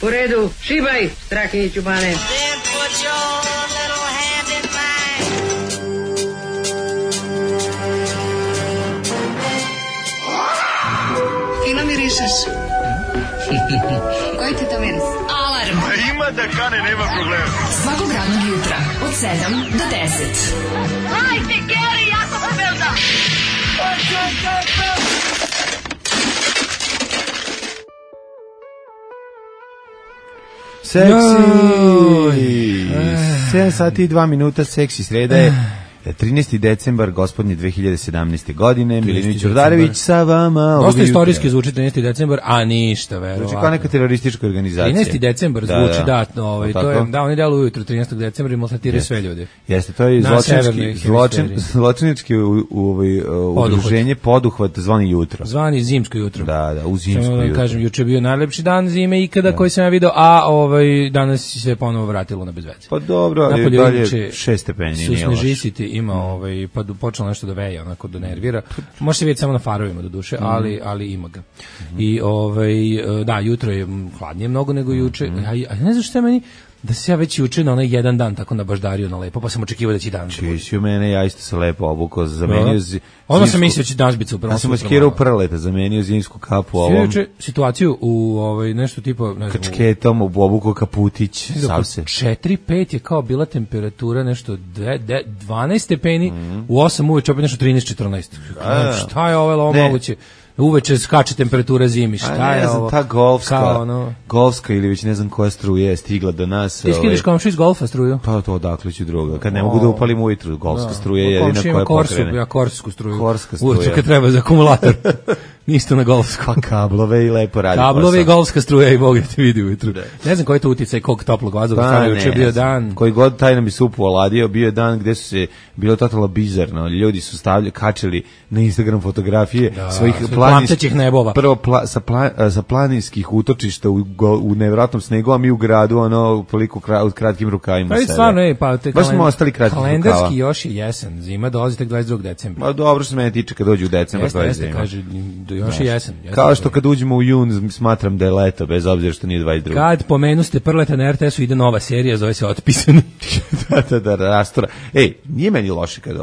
U redu, šibaj, Strahinjiću Bane. Fino mirišeš. Koji ti to miris? Alarm. Ima da kane, nema problema. Svakog radnog jutra od 7 do 10. Hajde, Geri, jako se velda. Seksi! 7 sati i 2 minuta, seksi, sreda je 13. decembar, gospodnje 2017. godine. Milinović Čordarević sa vama. Dosta istorijski zvuči 13. decembar, a ništa, verovatno. Zvuči kao neka teroristička organizacija. 13. decembar zvuči, to je, da, oni deluju ujutro 13. decembra i maltretiraju sve ljudi. Jeste, to je zločinački udruženje Poduhvat zvani jutro. Zvani zimsko jutro. Da, u zimsko jutro. Kažem, juče je bio najlepši dan zime ikada koji sam ja video, a danas se ponovo vratilo na bezveze. Pa dobro, ali dalje 6 stepeni. Su snežisiti, ima pa počelo nešto da veje, onako da nervira. Može se vidjeti samo na farovima do duše, ali ima ga. I da, jutro je hladnije mnogo nego juče. A ne znam što je meni da se ja već juče na onaj jedan dan tako nabaždario na lepo, pa sam očekivao da će dan. Čisi u mene, ja isto se lepo obukao, zamenio ono sam mislio će danas biti super. Ja sam maskirao prleta, zamenio zimsku kapu ovom. Juče situaciju u nešto tipa, ne znam, kačketom, obukao kaputić, sav se. 4-5 je kao bila temperatura nešto 12 stepeni, u 8 uveče opet nešto 13-14. Šta je ovo moguće? Uveče skače temperatura zimi, šta je ovo? Ta golfska ili već ne znam koja struja je stigla do nas. Ti skidaš komšu iz golfa struju? Pa to odakle ću druga. Kad ne mogu da upalim ujutru, golfska struja je jedina koja pokrene. Ja korsku struju. Ujutru kad treba za akumulator. Nisto na golfsku. Pa kablove i lepo radi. Kablove i golfska struja i Bog da te vidi ujutru. Ne znam koji je to uticaj, koliko toplog vazduha stavio, juče bio dan. Koji god taj nam bi supu oladio, bio je dan gde su se, bilo totalno bizarno, ljudi su kačili na Instagram fotografije svojih planinskih nebova. Prvo sa planinskih utočišta u nevjerojatnom snegu, a mi u gradu, toliko kratkim rukavima. Pa stvarno, baš smo ostali kratkih rukava. Kalendarski još je jesen, zima dolazi tek 22. decembra. Ma dobro što se mene tiče kad dođe u decembar, to je zima. Kaže, još je jesen. Kao što kad uđemo u jun, smatram da je leto, bez obzira što nije 22. Kad pomenuste Prleta na RTS-u, ide nova serija, zove se Otpisani. da, rastora. Ej, nije meni loše kada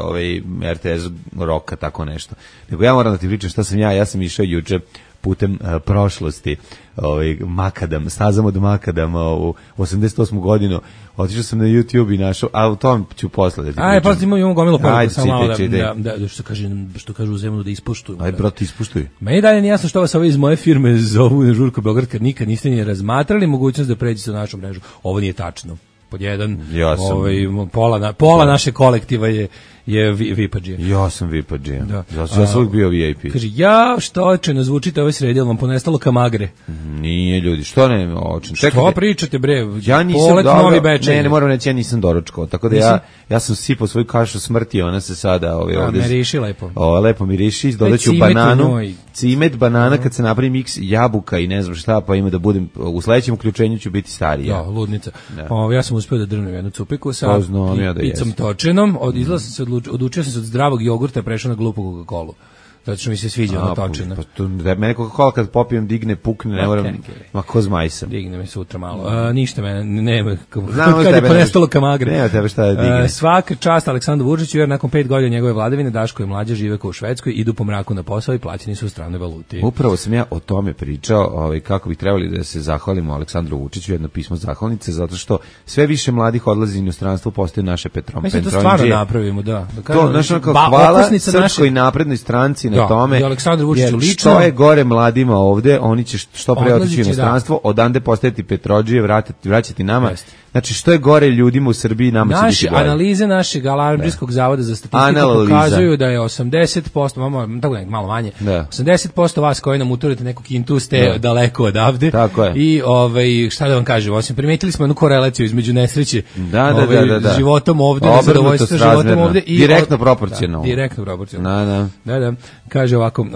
RTS roka tako nešto. Nego ja moram da ti pričam šta sam ja sam išao juče putem prošlosti, stazom od Makadama u 88. godinu. Otišao sam na YouTube i našao, a u tom ću posle da ti pričam. Pa imamo gomilu poruku, samo malo da što kažu u zemlju da ispuštuju. Aj, brate, ispuštuj. Meni dalje nije jasno što vas ovi iz moje firme zovu na Žurko Beograd, kad nikad niste ni razmatrali mogućnost da pređete na našu mrežu. Ovo nije tačno. Pod jedan, pola naše kolektiva je VIP-adžija. Ja sam VIP-adžija. Ja sam uvijek bio VIP. Kaže, što očeno zvučite ove sredi, ali vam ponestalo kamagre. Nije, ljudi, što ne očeno? Što pričate, bre? Ja nisam dobro, ne moram reći, ja nisam doručkao, tako da ja sam sipao svoju kašu smrti, ona se sada ovdje... Miriši lepo. Lepo miriši, dodaću bananu, cimet, banana, kad se napravi miks jabuka i ne znam šta, pa ima da budem, u sledećem uključenju ću biti stariji. Da, ludnica. Ja sam uspio da drnem jednu cupiku sa picom točenom, odučio sam se od zdravog jogurta, prešao na glupu Coca-Colu. Zato što mi se sviđa ona točina. Mene Coca-Cola kad popijem digne, pukne, ne moram, ma ko zmaj sam. Digne mi sutra malo. Ništa mene, nema, kad je ponestalo kamagre. Nema tebe šta da digne. Svaka čast Aleksandru Vučiću, jer nakon 5 godina njegove vladavine Daško i mlađa žive kao u Švedskoj, idu po mraku na posao i plaćeni su u stranoj valuti. Upravo sam ja o tome pričao, kako bi trebali da se zahvalimo Aleksandru Vučiću, jedno pismo zahvalnice, zato što sve više mladih odlazi u inostranstvo, postaju naše Petronđije. To stvarno napravimo, da. To, hvala Srpskoj naprednoj stranci na tome, jer što je gore mladima ovde, oni će što pre otići u inostranstvo, odande postajati Petrodžije, vraćati nama. Znači, što je gore ljudima u Srbiji, nama će biti gore. Analize našeg Alarmdžijskog zavoda za statistiku pokazuju da je 80%, malo manje, 80% vas koji nam uturite neku kintu ste daleko odavde. Tako je. I šta da vam kažem, osim primetili smo jednu korelaciju između nesreće životom ovde, nezadovoljstva životom ovde. Direktno proporcionalno. Direktno proporcionalno. Da. Kaže ovako,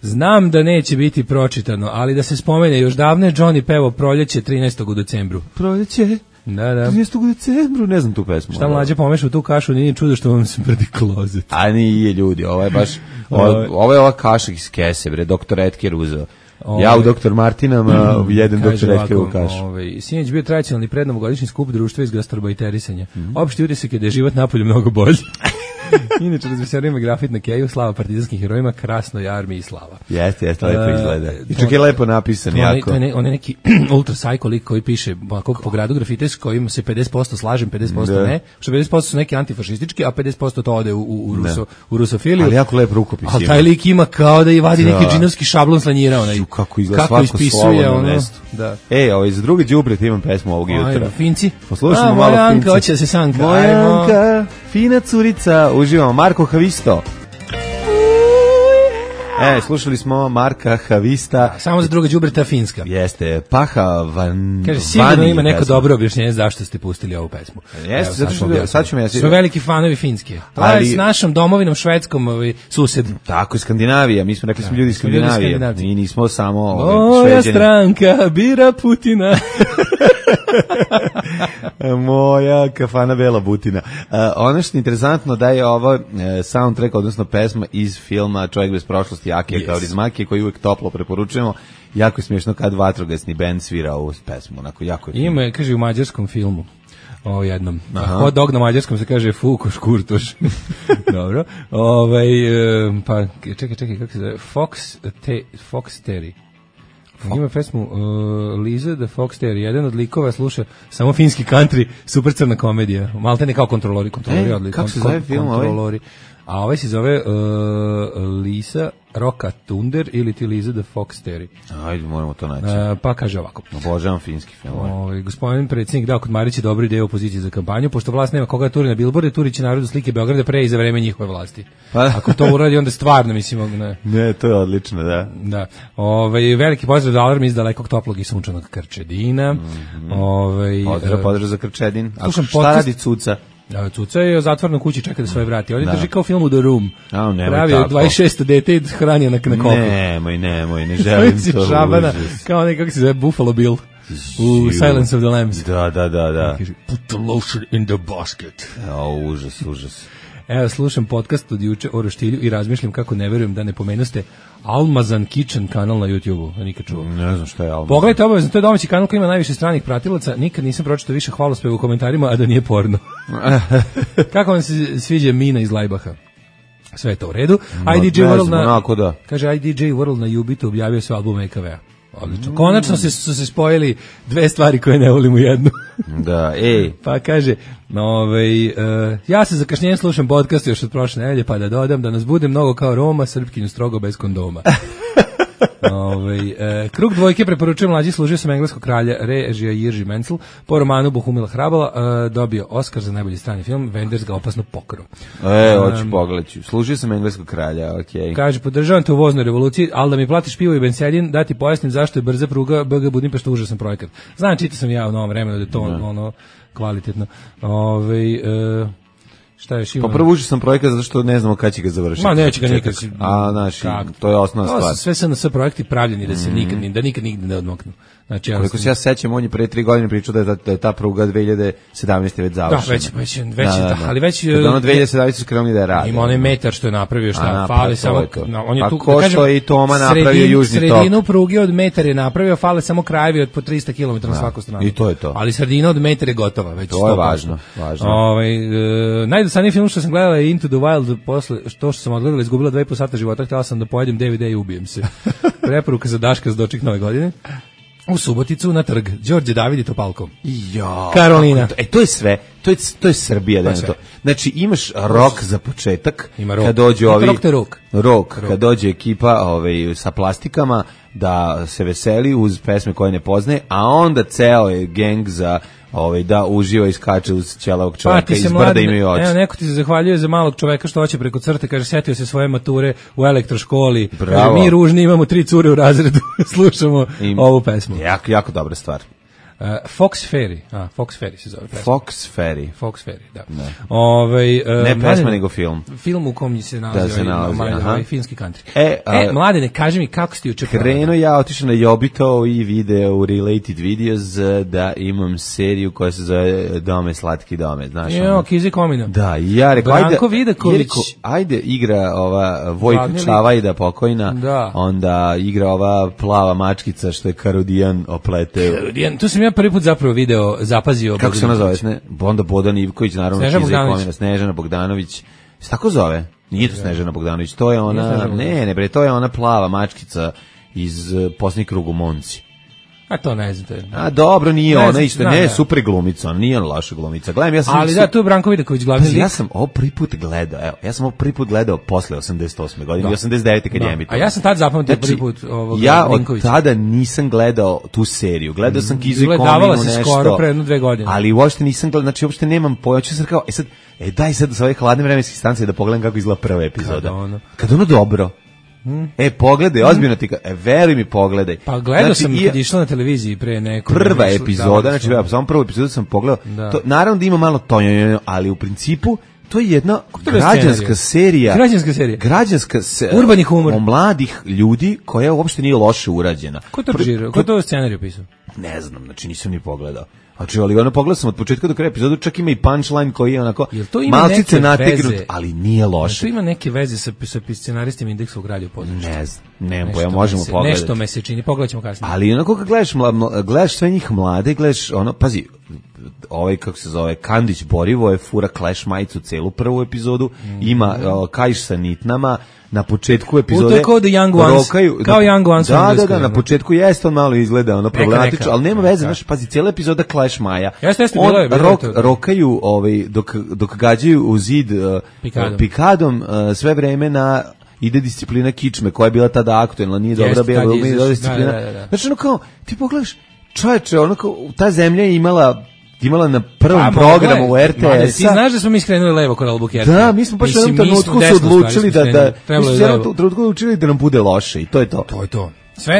znam da neće biti pročitano, ali da se spomene, još davno je Johnny pevao Proljeće 13. u decembru. Proljeće? Da. 13. u decembru, ne znam tu pesmu. Šta mlađe pomešao tu kašu, nije čudo što vam smrdi klozet. A nije, ljudi, ovo je baš, ovo je ova kaša iz kese, bre, doktor Etker uzeo. Ja u Dr. Martinama, jedan doktor Redkevu kašu. Sinoć bio tradicionalni prednovogodišnji skup društva iz gastrobajterisanja. Opšti utisak je da je život napolju mnogo bolji. Inače, razveselio me grafit na keju, slava partizanskim herojima, krasnoj armiji i slava. Jeste, lepo izgleda. I čak je lepo napisan, jako. On je neki ultra psycho lik koji piše po gradu grafite s kojim se 50% slažem, 50% ne, što 50% su neki antifašistički, a 50% to ode u rusofiliju. Ali jako lep rukopis. Ali taj lik ima kao da i vadi neki džinovski šablon slanjira. Kako izgleda svako slovo na mestu. Da. Za drugi đubret imam pesmu ovog jutra. Ajmo, Finci. Poslušamo malo Moja Finci. Anka, hoće da se sanka. Moja Anka, fina curica, uživamo. Marko Havisto. Slušali smo Marka Havista. Samo za druga đubreta finska. Jeste, Paha Van. Kaže, sigurno ima neko dobro objašnjenje zašto ste pustili ovu pesmu. Jeste, zato što sad ću me... Su veliki fanovi finske. To je s našom domovinom švedskom sused. Tako je, Skandinavija. Mi smo rekli smo ljudi iz Skandinavije. Mi nismo samo Moja stranka bira Putina. Moja kafana Bela Butina. Ono što je interesantno da je ovo soundtrack, odnosno pesma iz filma Čovjek bez prošlosti Akija Kaurismäkija, koji uvijek toplo preporučujemo. Jako je smiješno kad vatrogasni bend svira ovu pesmu. Onako, jako je ima, kaže, u mađarskom filmu. O jednom. Hot dog na mađarskom se kaže fuko škurtoš. Dobro. Pa, čekaj, kako se zove? Fox Terry. Ima pesmu Liza the Fox Terrier. Jedan od likova sluša samo finski country, super crna komedija. Malte ne kao kontrolori odlično. Kako se zove film ovaj? A ovaj se zove Lisa Roka Thunder ili ti Liza the Fox Terrier. Ajde, moramo to naći. Pa kaže ovako. Obožavam finski film. Gospodin predsjednik dao kod Marića dobru ideju opoziciji za kampanju, pošto vlast nema koga turi na bilborde, turi će narodu slike Beograda pre i za vreme njihove vlasti. Ako to uradi, onda stvarno, mislim... Ne, to je odlično, da. Da. Veliki pozdrav do Alarma iz dalekog toplog i sunčanog Krčedina. Pozdrav za Krčedin. A šta radi Cuca? Cuca je zatvorena u kući, čeka da svoje vrati. On je drži kao film u The Room. Pravi 26. dete i hranio na kopu. Nemoj, ne želim to. Šabana, kao nekako se zove Buffalo Bill u Silence of the Lambs. Da. Put the lotion in the basket. Užas. Evo, slušam podcast od juče o roštilju i razmišljam kako ne verujem da ne pomenuste Almazan Kitchen kanal na YouTube-u. Nikad čuo. Ne znam šta je Almazan. Pogledajte obavezno, to je domaći kanal koji ima najviše stranih pratilaca. Nikad nisam pročitao više hvalospeva u komentarima, a da nije porno. Kako vam se sviđa Mina iz Lajbaha? Sve je to u redu. IDJ World na Jubitu objavio sve albume EKV-a. Odlično. Konačno su se spojili dve stvari koje ne volim u jednu. Da, Pa kaže, ja se zakašnjenjem slušam podcast još od prošle nedelje, pa da dodam da nas bude mnogo kao Roma, Srpkinju strogo bez kondoma. Krug dvojke preporučujem mlađi, služio sam engleskog kralja, režija Jirži Menzel, po romanu Bohumila Hrabala, dobio Oskar za najbolji strani film, Wenders ga opasno pokro. Hoću pogledati. Služio sam engleskog kralja, okej. Kaže, podržavam te u voznoj revoluciji, ali da mi platiš pivo i bensedin, da ti pojasnim zašto je brza pruga BG Budimpešta užasan projekat. Znam, čitao sam ja u novom vremenu da je to kvalitetno. Šta je Šimon? Pa prvo užasan projekat zato što ne znamo kada će ga završiti. Ma neće ga nikad. To je osnovna stvar. Sve SNS projekti pravljeni da se nikad nigde ne odmoknu. Znači, koliko se ja sećam, on je pre 3 godine pričao da je ta pruga 2017. već završena. Ali već... Kada ono 2017. su krenuli da je radi. Ima onaj metar što je napravio, šta fale samo... Pa ko što je i Toma napravio južni tok. Sredinu pruge od metar je napravio, fale samo krajevi od po 300 km na svaku stranu. I to je to. Ali sredina od metar je gotova. Već to je važno. Najdosadniji film što sam gledala je Into the Wild, posle što sam odgledala izgubila 2,5 sata života, htjela sam da pojedem DVD i ubijem se. Preporuka za Daška za doček nove godine. U Suboticu na trg Đorđe David i Topalko. Karolina. To je sve. To je Srbija, da je to. Znači imaš rok za početak, kad dođe kad dođe ekipa sa plastikama da se veseli uz pesme koje ne poznaje, a onda ceo je geng za da uživa i skače uz ćelavog čoveka iz brda imaju oči. Evo, neko ti se zahvaljuje za malog čoveka što hoće preko crte, kaže, setio se svoje mature u elektroškoli. Kaže, mi ružni imamo 3 cure u razredu, slušamo ovu pesmu. Jako dobra stvar. Fox Ferry se zove. Fox Ferry, da. Ne pesma, nego film. Film u kom se nalazi filmski country. Mladene, kaži mi kako si ti juče krenuo ja, otišao na Jobito i video u Related Videos da imam seriju koja se zove Dome, slatki dome, znaš? Kizi Komina. Da, ja rekao, ajde igra ova Vojka Čavajda pokojna, onda igra ova plava mačkica što je Karudijan opleteo. Karudijan, tu sam ja prvi put zapravo video, zapazio. Kako se ona zove? Onda Bodan Ivković, naravno, Snežana Bogdanović. Se tako zove? Nije to Snežana Bogdanović, to je ona, ne, to je ona plava mačkica iz Posljednji krug u Monci. A to ne znam. Dobro, nije ona isto, super glumica, nije ona loša glumica. Gledam, ja sam ali da, tu je Branko Vidaković glavni lik. Ja sam ovo prvi put gledao, posle 88. godine, 89. kad je emitovao. A ja sam tad zapamtio prvi put ovog ja od tada nisam gledao tu seriju. Gledao sam Kizu i Kominu nešto. Skoro pre 1-2 godine. Ali uopšte nisam gledao, znači uopšte nemam pojma. Ću sad kao, daj sad sa ove hladne vremenske stancije da pogledam kako izgleda prva epizoda. Kad ono dobro. Pogledaj, ozbiljno ti, veruj mi, pogledaj. Pa gledao sam kad išla na televiziji pre neko. Prva epizoda, znači samo prvu epizodu sam pogledao. To, naravno da ima malo tonjo, ali u principu to je jedna građanska serija. Urbani humor. O mladih ljudi koja uopšte nije loše urađena. Ko to režirao? Ko to scenarij pisao? Ne znam, znači nisam ni pogledao. Znači, ali ono pogledao sam od početka do kraja epizodu, čak ima i punchline koji je onako malcice nategnut, ali nije loše. To ima neke veze sa scenaristima Indeksovog radija u području. Ne znam, nemam pojma, možemo pogledati. Nešto me se čini, pogledat ćemo kasnije. Ali onako kad gledaš sve njih mlade, gledaš ono, pazi, kako se zove, Kandić Borivo je fura Clash majicu celu prvu epizodu, ima kaiš sa nitnama, na početku epizode to je kao The Young Ones, kao Young Ones. Da, na početku jeste on malo izgleda ono problematično, ali nema veze, znaš, pazi, cijela epizoda Clash Maja. Rokaju dok gađaju u zid pikadom sve vreme ide disciplina kičme, koja je bila tada aktuelna, nije dobra bila disciplina. Znači, ono kao, ti pogledaš, čoveče, ono kao, ta zemlja je imala na prvom programu u RTS-a. Ti znaš da smo mi skrenuli levo kod Albuquerque. Da, mi smo baš u jednom trenutku se odlučili da nam bude loše i to je to. To je to.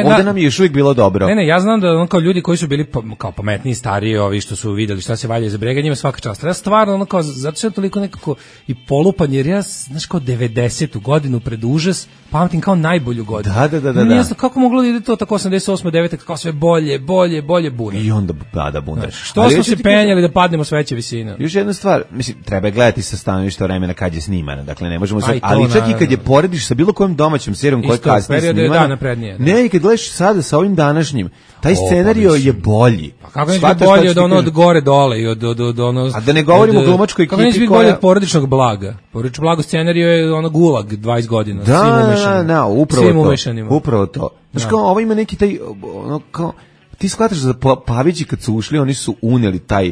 Ovdje nam je još uvijek bilo dobro. Ne, ja znam da kao ljudi koji su bili kao pametniji, stariji, ovi što su vidjeli šta se valja iza brega, njima svaka čast. Ja stvarno, kao, zato što je toliko nekako i polupan, jer ja, znaš, kao 90. godinu pred užas, pamtim kao najbolju godinu. Da. Jasno, kako moglo da ide to tako 88. 9. kao sve bolje bunar. I onda bunar. Što smo se penjali da padnemo s veće visine. Još jedna stvar, mislim, treba gledati sa stanovišta vremena kad je snimana, dakle ne možemo sve, ali čak i kad je porediš sa bilo kojom domaćom serijom koja kasnije snimana. Ne, kad gledaš sada sa ovim današnjim, taj scenario je bolji. Pa kako neće biti bolji od gore dole i od ono... A da ne govorimo o glumačkoj ekipi koja... Kako neće biti bolji od porodičnog blaga? Porodično blago scenario je ono Gulag 20 godina. Da, upravo to. Znaš kao, ovo ima neki taj, ono kao... Ti shvataš da Pavići kad su ušli, oni su uneli taj...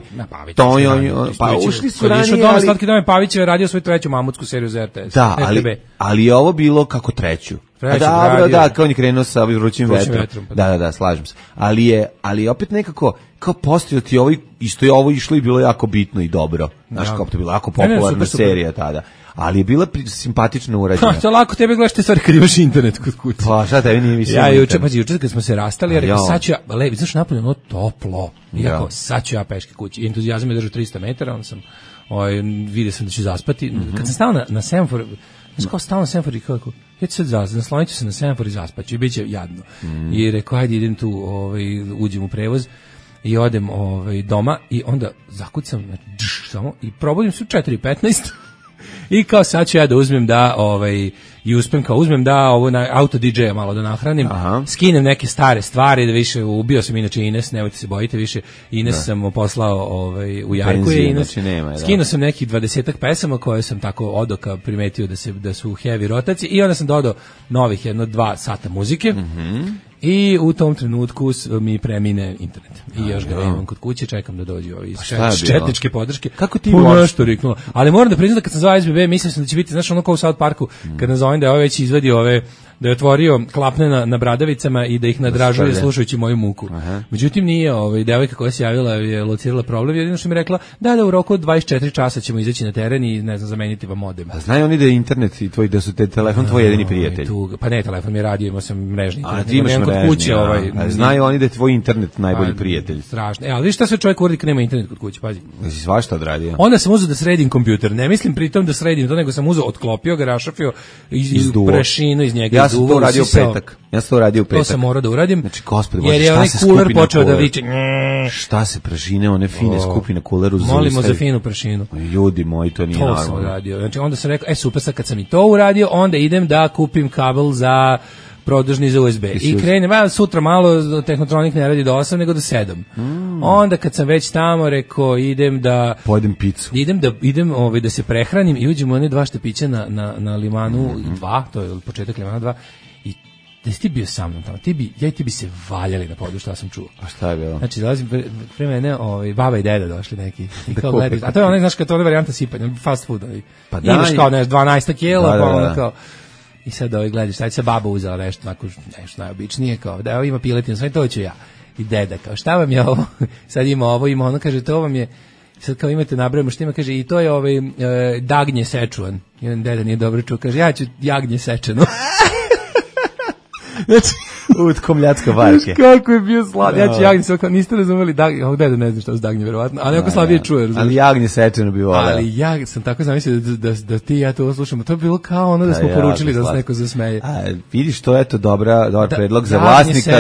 Pa ušli su ranije, ali... Slatki dom je Pavić je radio svoju treću mamutsku seriju za RTS. Da, ali je ovo bilo kako treću. Kao on je krenuo sa vrućim vetrom. Da, slažem se. Ali je opet nekako, kao postoji ti ovo, isto je ovo išlo i bilo jako bitno i dobro. Znaš, kao to je bila jako popularna serija tada. Ali je bila simpatično urađena. To lako, tebe gledaš te stvari kad imaš internet kod kuće. Pa šta tebi nije više? Ja juče kad smo se rastali, ja rekao sad ću ja, znaš napolje ono toplo. Iako sad ću ja peške kući. Entuzijazam je držao 300 metara, onda sam vidio sam da ću zaspati. Kad sam stao na semafor, znaš kao stao na semafor i kako, ja ću sad naslonit ću se na semafor i zaspaću i bit će jadno. I rekao, ajde idem tu, uđem u prevoz i odem doma i onda zakucam samo i probudim se u 4:15. I kao sad ću ja da uzmem i uspem kao uzmem da ovo na auto DJ-a malo da nahranim, skinem neke stare stvari, da više ubio sam inače Ines, nemojte se bojite više, Ines sam poslao u Jarku je Ines, skinuo sam nekih 20-ak pesama koje sam tako od oka primetio da su heavy rotacije i onda sam dodao novih 1-2 sata muzike. I u tom trenutku mi premine internet. I još ga nemam kod kuće, čekam da dođe ovi iz četničke podrške. Kako ti nešto riknulo? Ali moram da priznam da kad sam zvao SBB, mislio sam da će biti, znaš, ono kao u South Parku, kad nazovem da je već izvadio ove da je otvorio klapne na bradavicama i da ih nadražuje slušajući moju muku. Međutim, nije, devojka koja se javila je locirala problem, jedino što mi rekla, da u roku od 24 časa ćemo izaći na teren i, ne znam, zameniti vam modem. A znaju oni da je internet i da su te telefon tvoj jedini prijatelj? Pa ne, telefon mi je radio, imao sam mrežni internet. A ti imaš mrežni, kuće, znaju oni da je tvoj internet najbolji prijatelj. Strašno. Ali šta sve čovjek uradi kad nema internet kod kuće, pazi. Si svašta odradio. Onda sam uzeo da sredim kompjuter. Ne mislim pritom da sredim to, nego sam uzeo, otklopio ga, rašafio iz prašinu iz njega. Ja sam to uradio u petak. To sam morao da uradim. Znači, gospode, jer je onaj kuler počeo da viče. Šta se prašine, one fine skupi na kuleru. Molimo za finu prašinu. Ljudi moji, to nije normalno. To sam uradio. Znači, onda sam rekao, super, sad kad sam i to uradio, onda idem da kupim kabel za produžni za USB. I krenem, sutra malo Tehnotronik ne radi do 8, nego do 7. Onda kad sam već tamo, rekao, idem da pojedem picu. Idem da se prehranim i uđemo one 2 štapića na Limanu 2, to je početak Limana 2, i da si ti bio sa mnom tamo, ja i ti bi se valjali na podu, šta sam čuo. A šta je bilo? Znači, dolazim pre mene, baba i deda došli neki. Kao gledaju, a to je onaj, znaš, kao to je varijanta sipanja, fast food. Pa da, imaš kao, 12 kila, pa ono kao. I sad gledaš, sad se baba uzela nešto najobičnije, kao da ima piletinu, sve to ću ja. I deda, kao šta vam je ovo? Sad ima ovo, ima ono, kaže, to vam je, sad kao imate nabrojimo što ima, kaže, i to je dagnje sečuan. Jedan deda nije dobro čuo, kaže, ja ću jagnje sečeno. Znači, utkomljacka varke. Kako je bio sladak. Ja ću jagnje sve, kao niste razumeli dagnje, ovog deda ne zna šta su dagnje, verovatno, ali ako slabije čuje, razumiješ. Ali jagnje sečeno bi voleo. Ali ja sam tako zamislio da ti i ja to slušamo. To je bilo kao ono da smo poručili da se neko zasmeje. Vidiš, to je to dobar predlog za vlasnika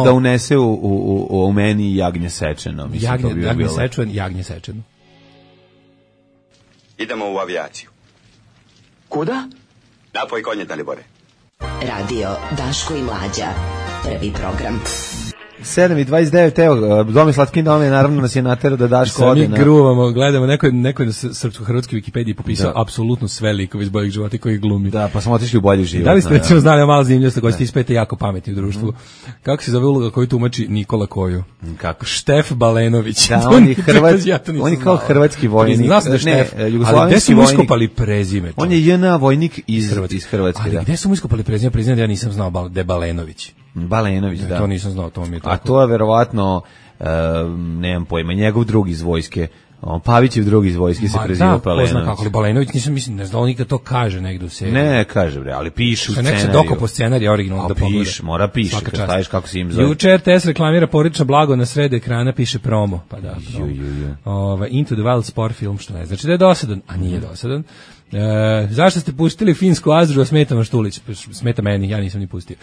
da unese u meni jagnje sečeno. Jagnje sečeno, jagnje sečeno. Idemo u avijaciju. Kuda? Napoj konje, Dalibore. Radio Daško i Mlađa. Prvi program. 7:29, evo, Domi Slatkin Dome, naravno nas je naterao da Daško ode. Mi gruvamo, gledamo, neko je na srpsko-hrvatskoj Wikipediji popisao apsolutno sve likove iz Boljeg života koji glumi. Da, pa smo otišli u Bolji život. Da li ste recimo znali, malo zanimljivost, koji ste ispete jako pametni u društvu. Kako se zove uloga koju tumači Nikola Koju? Kako? Štef Balenović. Da, on je kao hrvatski vojnik. Znao sam da je Štef, ali gde su mu iskopali prezime? On je JNA vojnik iz Hrvatske. Ali gde su mu iskopali prezime? Priznam da ja nisam znao da je Balenović. Balenović, da. To nisam znao, to mi je tako. A to je verovatno, nemam pojma, njegov drugi iz vojske. Pavićev drugi iz vojske se preziva Balenović. Da, kako li Balenović, ne znam, nikad to kaže negdje u seriji. Ne, kaže, bre, ali piše u scenariju. Nek se dokopo scenarij originalno da pogleda. Mora piše, kad staviš kako si im zove. Juče RTS reklamira porodično blago, na sred ekrana piše promo. Pa da, Into the Wild sport film, što ne znači da je dosadan, a nije dosadan. Zašto ste pustili finsku Azru, a smeta vam Štulić? Smeta meni, ja nisam ni pustio.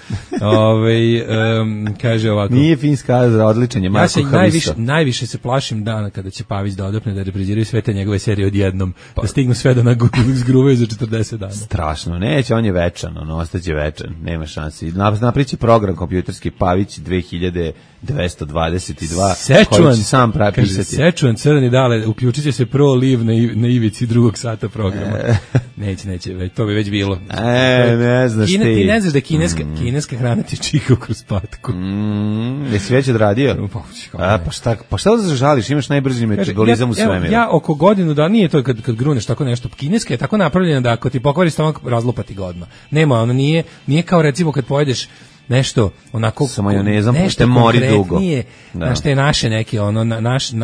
Kaže ovako. Nije finska Azra, odličan je Marko Haviso. Najviše se plašim dana kada će Pavić da odopne da repriziraju sve te njegove serije odjednom, da stignu sve da zgruvaju za 40 dana. Strašno, neće, on je večan, ostaće večan, nema šansi. Napriči program kompjuterski Pavić 2222, koji će sam prepisati. Sečuan, crni dale, uključit će se Pro Live na ivici drugog sata programa. Neće, to bi već bilo. Ne znaš ti. Ti ne znaš da kineska hrana ti čika kroz patku. Jesi već odradio? Pa šta da žališ, imaš najbrži metabolizam u svemiru. Ja oko godinu da nije to kad gruneš tako nešto. Kineska je tako napravljena da ako ti pokvari stomak, razlupati ga odmah. Nema, ono nije kao recimo kad pojedeš nešto onako sa majonezom, nešto mori dugo. Nešto je naše neke,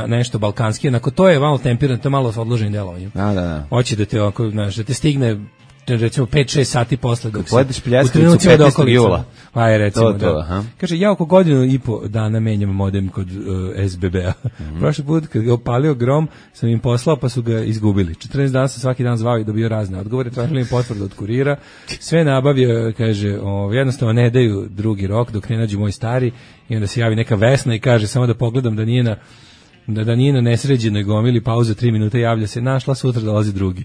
nešto balkanski, onako to je malo temperirano, to je malo s odloženim delovanjem. Da. Hoće da te onako, da te stigne recimo 5-6 sati posle dok se pojedeš pljeskavicu 15. jula. Pa je recimo to. Kaže, ja oko godinu i po dana menjam modem kod SBB-a. Prošli put kad ga opalio grom sam im poslao pa su ga izgubili. 14 dana sam svaki dan zvao i dobio razne odgovore, tražili im potvrdu od kurira. Sve nabavio, kaže, jednostavno ne daju drugi rok dok ne nađu moj stari i onda se javi neka Vesna i kaže samo da pogledam da nije na nesređenoj gomili, pauza 3 minuta, javlja se, našla, sutra dolazi drugi.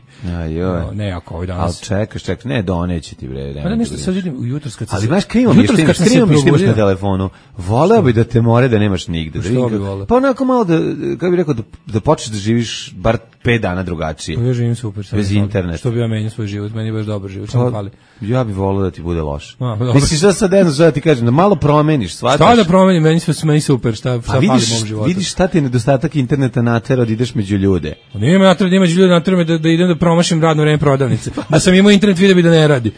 Ne, ako ovaj danas. Ali čekaš, ne, doneće ti, bre. Pa da nešto sad vidim jutros kad se... Ali znaš, krivo mi što imaš na telefonu. Voleo bi da te more da nemaš nigde. Što bi voleo? Pa onako malo kako bi rekao, da počneš da živiš bar 5 dana drugačije. Pa ja živim super. Bez interneta. Što bi ja menio svoj život, meni je baš dobar život, što mi fali. Ja bih volio da ti bude loše. dobro. Misliš da sad jedno da ti kažem, da malo promeniš, shvataš? Šta da promenim, meni super, šta fali mom životu. Vidiš šta ti je nedostatak interneta natera da ideš među ljude. Nije me natera da imaš ljude, natera me da idem da promašim radno vreme prodavnice. Da sam imao internet video bi da ne radi.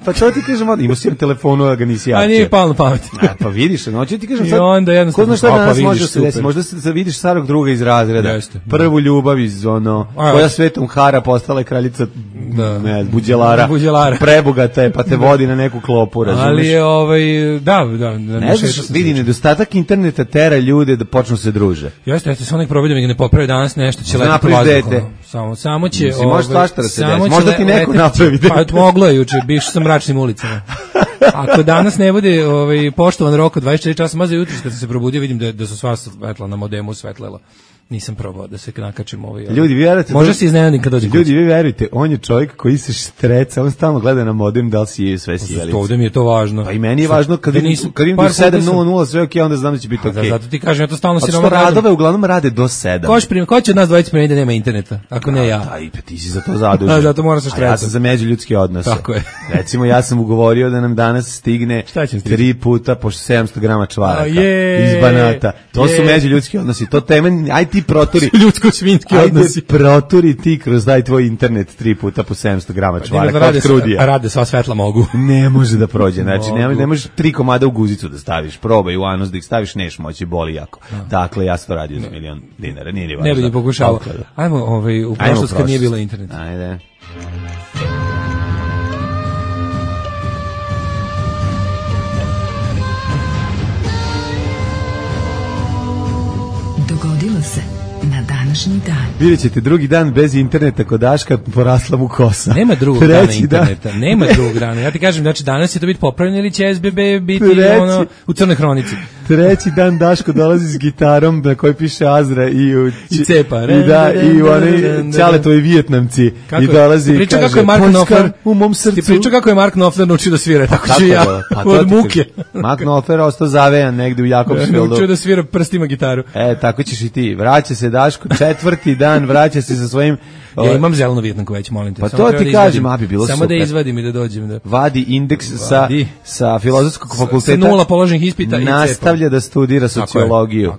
Pa to ti kažem, imao si telefonu, a ga nisi javio. A nije palo na pamet. Pa vidiš, noći ti kažem I sad. onda jednostavno, ko zna šta danas može se desiti, možda se vidiš starog druga iz razreda. Jeste. Prvu ljubav iz koja svetom hara postala je kraljica buđelara. Prebogata je, pa te vodi na neku klopu, razumeš? Ali je da. Ne znaš, vidi, nedostatak interneta tera ljude da počnu se druže. Jeste, samo nek probaju da mi ga ne popravi danas nešto, će letiti vazduhom. Samo će... Može svašta da se desi, možda ti neko napravi dete. Pa moglo je juče, biš sa mračnim ulicama. Ako danas ne bude poštovan rok od 24 časa, maze jutro kad sam se probudio, vidim da su sva svetla na modemu svetlela. Nisam probao da se nakačim Ljudi, vi verujete, može se iznenadim kad dođe. Ljudi, vi verujete, on je čovjek koji se štreca, on stalno gleda na modem da li si sve sjelice. Ovdje mi je to važno. Pa i meni je važno kad vidim do 7:00 sve okej, onda znam da će biti okej. Zato ti kažem, ja to stalno si nama radove uglavnom rade do 7. Ko će od nas dvojice primiti da nema interneta, ako ne ja? Ti si za to zadužen. Zato moram se štrecati. Ja sam za međuljudske odnose. Tako je. Recimo, ja sam ugovorio da nam danas stigne 3 puta po 700 grama čvaraka iz Banata. To su međuljudski odnosi. To temen, aj ti proturi. Svinski odnosi. Proturi ti kroz daj tvoj internet 3 puta po 700 grama čvaraka od krudija. Rade, sva svetla mogu. Ne može da prođe, znači ne možeš 3 komada u guzicu da staviš, probaj u anus da ih staviš, neš moći, boli jako. Dakle, ja sam to radio za $1.000.000, nije ni važno. Ne bi ni pokušao. Ajmo u prošlost kad nije bilo interneta. Ajde. Dogodilo se na današnji dan. Vidjet ćete, drugi dan bez interneta kod Daška, porasla mu kosa. Nema drugog dana interneta, nema drugog dana. Ja ti kažem, znači danas će to biti popravljeno ili će SBB biti u crnoj hronici. Treći dan Daško dolazi s gitarom na kojoj piše Azra i cepa. I oni Ćaletovi Vijetnamci. I dolazi i kaže, Poljska u mom srcu. Ti pričao kako je Mark Knopfler naučio da svira, tako ću ja od muke. Mark Knopfler ostao zavejan negde u Jakobsfieldu. Naučio da svira prstima gitaru. Tako ćeš i ti. Vraća se Daško, četvrti dan, vraća se sa svojim... Ja imam zelenu Vijetnamku već, molim te. Pa to ti kažem, bi bilo super. Samo da izvadim i da dođem. Vadi indeks sa filozofskog fakulteta. Sa 0 položenih ispita i nastavlja da studira sociologiju.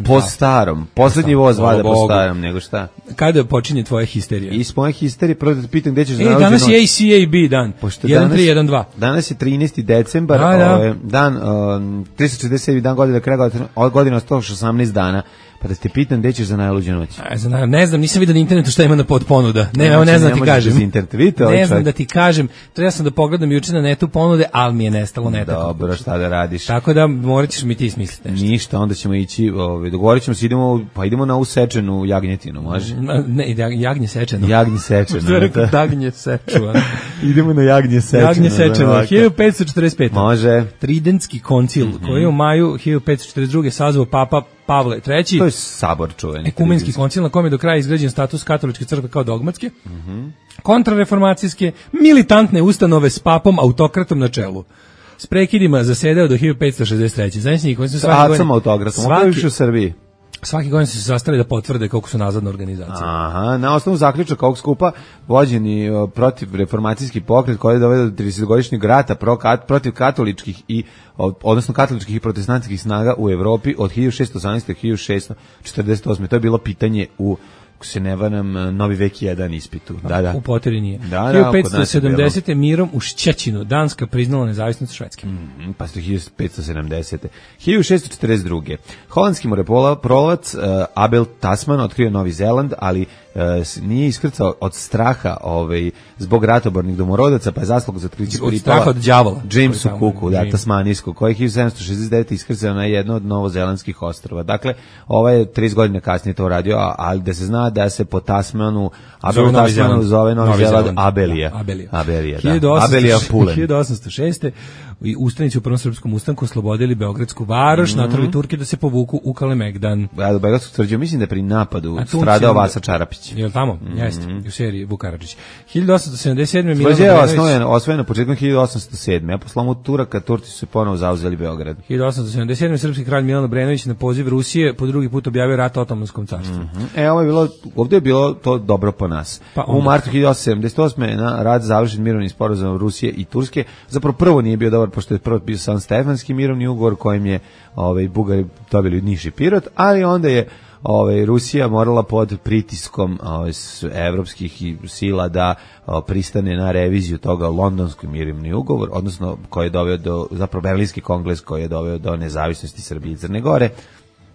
Po starom. Poslednji voz vada po starom, nego šta? Kada počinje tvoja histerija? Iz moje histerije, prvo da te pitam gde ćeš za narođenu noć. Danas je ACAB dan. 1.3.1.2. Danas je 13. decembar, dan 367. dan godine do kraja godine 118 dana. Pa da te pitam gde ćeš za najluđu noć. Ne znam, nisam vidio na internetu šta ima na podponuda. Ne znam da ti kažem. Ne znam da ti kažem. Trebao sam da pogledam juče na netu ponude, ali mi je nestalo neta. Dobro, šta da radiš? Tako da morat ćeš mi ti smisliti nešto. Ništa, onda ćemo ići, dogovorit ćemo se, idemo na usečenu jagnjetinu, može? Ne, jagnje sečeno. Jagnje sečeno. Jagnje sečeno. Idemo na jagnje sečeno. Jagnje sečeno. 1545. Može. Tridentski koncil, koji je u maju 1542. sazvao Papa Pavle III. To je sabor čuveni. Ekumenski koncil na kome je do kraja izgrađen status katoličke crkve kao dogmatske, kontrareformacijske, militantne ustanove s papom autokratom na čelu. S prekidima zasedao do 1563. Zajednični koji su svaki u Srbiji. Svaki godin su se sastali da potvrde koliko su nazadna organizacija. Aha, na osnovu zaključaka ovog skupa vođeni protiv reformacijski pokret koji je doveo do 30-godišnjeg rata protiv katoličkih odnosno katoličkih i protestantskih snaga u Evropi od 1618. do 1648. To je bilo pitanje u, ako se ne varam, Novi vek 1 ispitu. Da. U Poteri nije. 1570. mirom u Šćećinu Danska priznala nezavisnost Švedske. Pa su 1570. 1642. Holandski moreplovac Abel Tasman otkrio Novi Zeland, ali nije iskrcao od straha zbog ratobornih domorodaca, pa je zaslug za otkriće pripala od đavola Jamesu Cooku, tasmanijsku, koji je 1769. iskrcao na jedno od novozelandskih ostrva. Dakle, ovaj je 30 godina kasnije to uradio, ali da se zna da se po Tasmanu Abel Tasmanu zove Novi Zeland Abelija. Abelija Pulen. 1806. i ustanici u Prvom srpskom ustanku oslobodili Beogradsku varoš, naterali Turke da se povuku u Kalemegdan. Ja, do Beogradskog tvrđava, mislim da je pri napadu stradao Vasa Čarapić. Je li tamo? Jeste, u seriji Vuk Karadžić. 1877. Tvrđava je osvojena početkom 1807. Ja po slomu Turaka, Turci su ponovo zauzeli Beograd. 1877. srpski kralj Milan Obrenović na poziv Rusije po drugi put objavio rat Otomanskom carstvu. Ovdje je bilo to dobro po nas. U martu 1878. na rat završen mirovni sporazum Rusije i Turske. Zapravo prvo nije bio dobar, pošto je prvo bio San Stefanski mirovni ugovor kojim je Bugari dobili Niš i Pirot, ali onda je Rusija morala pod pritiskom evropskih sila da pristane na reviziju toga londonski mirovni ugovor, odnosno koji je doveo do, zapravo Berlinski kongres koji je doveo do nezavisnosti Srbije i Crne Gore.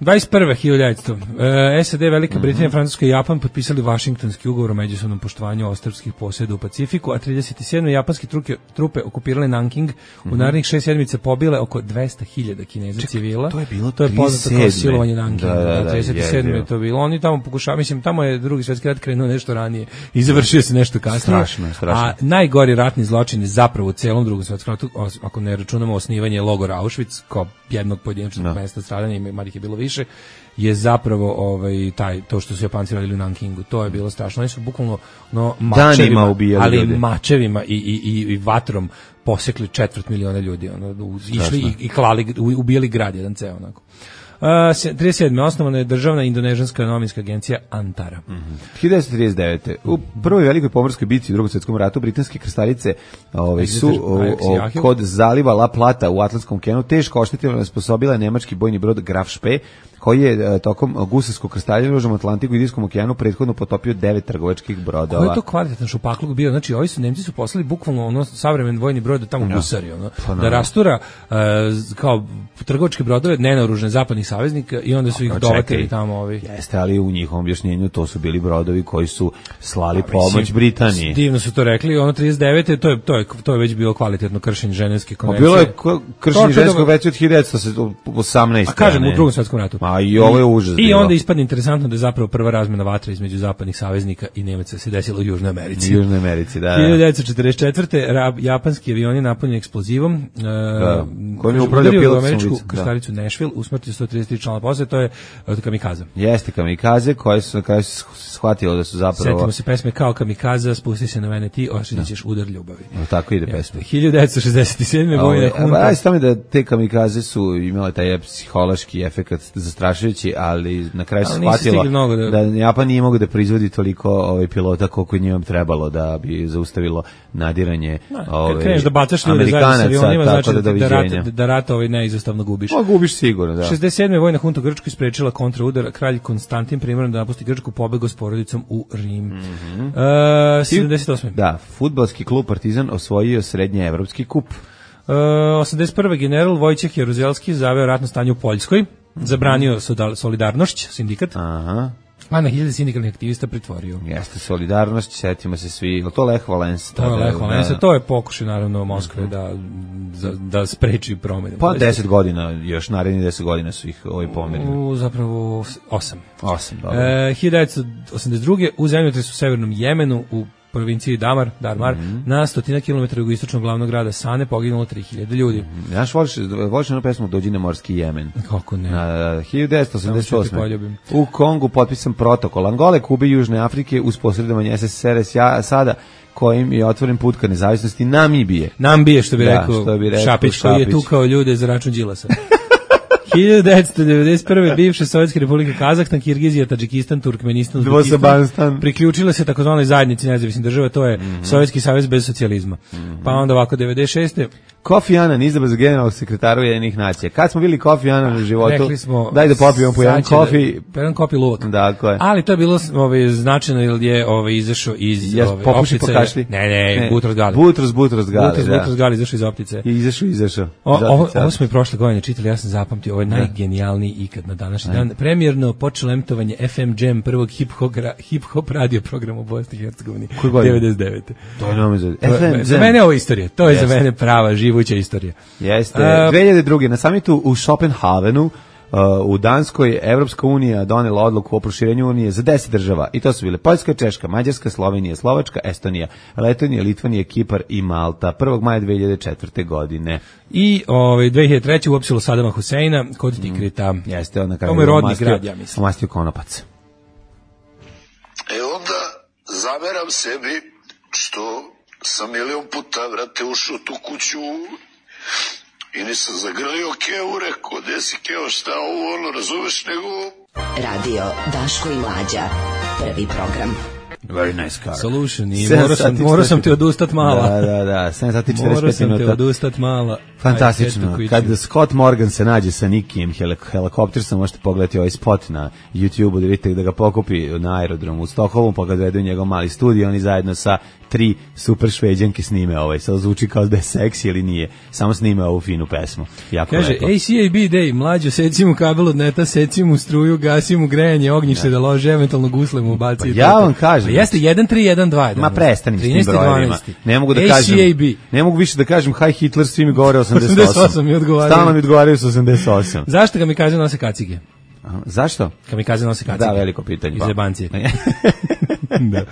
21. SAD, Velika Britanija, Francuska i Japan potpisali Vašingtonski ugovor o međusobnom poštovanju ostrvskih posjeda u Pacifiku, a 37. japanske trupe okupirale Nanking, u narednih 6 sedmica pobile oko 200.000 Kineza civila. To je bilo poznato kao silovanje Nankinga. Da, 37. je to bilo. Oni tamo pokušavaju, mislim, tamo je Drugi svjetski rat krenuo nešto ranije i završio se nešto kasnije. Strašno. A najgori ratni zločin je zapravo u celom Drugom svjetskom ratu, ako ne računamo osnivanje logora Auschwitz kao jednog pojedinačnog mesta stradanja, ima ih je bilo više, je zapravo to što su Japanci radili u Nankingu. To je bilo strašno. Oni su bukvalno mačevima, ali mačevima i vatrom posekli 250.000 ljudi. Išli i klali, ubijali grad jedan ceo onako. 37. osnovana je državna indonežanska novinska agencija Antara. 1939. U prvoj velikoj pomorskoj bitci u Drugom svjetskom ratu britanske krstarice su kod zaliva La Plata u Atlantskom okeanu teško oštetila i osposobila nemački bojni brod Graf Spee, koji je tokom gusarskog krstarenja u Atlantiku i Indijskom okeanu prethodno potopio 9 trgovačkih brodova. Koji je to kvalitetan šupakluk bio? Znači, Nemci su poslali bukvalno savremen vojni brod da tamo gusari, da rastura kao trgovačke brodove nenaoružane zapadnih saveznika i onda su ih dovatili tamo Jeste, ali u njihovom objašnjenju to su bili brodovi koji su slali pomoć Britaniji. Divno su to rekli, 39. to je već bilo kvalitetno kršenje Ženevske konvencije. Bilo je kršenje Ženevske konvencije od 1918. A kažem, u Drugom svjetskom ratu. A i ovo je užas. I onda ispadne interesantno da je zapravo prva razmena vatra između zapadnih saveznika i Nemaca se desila u Južnoj Americi. 1944. japanski avioni napunjeni eksplozivom kojim je upravljao pilot američku krstaricu Nashville, usmrtio 133 člana posade, to je od kamikaza. Jeste kamikaze koje su na kraju shvatilo da su zapravo... Setimo se pesme kao kamikaza, spusti se na mene ti, osjetit ćeš udar ljubavi. Tako ide pesme. 1967. vojna hunta. Radi se tome da te kamikaze su imale taj psihološki efekat zastrašujući, ali na kraju se shvatilo da Japan nije mogao da proizvodi toliko pilota koliko njima trebalo da bi zaustavilo nadiranje Amerikanaca, tako da doviđenja. Da rat neizostavno gubiš. Gubiš sigurno, da. 67. vojna hunta u Grčkoj sprečila kontraudar, kralj Konstantin primoran da napusti Grčku, pobegao s porodicom u Rim. 78. Da, fudbalski klub Partizan osvojio srednjeevropski kup. 81. general Vojčeh Jaruzelski zaveo ratno stanje u Poljskoj, zabranio Solidarnošć, sindikat. Aha. A na 1000 sindikalnih aktivista pritvorio. Jeste, Solidarnošć, setimo se svi. To je Lech Walesa. To je pokušaj naravno Moskve da spreči promjene. Pa 10 godina, još narednih 10 godina su ih pomerili. Zapravo 8. 8, dobro. 1982. u zemljotresu u severnom Jemenu u provinciji Darmar, na 100 km jugoistočnog glavnog grada Sane poginulo 3000 ljudi. Znaš, voliš jednu pesmu Dođi na morski Jemen? Kako ne? 1988. U Kongu potpisan protokol Angole, Kube i Južne Afrike uz posredovanje SSSR sada kojim je otvoren put ka nezavisnosti Namibije. Nambije, što bi rekao Šapić, koji je tukao ljude za račun Đilasa. 1991. bivše Sovjetske republike Kazahstan, Kirgizija, Tadžikistan, Turkmenistan, Uzbekistan priključile se takozvanoj zajednici nezavisnih država, to je Sovjetski savez bez socijalizma. Pa onda ovako 96. Kofi Annan izabran za generalnog sekretara Ujedinjenih nacija. Kad smo bili Kofi Annan u životu, rekli smo, daj da popijemo po jedan kofi. Po jedan kopi luvak. Dakle. Ali to je bilo značajno jer je izašao iz optice. Ne, Butros Gali. Butros Gali izašao iz optice. Izašao. Ovo smo i prošle godine čitali, ja sam zapamtio, ovo je najgenijalniji ikad na današnji dan. Premijerno počelo emitovanje FM Jam, prvog hip-hop radio programa u Bosni i Hercegovini. 99. To je nama za mene ovo istorija. To je za mene prava, živuća istorija. Jeste. 2002. na samitu u Schopenhavenu u Danskoj Evropska unija donela odluku o proširenju unije za 10 država i to su bile Poljska, Češka, Mađarska, Slovenija, Slovačka, Estonija, Letonija, Litvanija, Kipar i Malta 1. maja 2004. godine. I 2003. uopsilo Sadama Huseina kod Tikrita. Jeste, on na kraju to mu je rodni grad, ja mislim. Omastio konopac. Onda zameram sebi što sam milion puta, vrate, ušao tu kuću i nisam zagrlio Keo, rekao, gde si Keo, šta ovo, ono, razumeš, nego... Radio Daško i Mlađa, prvi program. Very nice car. Solution i morao sam ti odustat mala. Da, 7 sati 45 minuta. Morao sam ti odustat mala. Fantastično. Kad Scott Morgan se nađe sa Nikijem helikoptersom, možete pogledati ovaj spot na YouTube-u, da vidite da ga pokupi na aerodromu u Stokholmu, pa ga dovedu u njegov mali studio, oni zajedno sa 3 super šveđanke snime ovaj. Sad zvuči kao da je seksi ili nije. Samo snime ovu finu pesmu. Jako kaže, lepo. ACAB Day, mlađo, seci mu kabel od neta, seci mu struju, gasi mu grejanje, ognjište da lože, eventualno gusle mu baci. Pa ja vam kažem. Jeste 1312. Ma prestanim s tim brojevima. Ne mogu da kažem. Ne mogu više da kažem Hi Hitler, svi mi govore 88. 88 mi odgovaraju. Stalno mi odgovaraju sa 88. Zašto ga mi kaže nose kacige? Zašto? Kamikaze nose kacige. Da, veliko pitanje. Iz jebancije. Da.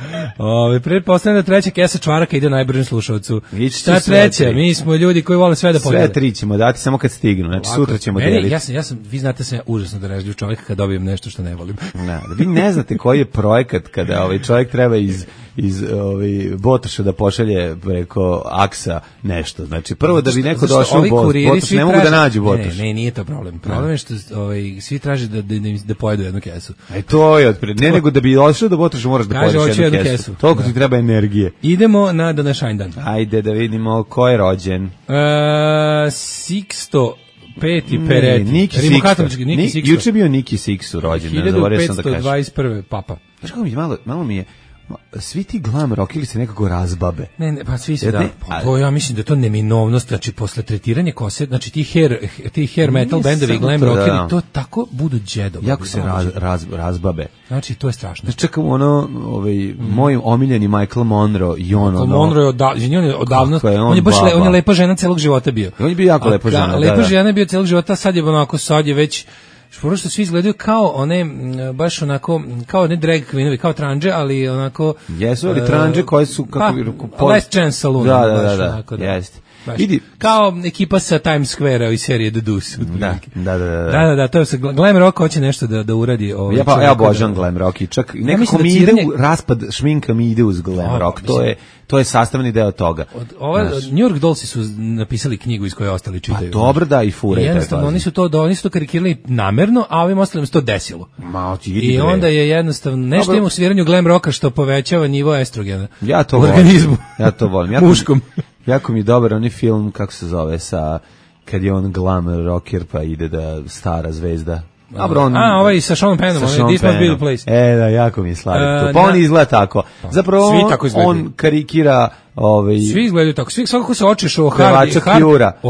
Pretpostavljam da treća kesa čvaraka ide najbržem slušalcu. Šta treća? Mi smo ljudi koji vole sve da podijele. Sve 3 ćemo dati samo kad stignu. Znači sutra ćemo deliti. Vi znate sam ja užasno darežljiv čovjek kad dobijem nešto što ne volim. Vi ne znate koji je projekat kada čovjek treba iz Botoša da pošalje preko aksa nešto. Znači prvo da bi neko došao u Botoš, ne mogu da nađu Botoš. Ne, nije to problem. Problem je što svi traže da pojedu jednu kesu. To je ne nego da bi došao do Botoša moraš da pojedeš jednu kesu. Toliko ti treba energije. Idemo na današnji dan. Ajde da vidimo ko je rođen. Sixto Peti Peretti. Niki Sixto. Juče bio Niki Sixto rođen. 1521. Papa. Znaš kako malo mi je svi ti glam rock ili se nekako razbabe. Ne, pa svi se ja mislim da je to neminovnost, znači posle tretiranja kose, znači ti hair metal bendovi, glam rockeri, to tako budu đedovi. Jako se razbabe. Znači, to je strašno. Znači, čekam moj omiljeni Michael Monroe i on Michael Monroe je odavno, on je lepa žena celog života bio. On je bio jako lepa žena. Lepa žena je bio celog života, sad je već Šporo što svi izgledaju kao one, baš onako, kao one drag queenovi, kao tranđe, ali onako... Jesu, ali tranđe koje su... Last Chance Saloon. Da, jeste. Kao ekipa sa Times Square-a iz serije The Deuce. Da, to je glam rock hoće nešto da uradi. Ja obožavam glam rock i čak nekako mi ide u raspad šminka mi ide uz glam rock. To je sastavni deo toga. New York Dollsi su napisali knjigu iz koje ostali čitaju. Pa dobro da i fure. Jednostavno, oni su to karikirali namerno, a ovim ostalim se to desilo. I onda je jednostavno, nešto ima u sviranju glam rocka što povećava nivo estrogena u organizmu. Ja to volim. Muškom. Jako mi je dobar onaj film, kako se zove, kad je on glam rocker pa ide da stara zvezda. Ovaj sa Sean Pennom, This Must Be the Place. Da, jako mi je slavio to. Pa on izgleda tako. Zapravo on karikira... Svi izgledaju tako. Svakako se očeš o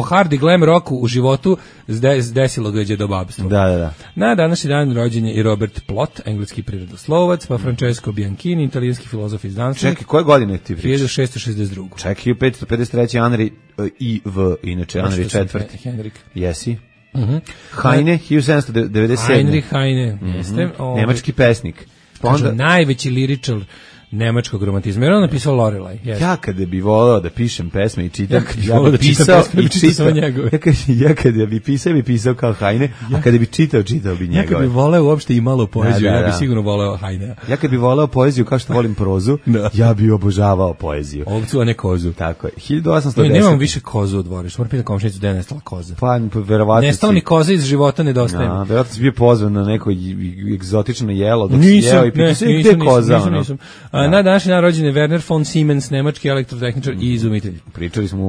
hard i glam rocku u životu desilo dođe do babstva. Da. Na današnji dan rođen je i Robert Plot, engleski prirodoslovac, pa Francesco Bianchini, italijanski filozof i znanstvenik. Čekaj, koje godine ti pričaš? 1662. Čekaj, 553. Henry I.V. Inače, Henry IV. Henrik. Jesi? Heine, 1797. Heinrich Heine, jeste. Nemački pesnik. Najveći liričar nemačkog romantizma. Jer on napisao Lorelai. Ja kada bi voleo da pišem pesme i čitam, ja bi pisao i čitao njegove. Ja kada bi pisao kao Heine, a kada bi čitao bi njegove. Ja kada bi voleo uopšte i malo poeziju, ja bi sigurno voleo Heine. Ja kada bi voleo poeziju kao što volim prozu, ja bi obožavao poeziju. Ovcu, a ne kozu. Tako je. 1810. Nemam više kozu u dvorištu. Moram pitati komšinicu da je nestala koza. Pa, verovatno. Nestala mi koza iz života, nedostaje mi. Verovatno si bio pozvan na neko egzotično jelo. Nisam. Na današnji dan rođen je Werner von Siemens, nemački elektrotehničar i izumitelj. Pričali smo,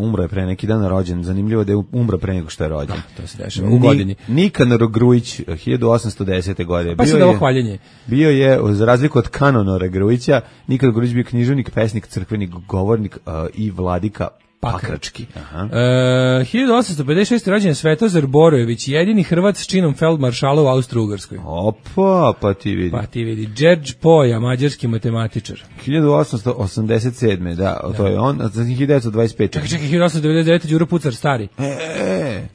umro je pre neki dan rođen. Zanimljivo da je umro pre nego što je rođen. Da, to se dešava u godini. Nikanor Grujić, 1810. godine. Pa se dalo hvaljenje. Bio je, za razliku od Kanonora Grujića, Nikanor Grujić bio književnik, pesnik, crkvenik, govornik i vladika Pakrački. Aha. 1856. rođen je Svetozar Borojević, jedini Hrvat s činom feldmaršala u Austro-Ugarskoj. Opa, pa ti vidi. George Poja, mađarski matematičar. 1887. Da, to je on, a za 1925. Čekaj, 1899. Đuro Pucar, stari.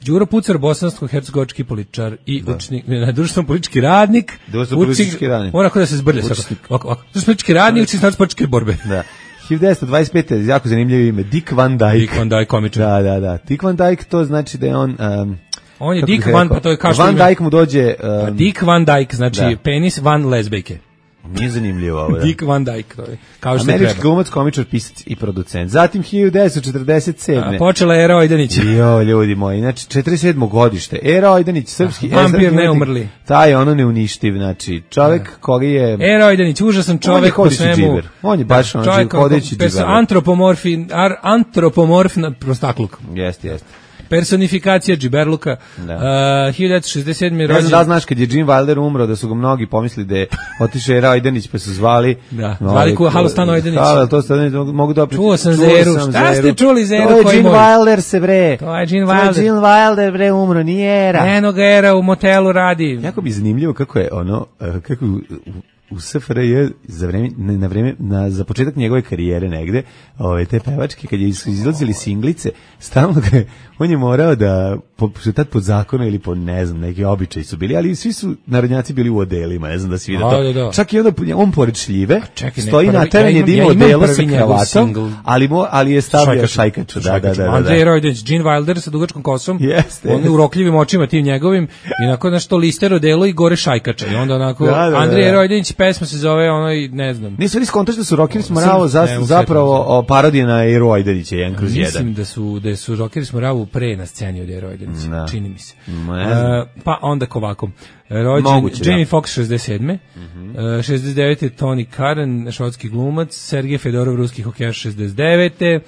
Đuro Pucar, bosansko-hercegovački političar i učnik, društveno politički radnik. Društveno-politički radnik. Mora da se zbrlja. Društveno-politički radnik, učnik sportske borbe. Da. 1925. jako zanimljivo ime, Dick Van Dyke. Dick Van Dyke, komičar. Da. Dick Van Dyke, to znači da je on... on je Dick Van, pa to je kao što Van Dyke mu dođe... Dick Van Dyke, znači penis van lezbejke. Nije zanimljivo ovo, da. Dick Van Dyke, to je kao što američki glumac, komičar, pisac i producent. Zatim 1947. Počela je Era Ojdanić. Jo, ljudi moji, znači 47. godište. Era Ojdanić, srpski... Vampir neumrli. Taj je ono neuništiv, znači čovek koji je... Era Ojdanić, užasan čovek po svemu. On je baš ono hodeći džiber. Antropomorfna prostakluk. Jeste. Personifikacija džiberluka. 1967. rođen. Ne znam da znaš kad je Gene Wilder umro da su ga mnogi pomislili da je otišao Era Ojdanić pa su zvali. Zvali ko Halo Stan Ojdanić. To mogu da pričam. Čuo sam Zeru. Šta ste čuli Zeru? To je Gene Wilder se bre. To je Gene Wilder. Gene Wilder bre umro, nije Era. Eno ga Era u motelu radi. Jako bi zanimljivo kako je ono, kako u SFRJ za početak njegove karijere negde, te pevačke, kad je izlazili singlice, stalno on je morao da, tad pod zakonu ili po, ne znam, neki običaji su bili, ali svi su narodnjaci bili u odelima, ne znam da si vidio to. Da. Čak i onda on pored šljive, stoji na terenu da ima odelo sa kravatom, ali je stavio šajkaču. Da. Andrej Rojdenić, Gene Wilder sa dugačkom kosom, on je urokljivim očima tim njegovim, i onako nešto lister odelo i gore šajkača. I onda onako, Andrej Rojdenić, pesma se zove ne znam. Nisu li skontaš da su Rockeri Smoravo zapravo parodije na Eru Ojdenića 1/1? Mislim da su Rockeri Smoravo pre na sceni od Eru Ojdenića, čini mi se. Pa onda ovako. Rođen Jamie Foxx 67. 69. Tony Karen, švedski glumac, Sergej Fedorov, ruski hokejaš 69.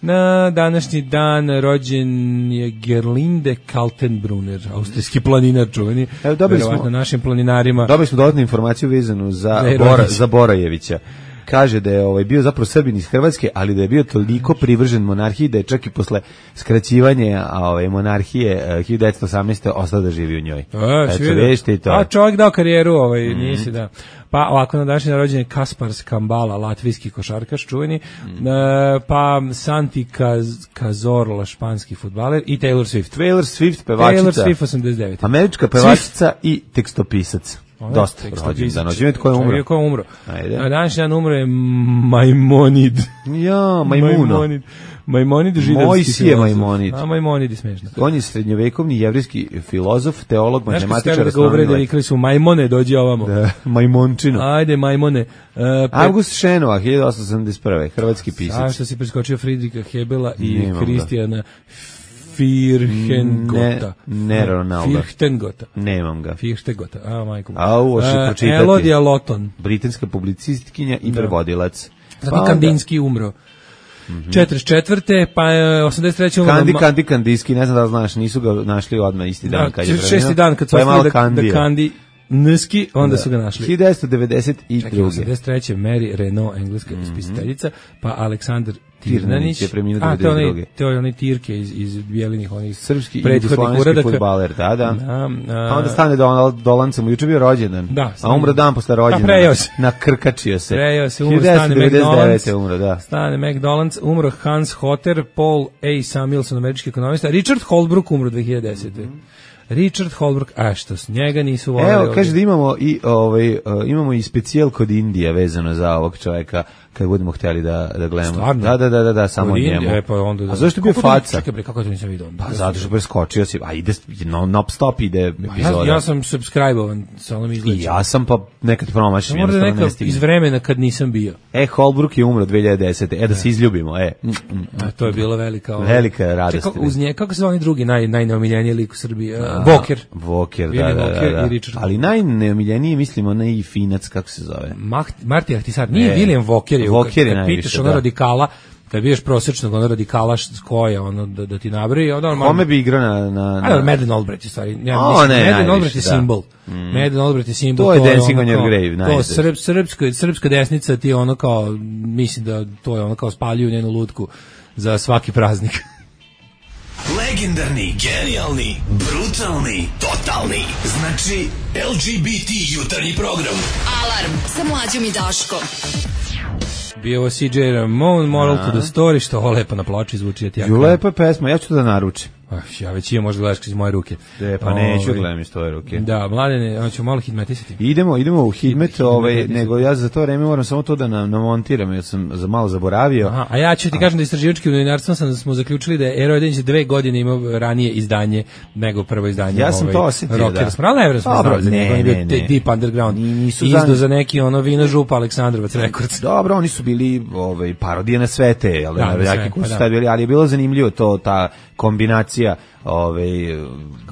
Na današnji dan rođen je Gerlinde Kaltenbrunner, austrijski planinar čuveni. Verovatno našim planinarima. Dobili smo dodatnu informaciju vezanu za Borojevića. Kaže da je bio zapravo Srbin iz Hrvatske, ali da je bio toliko privržen monarhiji da je čak i posle skraćivanja monarhije 1918. ostao da živi u njoj. A čovjek dao karijeru, nisi da. Pa ovako na današnji rođen je Kaspar Skambala, latvijski košarkaš čuveni, pa Santi Cazorla, španski fudbaler i Taylor Swift. Taylor Swift, pevačica. Taylor Swift 89. Američka pevačica i tekstopisac. Dosta rođendan. Tko je umro? Ko je umro? Na današnji dan umro je Maimonid. Ja, Majmuno. Maimonid židovski. Mojsije Maimonid. Maimonid je smešno. On je srednjovekovni jevrijski filozof, teolog, matematičar. Znaš kada ga uvrede, vikali su Maimone, dođi ovamo. Da, Majmončino. Ajde, Maimone. August Šenova, 1871. Hrvatski pisac. A što si preskočio Friedricha Hebela i Kristijana Firhengota. Ne Ronaldo. Firhtengota. Nemam ga. Firhtengota. Majko. Ovo će pročitati. Elodija Loton. Britanska publicistkinja i prevodilac. Zatim Kandinski umro. 44. pa 83. umro. Kandijski, ne znam da znaš, nisu ga našli odmah isti dan kad je preminuo. 6. dan kad su ostali da Kandi Nski, onda su ga našli. 1992. 83. Mary Renault, engleska spisateljica, pa Aleksandar Tirnanić je preminuo 92. To je onaj Tirke iz bijelinih onih srpski i jugoslovenski fudbaler, da. Pa onda stane Dolancem, juče bio rođendan, a umro dan posle rođendana. Nakrkačio se. Prejao se, umro Stane McDonald's. Umro, da. Stane McDonald's, umro Hans Hotter, Paul A. Samuelson, američki ekonomista, Richard Holbrooke umro 2010. Richard Holbrooke, što s njega nisu voleli. Evo, kaže da imamo i specijal kod Indija vezano za ovog čovjeka, kad budemo htjeli da gledamo. Stvarno? Da, samo o njemu. A zašto je bio faca? Čekaj bre, kako to nisam vidio? Pa zato što preskočio si, a ide non-stop ide epizoda. Ja sam subscribe-ovan, samo mi izleći. I ja sam pa nekad promašim. Možda nekad iz vremena kad nisam bio. Holbrooke je umro 2010. Da se izljubimo, To je bilo velika radost. Uz nje, kako se zove oni drugi najneomiljeniji lik u Srbiji? Voker, da. Ali najneomiljeniji, mislimo, onaj finac, kako se zove? Marti Ahtisar, nije William Voker. Voker je najviše, pitaš radikala, kad biješ prosječnog radikala koja da ti nabri, kome bi igrao na Madeleine Albright, stvari. Madeleine Albright je simbol. Madeleine Albright je simbol. To je Dancing on your grave. To srpska desnica ti kao, mislim da to je kao spaljuju njenu lutku za svaki praznik. Legendarni, genijalni, brutalni, totalni. Znači, LGBT jutarnji program. Alarm sa Mlađom i Daškom. Bio ovo CJ Ramon, Moral to the Story, što ovo lepo na ploči zvuči. Lepa je pesma, ja ću to da naručim. Ja već imam, možda gledaš iz moje ruke. Pa neću gledam iz tvoje ruke. Da, Mladene, hoćemo malo hitmetisati. Idemo u hitmet, nego ja za to vreme moram samo to da namontiram, jer sam malo zaboravio. Aha, a ja ću ti kažem da istraživačkim novinarstvom smo zaključili da je Ero Edenić 2 godine imao ranije izdanje nego prvo izdanje. Ja sam to osjetio, da. Spravo smo znali za njega, on je bio Deep Underground. Izdo za neki vina župa Aleksandrovac Records. Dobro, oni su bili parodije na sve te, ali je bilo zanimljivo to, ta kombinacija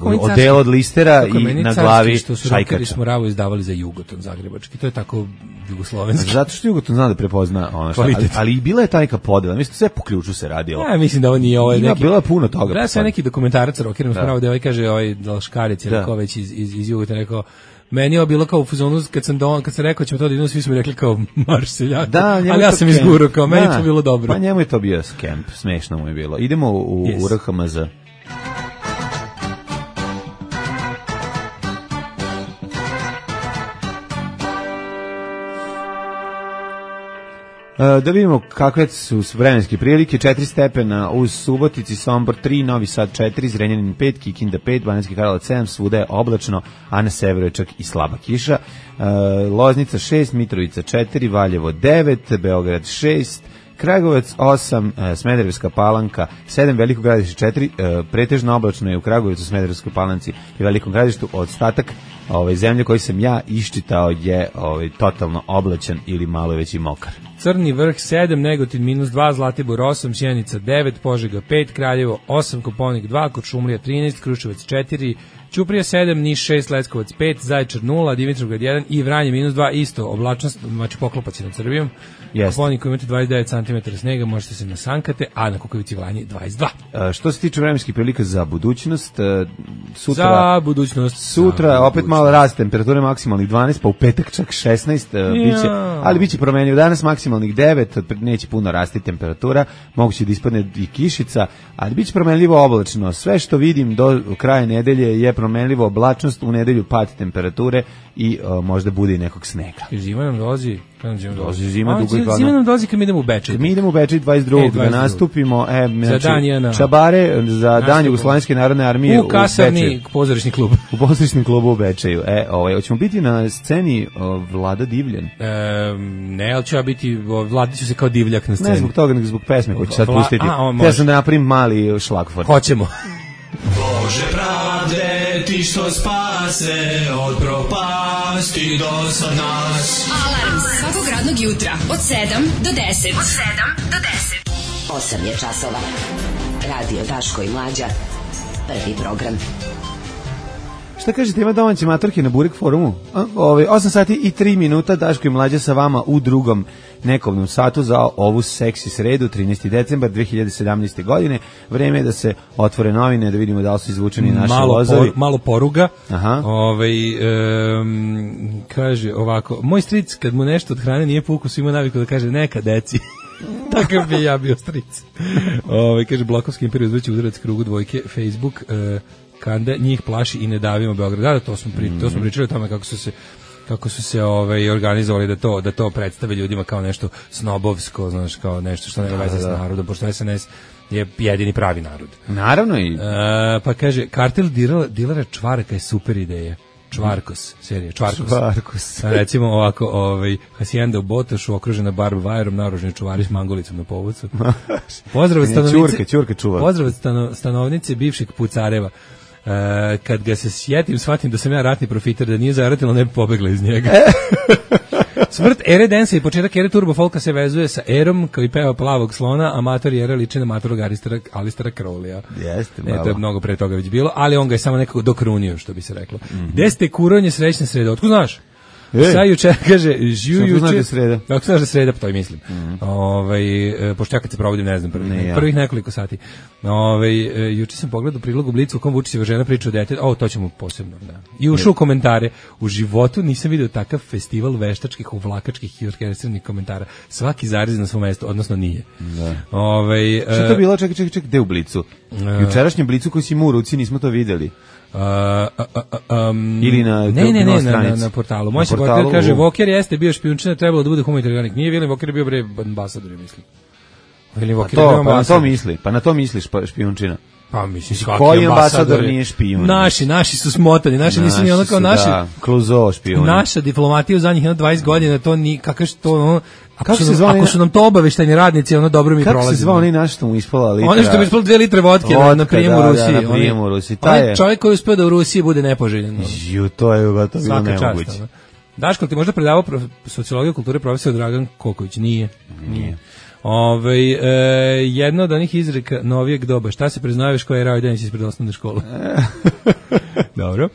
odela od listera i na glavi šajkača. Što smo Ravo izdavali za Jugoton zagrebački, to je tako jugoslovenski. Zato što Jugoton zna da prepozna ono što, ali i bila je ta neka podela, mislim sve po ključu se radilo. Ja mislim da ovo nije ovo neki. Bilo je puno toga. Da, sve neki dokumentarac rokerom spravo da kaže Dalškarić ili ko već iz Jugotona rekao. Meni je bilo kao u fazonu kad sam rekao ćemo to da idemo, svi su mi rekli kao marš seljaka, ali ja sam izgurao kao meni to bilo dobro. Pa njemu je to bio skemp, smešno mu je bilo. Idemo u RHMZ. Da vidimo kakve su vremenske prilike. 4 stepena uz Subotici, Sombor 3, Novi Sad 4, Zrenjanin 5, Kikinda 5, Banatski Karlovac 7, svuda je oblačno, a na severu je čak i slaba kiša. Loznica 6, Mitrovica 4, Valjevo 9, Beograd 6, Kragujevac 8, Smederevska Palanka 7, Veliko Gradište 4, pretežno oblačno je u Kragujevcu, Smederevskoj Palanci i Velikom Gradištu. Ostatak zemlje koji sam ja iščitao je totalno oblačan ili malo već i mokar. Crni vrh 7, Negotin -2, Zlatibor 8, Sjenica 9, Požega 5, Kraljevo 8, Koponik 2, Kuršumlija 13, Kruševac 4, Ćuprija 7, Niš 6, Leskovac 5, Zaječar 0, Dimitrovgrad 1 i Vranje -2, isto oblačnost, znači poklopac je nad Srbijom. Koponik koji imate 29 cm snega, možete se nasankate, a na Kukovici Vranje 22. Što se tiče vremenskih prilika za budućnost, sutra opet malo rast temperature, maksimalnih 12, pa u petak čak 16, ali biće promenljivo. Danas maksimalnih 9, neće puno rasti temperatura, moguće da ispadne i kišica, ali biće promenljivo oblačno. Sve što vidim do kraja nedelje je promenljivo oblačnost, u nedelju pad temperature i možda bude i nekog snega. Zima nam dolazi. Zima nam dolazi kad mi idemo u Bečej. Mi idemo u Bečej 22. da nastupimo. Čabare za dan Jugoslovenske narodne armije u kasarni pozorišni klub. U pozorišnom klubu u Bečeju. Hoćemo biti na sceni Vlada Divljan. Ne, ali ću ja biti, Vladi ću se kao divljak na sceni. Ne zbog toga, nego zbog pesme koju ću sad pustiti. Ja sam da napravim mali šlagvort. Hoćemo. Bože pravde, ti što spase od propasti do sad nas. Alarm svakog radnog jutra od 7 do 10. Od 7 do 10. 8 je časova. Radio Daško i Mlađa. Prvi program. Šta kažete, ima domaće matorke na Burek forumu? 8 sati i 3 minuta, Daško i Mlađa sa vama u drugom nekovnom satu za ovu seksi sredu, 13. decembar 2017. godine. Vreme je da se otvore novine, da vidimo da li su izvučeni naši lozovi. Malo poruga. Kaže ovako, moj stric kad mu nešto od hrane nije po ukusu ima naviku da kaže neka deci. Takav bi ja bio stric. Kaže Blokovski imperij uzvrće udarac krugu dvojke, Facebook, Kanda, njih plaši i ne davimo Beograd. Da, to smo pričali o tome kako su se organizovali da to predstave ljudima kao nešto snobovsko, znaš, kao nešto što nema veze s narodom, pošto SNS je jedini pravi narod. Naravno i... pa kaže, kartel dilera čvaraka je super ideja. Čvarkos, serija, Čvarkos. Recimo ovako, Hacijenda u Botošu, okružena barb vajerom, naoružani čuvari s mangolicom na povucu. Pozdrav stanovnice bivšeg Pucareva. Kad ga se sjetim, shvatim da sam ja ratni profiter, da nije zaratilo, ne bi pobegla iz njega. Smrt ere Densa i početak ere Turbo Folka se vezuje sa erom koji peva Plavog slona, amator ere liči na matorog Alistera Crowleya. Jeste, to je mnogo pre toga već bilo, ali on ga je samo nekako dokrunio, što bi se reklo. Gde ste kuronje srećne srede? Otko znaš? Sa juče, kaže, juče... Znaš da je sreda. Ako znaš da je sreda, pa to i mislim. Pošto ja kad se provodim, ne znam, prvih nekoliko sati. Juče sam pogledao prilog u Blicu u kom Vučićeva žena priča o detetu, to ćemo posebno, da. I ušao u komentare. U životu nisam vidio takav festival veštačkih, uvlakačkih i orkestriranih komentara. Svaki zarez na svom mestu, odnosno nije. Da. Što je to bilo? Čekaj, gde u Blicu? Jučerašnjem Blicu koji si imao u ruci, nismo to videli. Ili na portalu. Moj se portal kaže, Voker jeste bio špijunčina, trebalo da bude humanitarni radnik. Nije William Voker, bio bre ambasador, mislim. Pa na to misliš špijunčina. Pa mislim, koji ambasador nije špijun? Naši su smotani, naši nisu ni ono kao naši. Da, Kluzo špijun. Naša diplomatija u zadnjih 20 godina, to ni kakav što ako su nam to obaveštajni radnici, ono dobro mi prolazi. Kako se zvao onaj naš što mu ispala litra? Ono što mi ispala 2 litre vodke na prijemu u Rusiji. Onaj čovjek koji uspeo da u Rusiji bude nepoželjen. To je gotovo bilo nemoguće. Daško, ti možda predavao sociologiju kulture profesor Dragan Koković? Nije. Jedna od onih izreka novijeg doba, šta se priznaješ koja je rao Denis ispred osnovne škole? Dobro.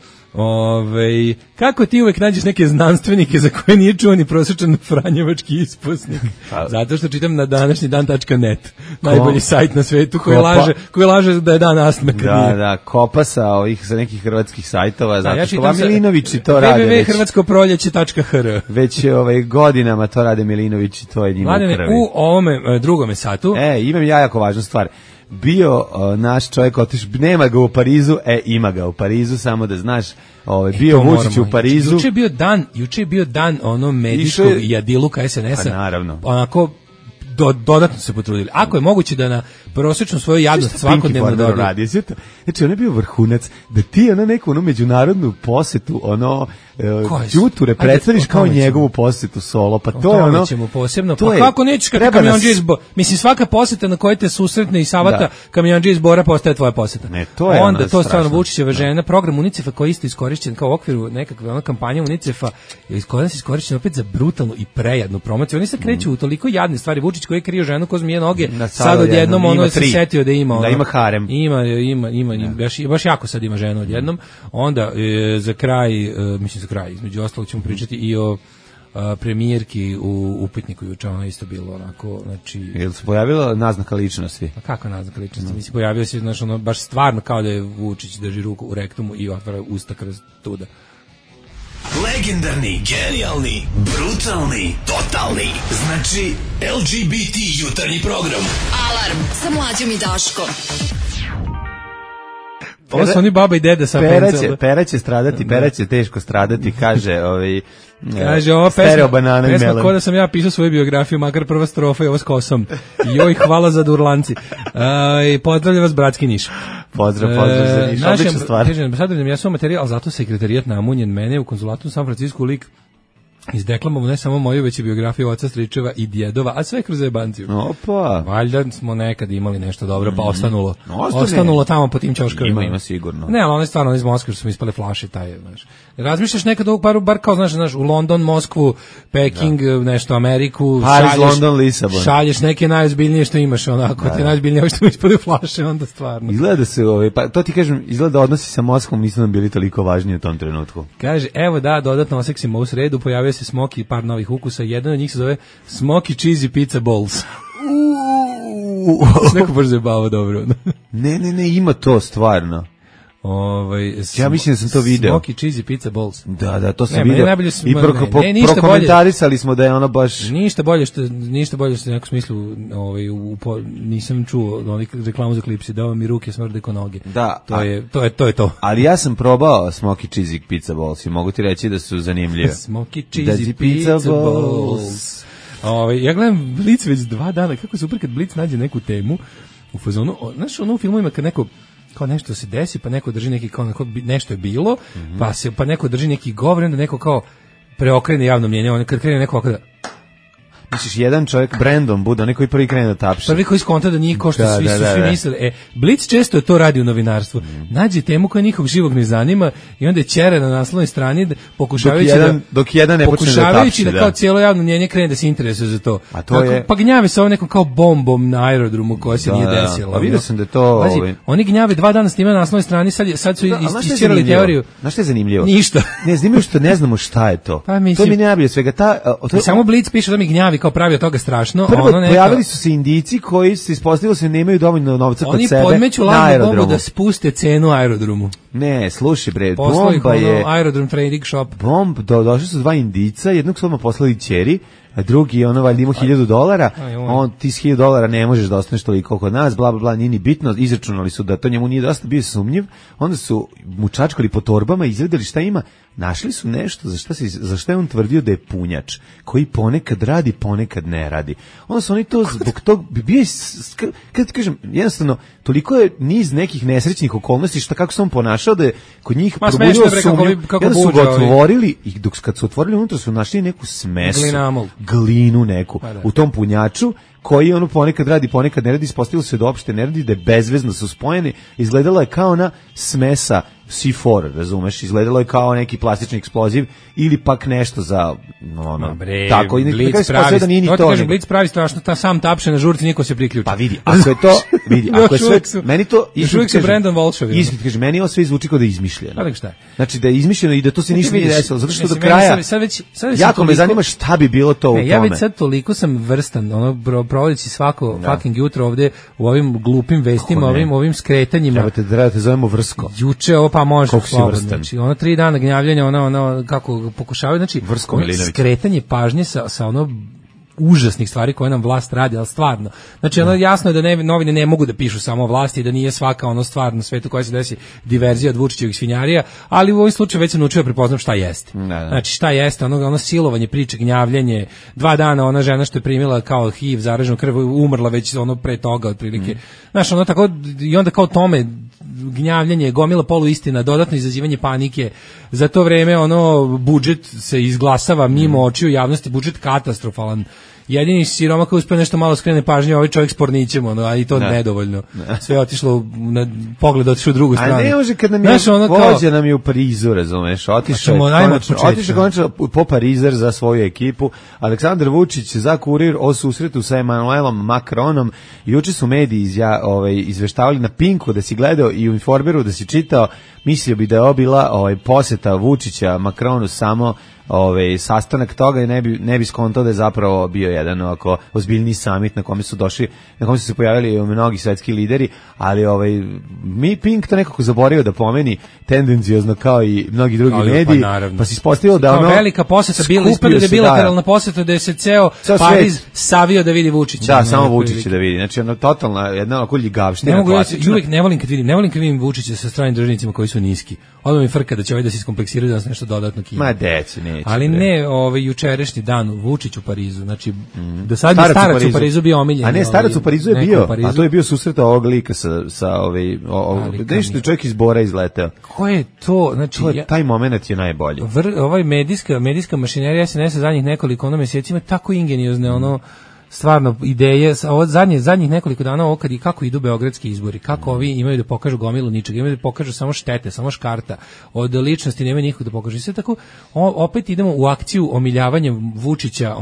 Kako ti uvek nađeš neke znanstvenike za koje nije čuo ni prosječan franjevački ispusnik? Zato što čitam na današnji dan.net, najbolji sajt na svetu koji laže da je dan astme. Da, kopa sa nekih hrvatskih sajtova, zato što Milinovići to rade. www.hrvatskoproljeće.hr Već godinama to rade Milinovići, to je njima u krvi. U ovome drugome satu. Imam ja jako važnu stvar. Bio naš čovjek otiš, nema ga u Parizu, ima ga u Parizu, samo da znaš, bio Vučić u Parizu. Juče je bio dan ono medijskog jadiluka SNS-a. Pa naravno. Onako dodatno se potrudili. Ako je moguće da na prosječnu svoju jadnost svakodnevno radi. Znači, on je bio vrhunac, da ti neku međunarodnu posetu, Đuture predstaviš kao njegovu posetu solo, pa to je ono... ćemo posebno, pa kako nećeš kad kamionđe iz Bora, mislim svaka poseta na kojoj te susretne i savata kamionđe iz Bora postaje tvoja poseta. Onda to stvarno Vučićeva žena, program UNICEF-a koji je isto iskorišćen kao u okviru nekakve kampanje UNICEF-a, je iskorišćen opet za brutalnu i prejadnu promociju. Oni se kreću u toliko jadne stvari. Vučić koji je krio ženu ko zmije noge, sad odjednom ono se setio da ima. Da ima harem. Ima, baš jako sad ima ženu odjednom. Onda za kraj, između ostalog ćemo pričati i o premijerki u upitniku juče, ona isto bilo onako, znači... Jel se pojavila naznaka ličnosti? Pa kako naznaka ličnosti? Mislim, pojavio se, znači, ono, baš stvarno kao da je Vučić drži ruku u rektumu i otvara usta kroz tuda. Legendarni, genijalni, brutalni, totalni, znači LGBT jutarnji program. Alarm sa Mlađom i Daškom. Ovo su oni baba i deda sa pencel. Pera će stradati, Pera će teško stradati, kaže kaže, ova pesma ko da sam ja pisao svoju biografiju, makar prva strofa je ovo s kosom. Joj, hvala za durlanci. Pozdravljam vas, bratski Niš. Pozdrav za Niš, odlična stvar. Kažem, ja sam materijal, ali zato sekretarijat namunjen mene u konzulatu u San Francisku lik izdeklamovao ne samo moju, već i biografiju oca, stričeva i djedova, a sve kroz zajebanciju. Opa! Valjda smo nekad imali nešto dobro, pa ostanulo tamo po tim ćoškovima. Ima sigurno. Ne, ali ono je stvarno iz Moskve što smo ispale flaše, znaš. Razmišljaš nekad ovog bar kao, znaš, u London, Moskvu, Peking, nešto, Ameriku, Paris, London, Lisabon. Šalješ neke najozbiljnije što imaš, onako, te najozbiljnije što ispade flaše, onda stvarno. Izgleda se, pa to ti kažem, izgleda odnosi sa Moskvom nisu nam bili toliko važniji u tom trenutku. Kaže, evo da, dodatno oseksimo u sredu, pojavio se Smoky i par novih ukusa, jedan od njih se zove Smoky Cheesy Pizza Balls. Neko baš zabava dobro. Ne, ima to stvarno. Ja mislim da sam to video. Smoky Cheesy Pizza Balls. Da, to sam video. I prokomentarisali smo da je ono baš... Ništa bolje što u nekom smislu nisam čuo reklamu za klipsi, dao mi ruke smrde ko noge. Da. To je to. Ali ja sam probao Smoky Cheesy Pizza Balls i mogu ti reći da su zanimljive. Smoky Cheesy Pizza Balls. Ja gledam Blitz već 2 dana, kako je super kad Blitz nađe neku temu u fazonu, znaš ono u filmovima kad neko kao nešto se desi, pa neko drži neki kao nešto je bilo, pa neko drži neki govor, onda neko kao preokrene javno mnjenje, on kad krene neko ovako da misliš jedan čovjek Brandon bude onaj koji prvi krene da tapše. Prvi koji skonta da nije ko što svi misle. Blic često to radi u novinarstvu. Nađe temu koja nikog živog ne zanima i onda je ćera na naslovnoj strani dok jedan ne počne da tapše. Da kao cijelo javno mnjenje krene da se interesuje za to. A to je... Pa gnjave se ovo nekom kao bombom na aerodromu koja se nije desila. Pa vidio sam da to... Oni gnjave 2 dana snimaju na naslovnoj strani, sad su isčirali teoriju. Znaš što je zanimljivo? Ništa. Ne, zanimljivo što ne znamo šta je to. Pa mislim, to mi ne najbolje svega. Samo Blic piše da mi gnjavi kao pravi od toga strašno. Prvo, pojavili su se Indijci koji se ispostavilo se nemaju dovoljno novca kod sebe. Oni podmeću lažnu bombu da spuste cenu aerodromu. Ne, slušaj bre, bomba je... Aerodrom trading shop. Došli su 2 Indijca, jednog su odmah poslali ćeri, a drugi valjda ima $1,000, on ti s $1,000 ne možeš da ostaneš toliko kod nas, bla bla bla, nije ni bitno, izračunali su da to njemu nije dosta, bio sumnjiv, onda su mu čačkali po torbama, izvedeli šta ima, našli su nešto za šta je on tvrdio da je punjač, koji ponekad radi, ponekad ne radi. Onda su oni to zbog tog, bio kada ti kažem, jednostavno, toliko je niz nekih nesrećnih okolnosti šta kako se on ponašao da je kod njih probudilo sumnju, kada su ga otvorili i kad su otvorili unutra su našli neku smesu, glinu neku u tom punjaču koji ponekad radi, ponekad ne radi, ispostavilo se da uopšte ne radi, da je bezvezno su spojeni, izgledalo je kao na smesa C4, razumeš, izgledalo je kao neki plastični eksploziv ili pak nešto za tako i Blic pravi, da nije ni to. Blic pravi strašno, ta sam tapše na žurci, niko se priključi. Pa vidi, ako je to, ako je sve, meni to još se Brandon Walshovi. Iskreno kaže, meni ovo sve zvuči kao da je izmišljeno. Pa šta je? Znači da je izmišljeno i da to se ništa nije desilo, zato što do kraja jako me zanima šta bi bilo to u tome. Ja već sad toliko sam vrstan, provodeći svako fucking jutro ovde u ovim glupim vestima, ovim skretanjima. Treba te zovemo Vrsko. Juče pa može slobodno. Znači, 3 dana gnjavljanja, kako pokušavaju, znači, skretanje pažnje sa užasnih stvari koje nam vlast radi, ali stvarno. Znači, jasno je da novine ne mogu da pišu samo vlasti, da nije svaka stvar na svetu koja se desi diverzija od Vučićevih svinjarija, ali u ovom slučaju već sam naučio prepoznam šta jeste. Znači, šta jeste, ono silovanje, priče, gnjavljenje, 2 dana ona žena što je primila kao HIV, zaraženu krv, umrla već pre toga, otprilike. Znaš, tako, i onda kao tome, gnjavljanje, gomila poluistina, dodatno izazivanje panike. Za to vreme budžet se izglasava mimo očiju javnosti, budžet katastrofalan. Jedini siroma koji uspio nešto malo skrene pažnje, ovaj čovjek s pornićem, a i to nedovoljno. Sve je otišlo na pogled, otišlo u drugu stranu. A ne može kad nam je vođa nam je u Parizu, razumeš, otišao konačno po Parizer za svoju ekipu. Aleksandar Vučić za Kurir o susretu sa Emmanuelom Macronom. Juče su mediji izveštavali na Pinku da si gledao i u Informeru da si čitao, mislio bi da je bila poseta Vučića Macronu samo sastanak toga i ne bi skontao da je zapravo bio jedan ovako ozbiljni summit na kome su se pojavili mnogi svetski lideri, ali mi Pink to nekako zaboravio da pomeni tendencijozno kao i mnogi drugi mediji, pa se ispostavilo da velika poseta bila, ispada da je bilateralna poseta da je se ceo Pariz savio da vidi Vučića. Da, samo Vučića da vidi. Znači totalna jedna onako ljigavština klasična. Uvijek ne volim kad vidim Vučića sa stranim državnicima koji su niski. Odmah mi frka da će da se iskompleksiraju da nas nešto dodatno kine. Ma deci, neće. Ali ne, jučerašnji dan Vučić u Parizu, znači do sad je starac u Parizu bio omiljen. A ne, starac u Parizu je bio, a to je bio susret ovog lika sa nešto čovjek iz Bora izleteo. Ko je to? Znači, taj moment je najbolji. Ovaj medijska mašinerija SNS zadnjih nekoliko mjeseci ima tako ingeniozne stvarno ideje, zadnjih nekoliko dana kad i kako idu beogradski izbori, kako ovi imaju da pokažu gomilu ničega, imaju da pokažu samo štete, samo škarta, od ličnosti nema nikog da pokažu. I sve tako, opet idemo u akciju omiljavanja Vučića,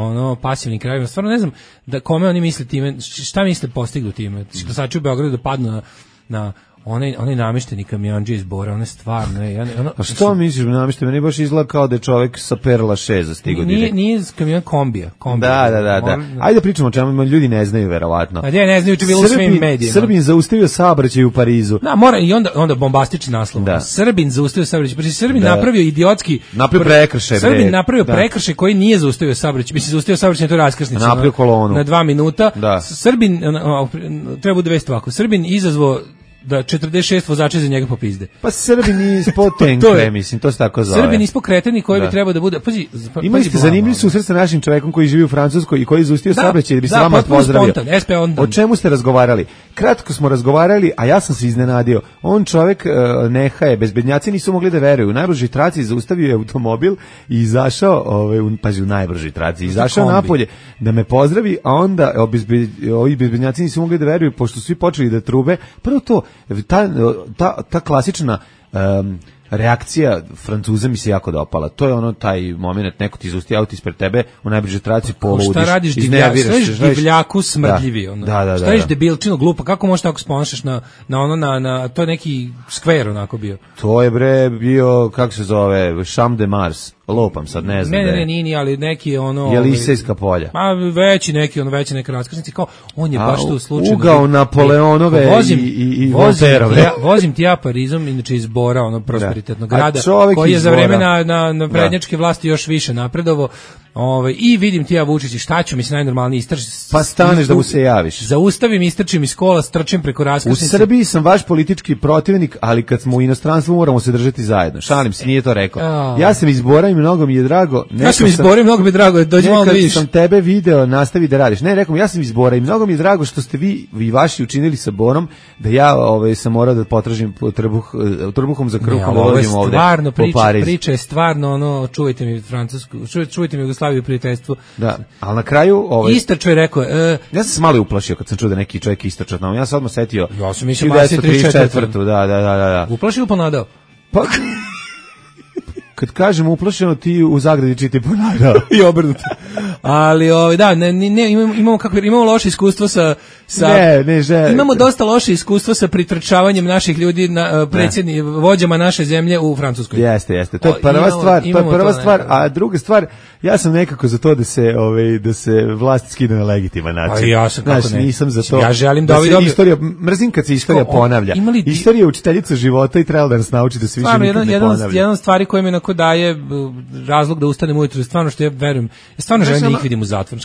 pasivnim krajevima. Stvarno ne znam da kome oni misle time, šta misle postignu time. Glasači u Beogradu da padnu na onaj namješteni kamionđe iz Bora, one stvarno je. A što misliš namješteni? Meni baš izgleda kao da je čovjek sa Perla 6 stigao direkt. Nije kamion kombija. Da. Ajde pričamo o čemu ljudi ne znaju verovatno. A ne znaju, bilo u svim medijima. Srbin zaustavio saobraćaj u Parizu. Da, mora i onda bombastični naslov. Srbin zaustavio saobraćaj. Pa Srbin napravio idiotski prekršaj. Srbin napravio prekršaj koji nije zaustavio saobraćaj. Mislim zaustavio saobraćaj, to je raskrsnica. Napravio kolonu na 2 minuta. Srbin treba bude vest ovako. Srbin izazvao da 46 vozača za njega popizde. Pa Srbi nismo tenkre, mislim, to se tako zove. Srbi nismo kreteni koji bi trebao da bude... Imali ste zanimljiv susret sa našim čovekom koji živi u Francuskoj i koji je izustio saobraćaj da bi se vama pozdravio. O čemu ste razgovarali? Kratko smo razgovarali, a ja sam se iznenadio. On čovek nehaje, bezbednjaci nisu mogli da veruju. U najbržoj traci zaustavio je automobil i izašao, u najbržoj traci, izašao napolje da me pozdravi, a onda ovi bezbednjaci nisu mogli da veruju, pošto su svi počeli da trube. Prvo to, ta klasična reakcija Francuza mi se jako dopala. To je ono taj moment, neko ti izusti auto ispred tebe u najbližoj traci poludiš. Šta radiš divljaku smrdljivi? Šta ješ debilčino glupo? Kako možeš tako sponašaš na to je neki skver onako bio? To je bio, kako se zove, Champ de Mars. Lopam sad, ne znam. Ne, nini, ali neki ono... Jelisejska polja. Pa veći neke raskrsnici, kao, on je baš tu slučajno... Ugao Napoleonove i Volterove. Vozim ti ja Parizom, inače iz Bora, ono prosperitetnog grada, koji je za vreme na prednjačke vlasti još više napredovo. I vidim ti ja Vučić, šta ću, mislim, najnormalniji pa staneš da mu se javiš. Zaustavim, istrčim iz kola, strčim preko raskrsnice. U Srbiji sam vaš politički protivnik, ali kad smo u inostranstvu moramo se držati zajedno. Šalim se, nije to rekao. Ja sam iz Bora i mnogo mi je drago. Ja sam iz Bora i mnogo mi je drago, dođi malo da vidiš. Nekad sam tebe video, nastavi da radiš. Ne, rekao ja sam iz Bora i mnogo mi je drago što ste vi i vaši učinili sa Borom, da ja sam morao da potražim trbuhom za kruhom da dođem ovde. Stvarno, priča je stvarno, čuvajte mi Francusku, čuvajte mi Jugoslaviju, prijateljstvo. Da, ali na kraju... Istrčo je rekao... Ja sam se malo uplašio kad sam čuo da neki čovjek istrčao. Ja sam odmah setio... Ja sam mislio Masi 34. Da. Uplašio ili ponadao? Pa... Kad kažem uplašeno, ti u zagradi čiti ponadao. I obrnuto. Ali, da, imamo loše iskustvo sa imamo dosta loše iskustvo sa pritrčavanjem naših ljudi vođama naše zemlje u Francuskoj. Jeste. To je prva stvar, a druga stvar, ja sam nekako za to da se vlast skine na legitiman način. A ja sam kako ne. Nisam za to. Ja želim da se istorija, mrzim kad se istorija ponavlja. Istorija je učiteljica života i treba da nas nauči da se više nikad ne ponavlja. Jedan stvari koja mi onako daje razlog da ustanem ujutro, stvarno što ja verujem, ja stvarno želim da ih vidim u zatvoru.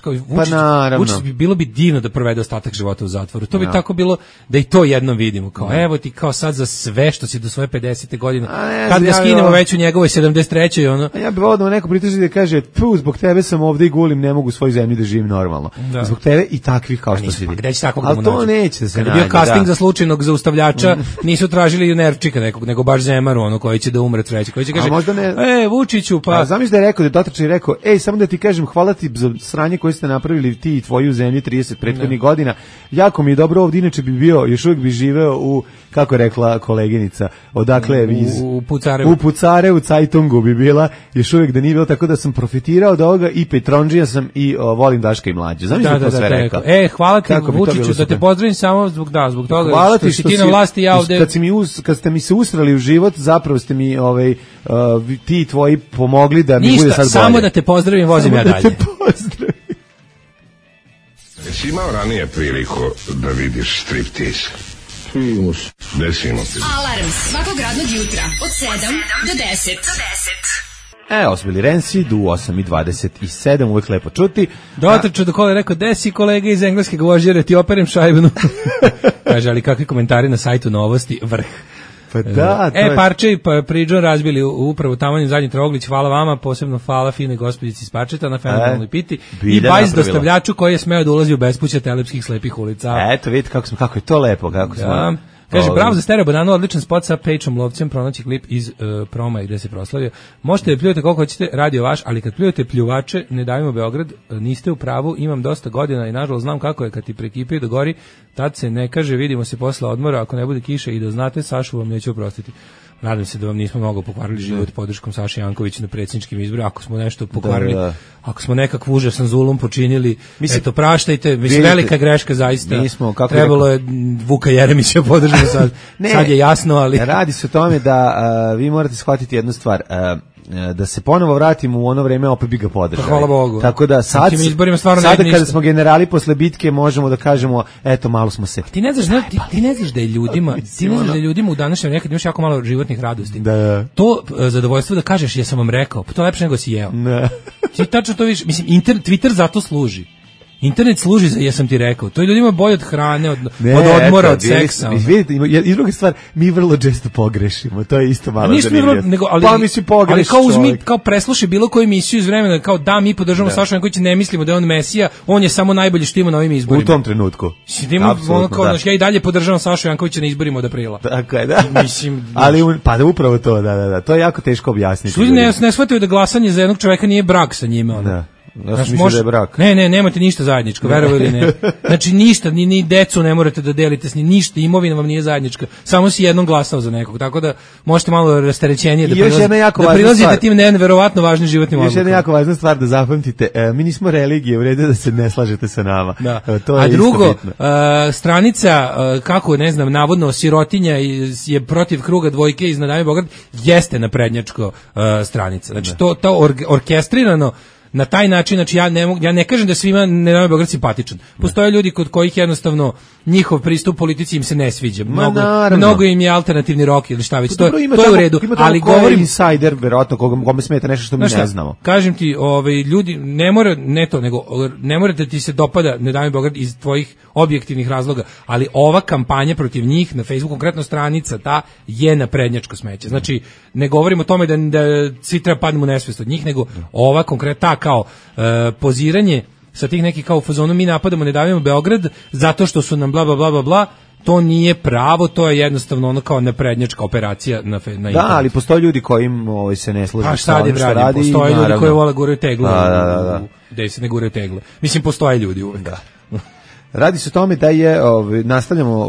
Vučić bilo bi divno da provede ostatak života u zatvoru. To bi tako bilo da i to jednom vidimo. Kao, evo ti kao sad za sve što si do svoje 50. godine. Kad ga skinemo već u njegovoj 73. Ja bih volio da neko prituži da kaže, zbog tebe sam ovde i gulim, ne mogu u svojoj zemlji da živim normalno. Zbog tebe i takvih kao što si vidi. Ali to neće da se nađe. Kad je bio casting za slučajnog zaustavljača, nisu tražili nerčika nekog, nego baš Zemaru, koji će da umre treći, koji će kaže, Vučiću, pa... Zamisli da je rekao, da je dotrčan i rekao, samo da ti kažem, hvala ti za sranje koje ste napravili ti i tvoji u zemlji 30 prethodnih godina, jako mi je dobro ovdje, inače bi bio, još uvijek bi živeo u, kako je rekla koleginica, odakle u Pucarevu, Cajtungu bi bila, još uvijek da nije bilo, tako da sam profitirao od ovoga i Petronđija sam i volim Daška i Mlađu. Zamisli da to sve rekao. Hvala ti Vučiću, da te pozdravim samo zbog toga, hvala što si ti na vlasti, ja ovde... Kad ste mi se ustrali u život, zapravo ste mi ti tvoji pomogli da mi bude sad bolje. Ništa, samo da te pozdravim, vozim ja dalje. Da te pozdravim. Jesi imao ranije priliku da vidiš striptease? Desimo se. Alarm svakog radnog jutra od 7 do 10. Ovo su bili Rensi, du 8:27, uvijek lepo čuti. Dotrčao do kola je rekao, desi kolega iz engleskog vožđera, ti operem šajbnu. Kaže, ali kakvi komentari na sajtu Novosti, vrh. Pa da, Parče i Priđon razbili upravo tamanjem zadnji troglić, hvala vama, posebno hvala fine gospođici iz Parčeta na fenomenalnoj piti i bajs dostavljaču koji je smeo da ulazi u bespuće telepskih slepih ulica. Eto, vidite kako je to lepo, kako smo... Kaže, bravo za Stereo Bananu, odličan spot sa Pejčom Lovcem, pronaći klip iz Proma i gde se proslavio. Možete da pljujete koliko hoćete, radio vaš, ali kad pljujete pljuvače, ne davimo Beograd, niste u pravu, imam dosta godina i nažalost znam kako je kad ti prekipije do gori, tad se ne kaže, vidimo se posle odmora, ako ne bude kiše i da znate, Sašu vam neću oprostiti. Nadam se da vam nismo mnogo pokvarili život podrškom Saše Jankovića na predsjedničkim izborima. Ako smo nešto pokvarili, ako smo nekakvu užasan zulum počinili, eto, praštajte. Mislim, velika greška zaista. Trebalo je Vuka Jeremića podržati sad. Sad je jasno, ali... Radi se o tome da vi morate shvatiti jednu stvar. Da se ponovo vratimo u ono vreme, opet bi ga podržali. Hvala Bogu. Tako da sada kada smo generali posle bitke možemo da kažemo, eto, malo smo se... Ti ne znaš da je ljudima u današnjem nekad imaš jako malo životnih radosti. Da. To zadovoljstvo da kažeš, ja sam vam rekao, pa to je lepše nego si jeo. Ne. Ti tačno to vidiš, mislim, Twitter zato služi. Internet služi za, jesam ti rekao, to je ljudima bolje od hrane, od odmora, od seksa. Vidite, i druga stvar, mi vrlo često pogrešimo, to je isto malo zanimljivo. Pa mi si pogreši, ali kao presluši bilo koju emisiju iz vremena, kao da mi podržavamo Sašu Jankovića, ne mislimo da je on mesija, on je samo najbolji što ima na ovim izborima. U tom trenutku. Ja i dalje podržavam Sašu Jankovića na izborima od aprila. Tako je, da. Mislim, ali upravo to, da. To je jako teško objasniti. Ljudi ne shvataju da glasanje za jednog čoveka nije brak sa njime, ono. Da. Ja sam mislio da je brak. Ne, nemate ništa zajedničko, verovali ili ne. Znači ništa, ni decu ne morate da delite s njim, ništa, imovina vam nije zajednička. Samo si jednom glasao za nekog, tako da možete malo rasterećenije da prilazite tim neverovatno važnim životnim odlukama. Još jedna jako važna stvar da zapamtite, mi nismo religije, u redu da se ne slažete sa nama. Da. To je a drugo, stranica, kako ne znam, navodno sirotinja je protiv kruga dvojke iz Nadami Beograd, jeste naprednjačko stranica. Znači to orkestrirano na taj način, znači ja ne kažem da svima Nadami Beograd simpatičan. Postoje ljudi kod kojih jednostavno njihov pristup politici im se ne sviđa. Mnogo im je alternativni rock ili šta već. To je u redu, ali govorim insider verovatno kome smeta nešto što mi ne znamo. Kažem ti, ljudi ne mora da ti se dopada Nadami Beograd iz tvojih objektivnih razloga, ali ova kampanja protiv njih na Facebooku, konkretno stranica ta je naprednjačko smeće. Znači ne govorimo o tome da svi treba padnemo u nesvest od njih, nego ova konkretna kao poziranje sa tih nekih kao u fazonu mi napadamo, ne davimo Beograd zato što su nam bla bla bla bla bla, to nije pravo, to je jednostavno ono kao naprednjačka operacija na internetu. Da, ali postoje ljudi kojim se ne slažu sa onim što radi. Postoje ljudi koji vole guraju tegle. Da se ne guraju tegle. Mislim, postoje ljudi uvek. Da. Radi se o tome da je, nastavljamo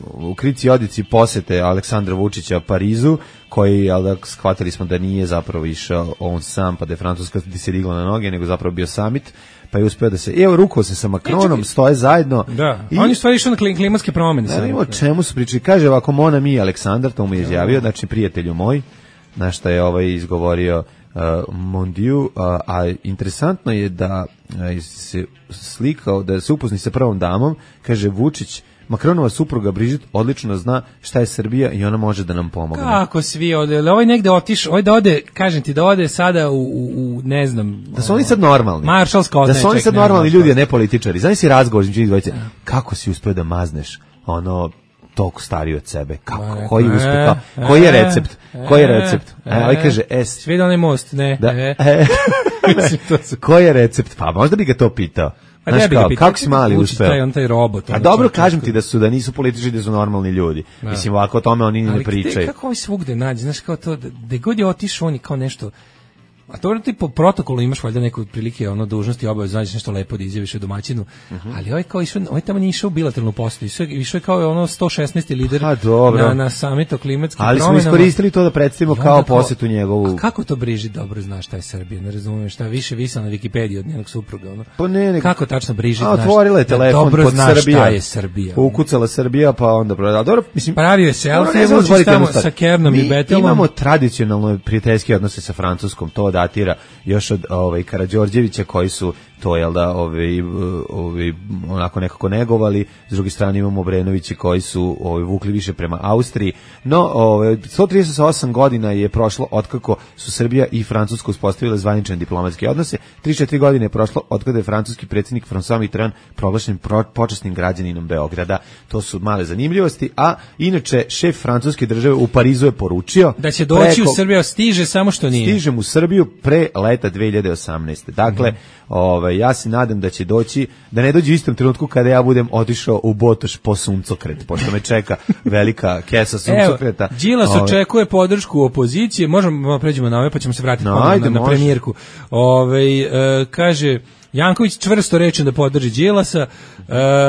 u Krici Odici posete Aleksandra Vučića Parizu, koji, shvatili smo da nije zapravo išao on sam, pa da je Francuska se digla na noge, nego zapravo bio summit, pa je uspeo da se, rukao se sa Macronom, stoje zajedno. Da, on je stvari išao na klimatske promjene. Da, o čemu su pričali, kaže ovako, Mona mi Aleksandar, to mu je izjavio, znači prijatelju moj, na što je izgovorio Mondiu, a interesantno je da se slikao, da se upozni sa prvom damom, kaže Vučić, Macronova supruga Brigitte odlično zna šta je Srbija i ona može da nam pomogne. Kako svi ode, ovaj negde otišao, ovaj da ode, kažem ti, da ode sada u ne znam. Da su oni sad normalni. Maršalska da su oni sad normalni ljudi, a ne političari. Znaš si razgovor između njih dvojice, kako si uspeo da mazneš toliko stariji od sebe. Kako? Koji uspeh? Koji je recept? Koji je recept? Ovaj kaže svi da onaj most, ne. Koji je recept? Pa možda bi ga to pitao. Znaš kako si mali uspeo? Taj robot. A dobro, kažem ti da nisu političari, da su normalni ljudi. Mislim, ovako o tome oni ne pričaju. Kako ovaj svugde nađe? Znaš, kao to, da god je otišao, on je kao nešto. A to ti po protokolu imaš valjda neku prilike dužnosti, obavezno nađeš nešto lepo da izjaviš o domaćinu, ali ovaj kao išao, ovaj tamo nije išao u bilateralnu posetu, išao je kao 116. lider na samitu o klimatskim promjenama. Ali smo iskoristili to da predstavimo kao posetu njegovu. A kako to Brigitte dobro zna šta je Srbija, ne razumijem, šta više visa na Wikipediji od njenog supruga, Pa ne, kako tačno Brigitte zna? Otvorila je telefon pod Srbija. Je Srbija. Ukucala Srbija, pa onda dobro, mislim, pravio je selfie sa Kernom i Betelom. Imamo tradicionalno prijateljske odnose sa Francuskom, to datira još od Karađorđevića, koji su to onako nekako negovali. S druge strane imamo Obrenovići koji su vukli više prema Austriji. No 138 godina je prošlo otkako su Srbija i Francuska uspostavile zvanične diplomatske odnose. 3-4 godine je prošlo otkada je francuski predsjednik François Mitterrand proglašen počasnim građaninom Beograda. To su male zanimljivosti, a inače šef francuske države u Parizu je poručio da će doći u Srbiju, stiže samo što nije. Stižem u Srbiju pre leta 2018. Dakle, ja se nadam da će doći, da ne dođe u istom trenutku kada ja budem otišao u Botoš po suncokret, pošto me čeka velika kesa suncokreta. Evo, Đilas očekuje podršku opozicije, možemo pređemo na ove pa ćemo se vratiti na premijerku. Kaže Janković čvrsto rečen da podrži Đilasa,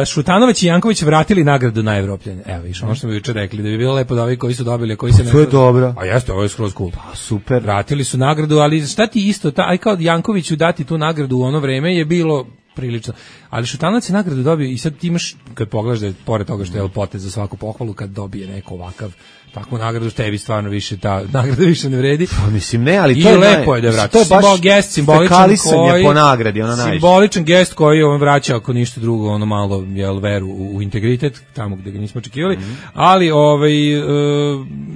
Šutanović i Janković vratili nagradu na Evropljane. Evo, ono što smo juče rekli, da bi bilo lepo da ovi koji su dobili, a koji se ne... To je dobro. A jeste, ovo je skroz cool. Pa, super. Vratili su nagradu, ali šta ti isto, aj kao Jankoviću dati tu nagradu u ono vreme je bilo prilično. Ali Šutanovac je nagradu dobio i sad ti imaš, kad pogledaš da je pored toga što je potez za svaku pohvalu, kad dobije neko ovakav takvu nagradu, tebi stvarno više ta nagrada više ne vredi. Pa mislim ne, ali to je lepo je da vrati. To je baš gest simboličan koji po nagradi, ona najviše. Simboličan gest koji on vraća ako ništa drugo, ono malo veru u integritet tamo gde ga nismo očekivali. Ali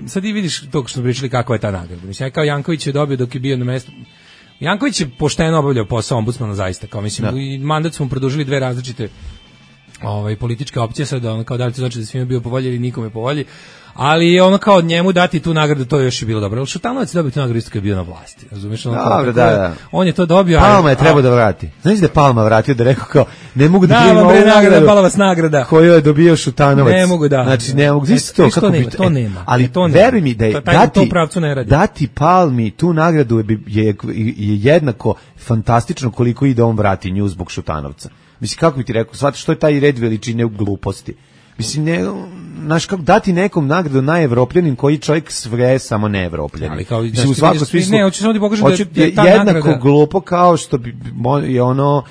sad i vidiš to što smo pričali kakva je ta nagrada. Mislim, kao Janković je dobio dok je bio na mestu Janković je pošteno obavljao posao ombudsmana zaista, kao mislim, i mandat smo produžili 2 različite političke opcije, sad ono kao da li to znači da svima bio po volji ili nikome po volji, ali je ono kao njemu dati tu nagradu, to je još i bilo dobro. Ali Šutanovac je dobio tu nagradu isto kad je bio na vlasti, razumiješ? Dobro, da. On je to dobio. Palma je trebao da vrati. Znaš da je Palma vratio da rekao kao, ne mogu da primim ovu nagradu, Palavac nagrada. Koju je dobio Šutanovac. Ne mogu da. Znači, ne mogu, isto to, to nema. Ali veruj mi da je dati Palmi tu nagradu je jednako fantastično koliko i da on vrati nju zbog Šutanovca. Mislim, kako bi ti rekao, shvataš što je taj red veličine u gluposti. Mislim, znaš, kako dati nekom nagradu najevropljanin koji čovjek sve samo neevropljanin. Ali kao, mislim, u svakom smislu, ne, hoću samo ti pokažem da je ta jednako nagrada glupo kao što bi je ono,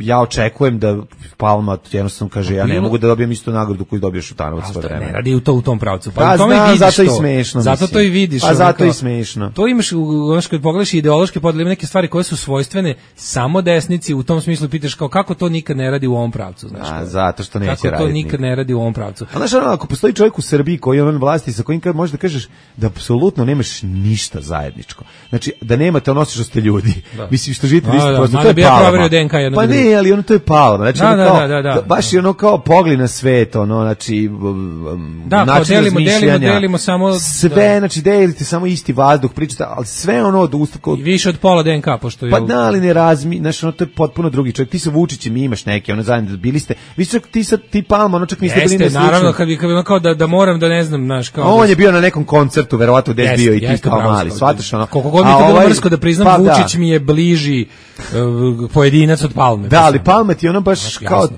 ja očekujem da Palma jednostavno kaže, ja ne mogu da dobijem istu nagradu koju dobio Šutanovac sve vreme. Ne radi u tom pravcu. Pa znam, zato i smešno. Zato to i vidiš. Pa zato i smešno. To imaš, kad pogledaš ideološke podele, neke stvari koje su svojstvene samo desnici, u tom smislu pitaš kao kako to nikad ne radi u ovom pravcu, znaš. Zato što neće raditi. Kako to nikad ne radi u ovom pravcu. A znaš, ako postoji čovjek u Srbiji koji je on vlasti sa kojim možeš da kažeš da apsolutno nemaš ništa zajedničko. Znači, da nemate ono što ste ljudi. Mislim, što živite isto prosto, to je Palma. Pa ne, ali ono to je Palma. Znači, baš je ono kao pogled na svet, ono, znači, način razmišljanja. Delimo samo... Sve, znači, delite samo isti vazduh, pričate, ali sve ono od usta... I više od pola DNK, pošto je... Pa da, ali ne znači, ono, to je potpuno drugi čovjek. Ti sa Vučićem imaš neke, ono, zajedno bili ste... Vi čak, ti Palma, ono, čak niste bili na sličnom. Naravno, kad bi ono kao da moram da ne znam, znaš, kao... On je bio na nekom koncertu, verovatno gde je bio i ti kao mali, shvataš ono. Koliko god mi to bilo mrsko da priznam, Vučić mi je bliži pojedinac od Palme. Da, ali Palma ti ono baš kao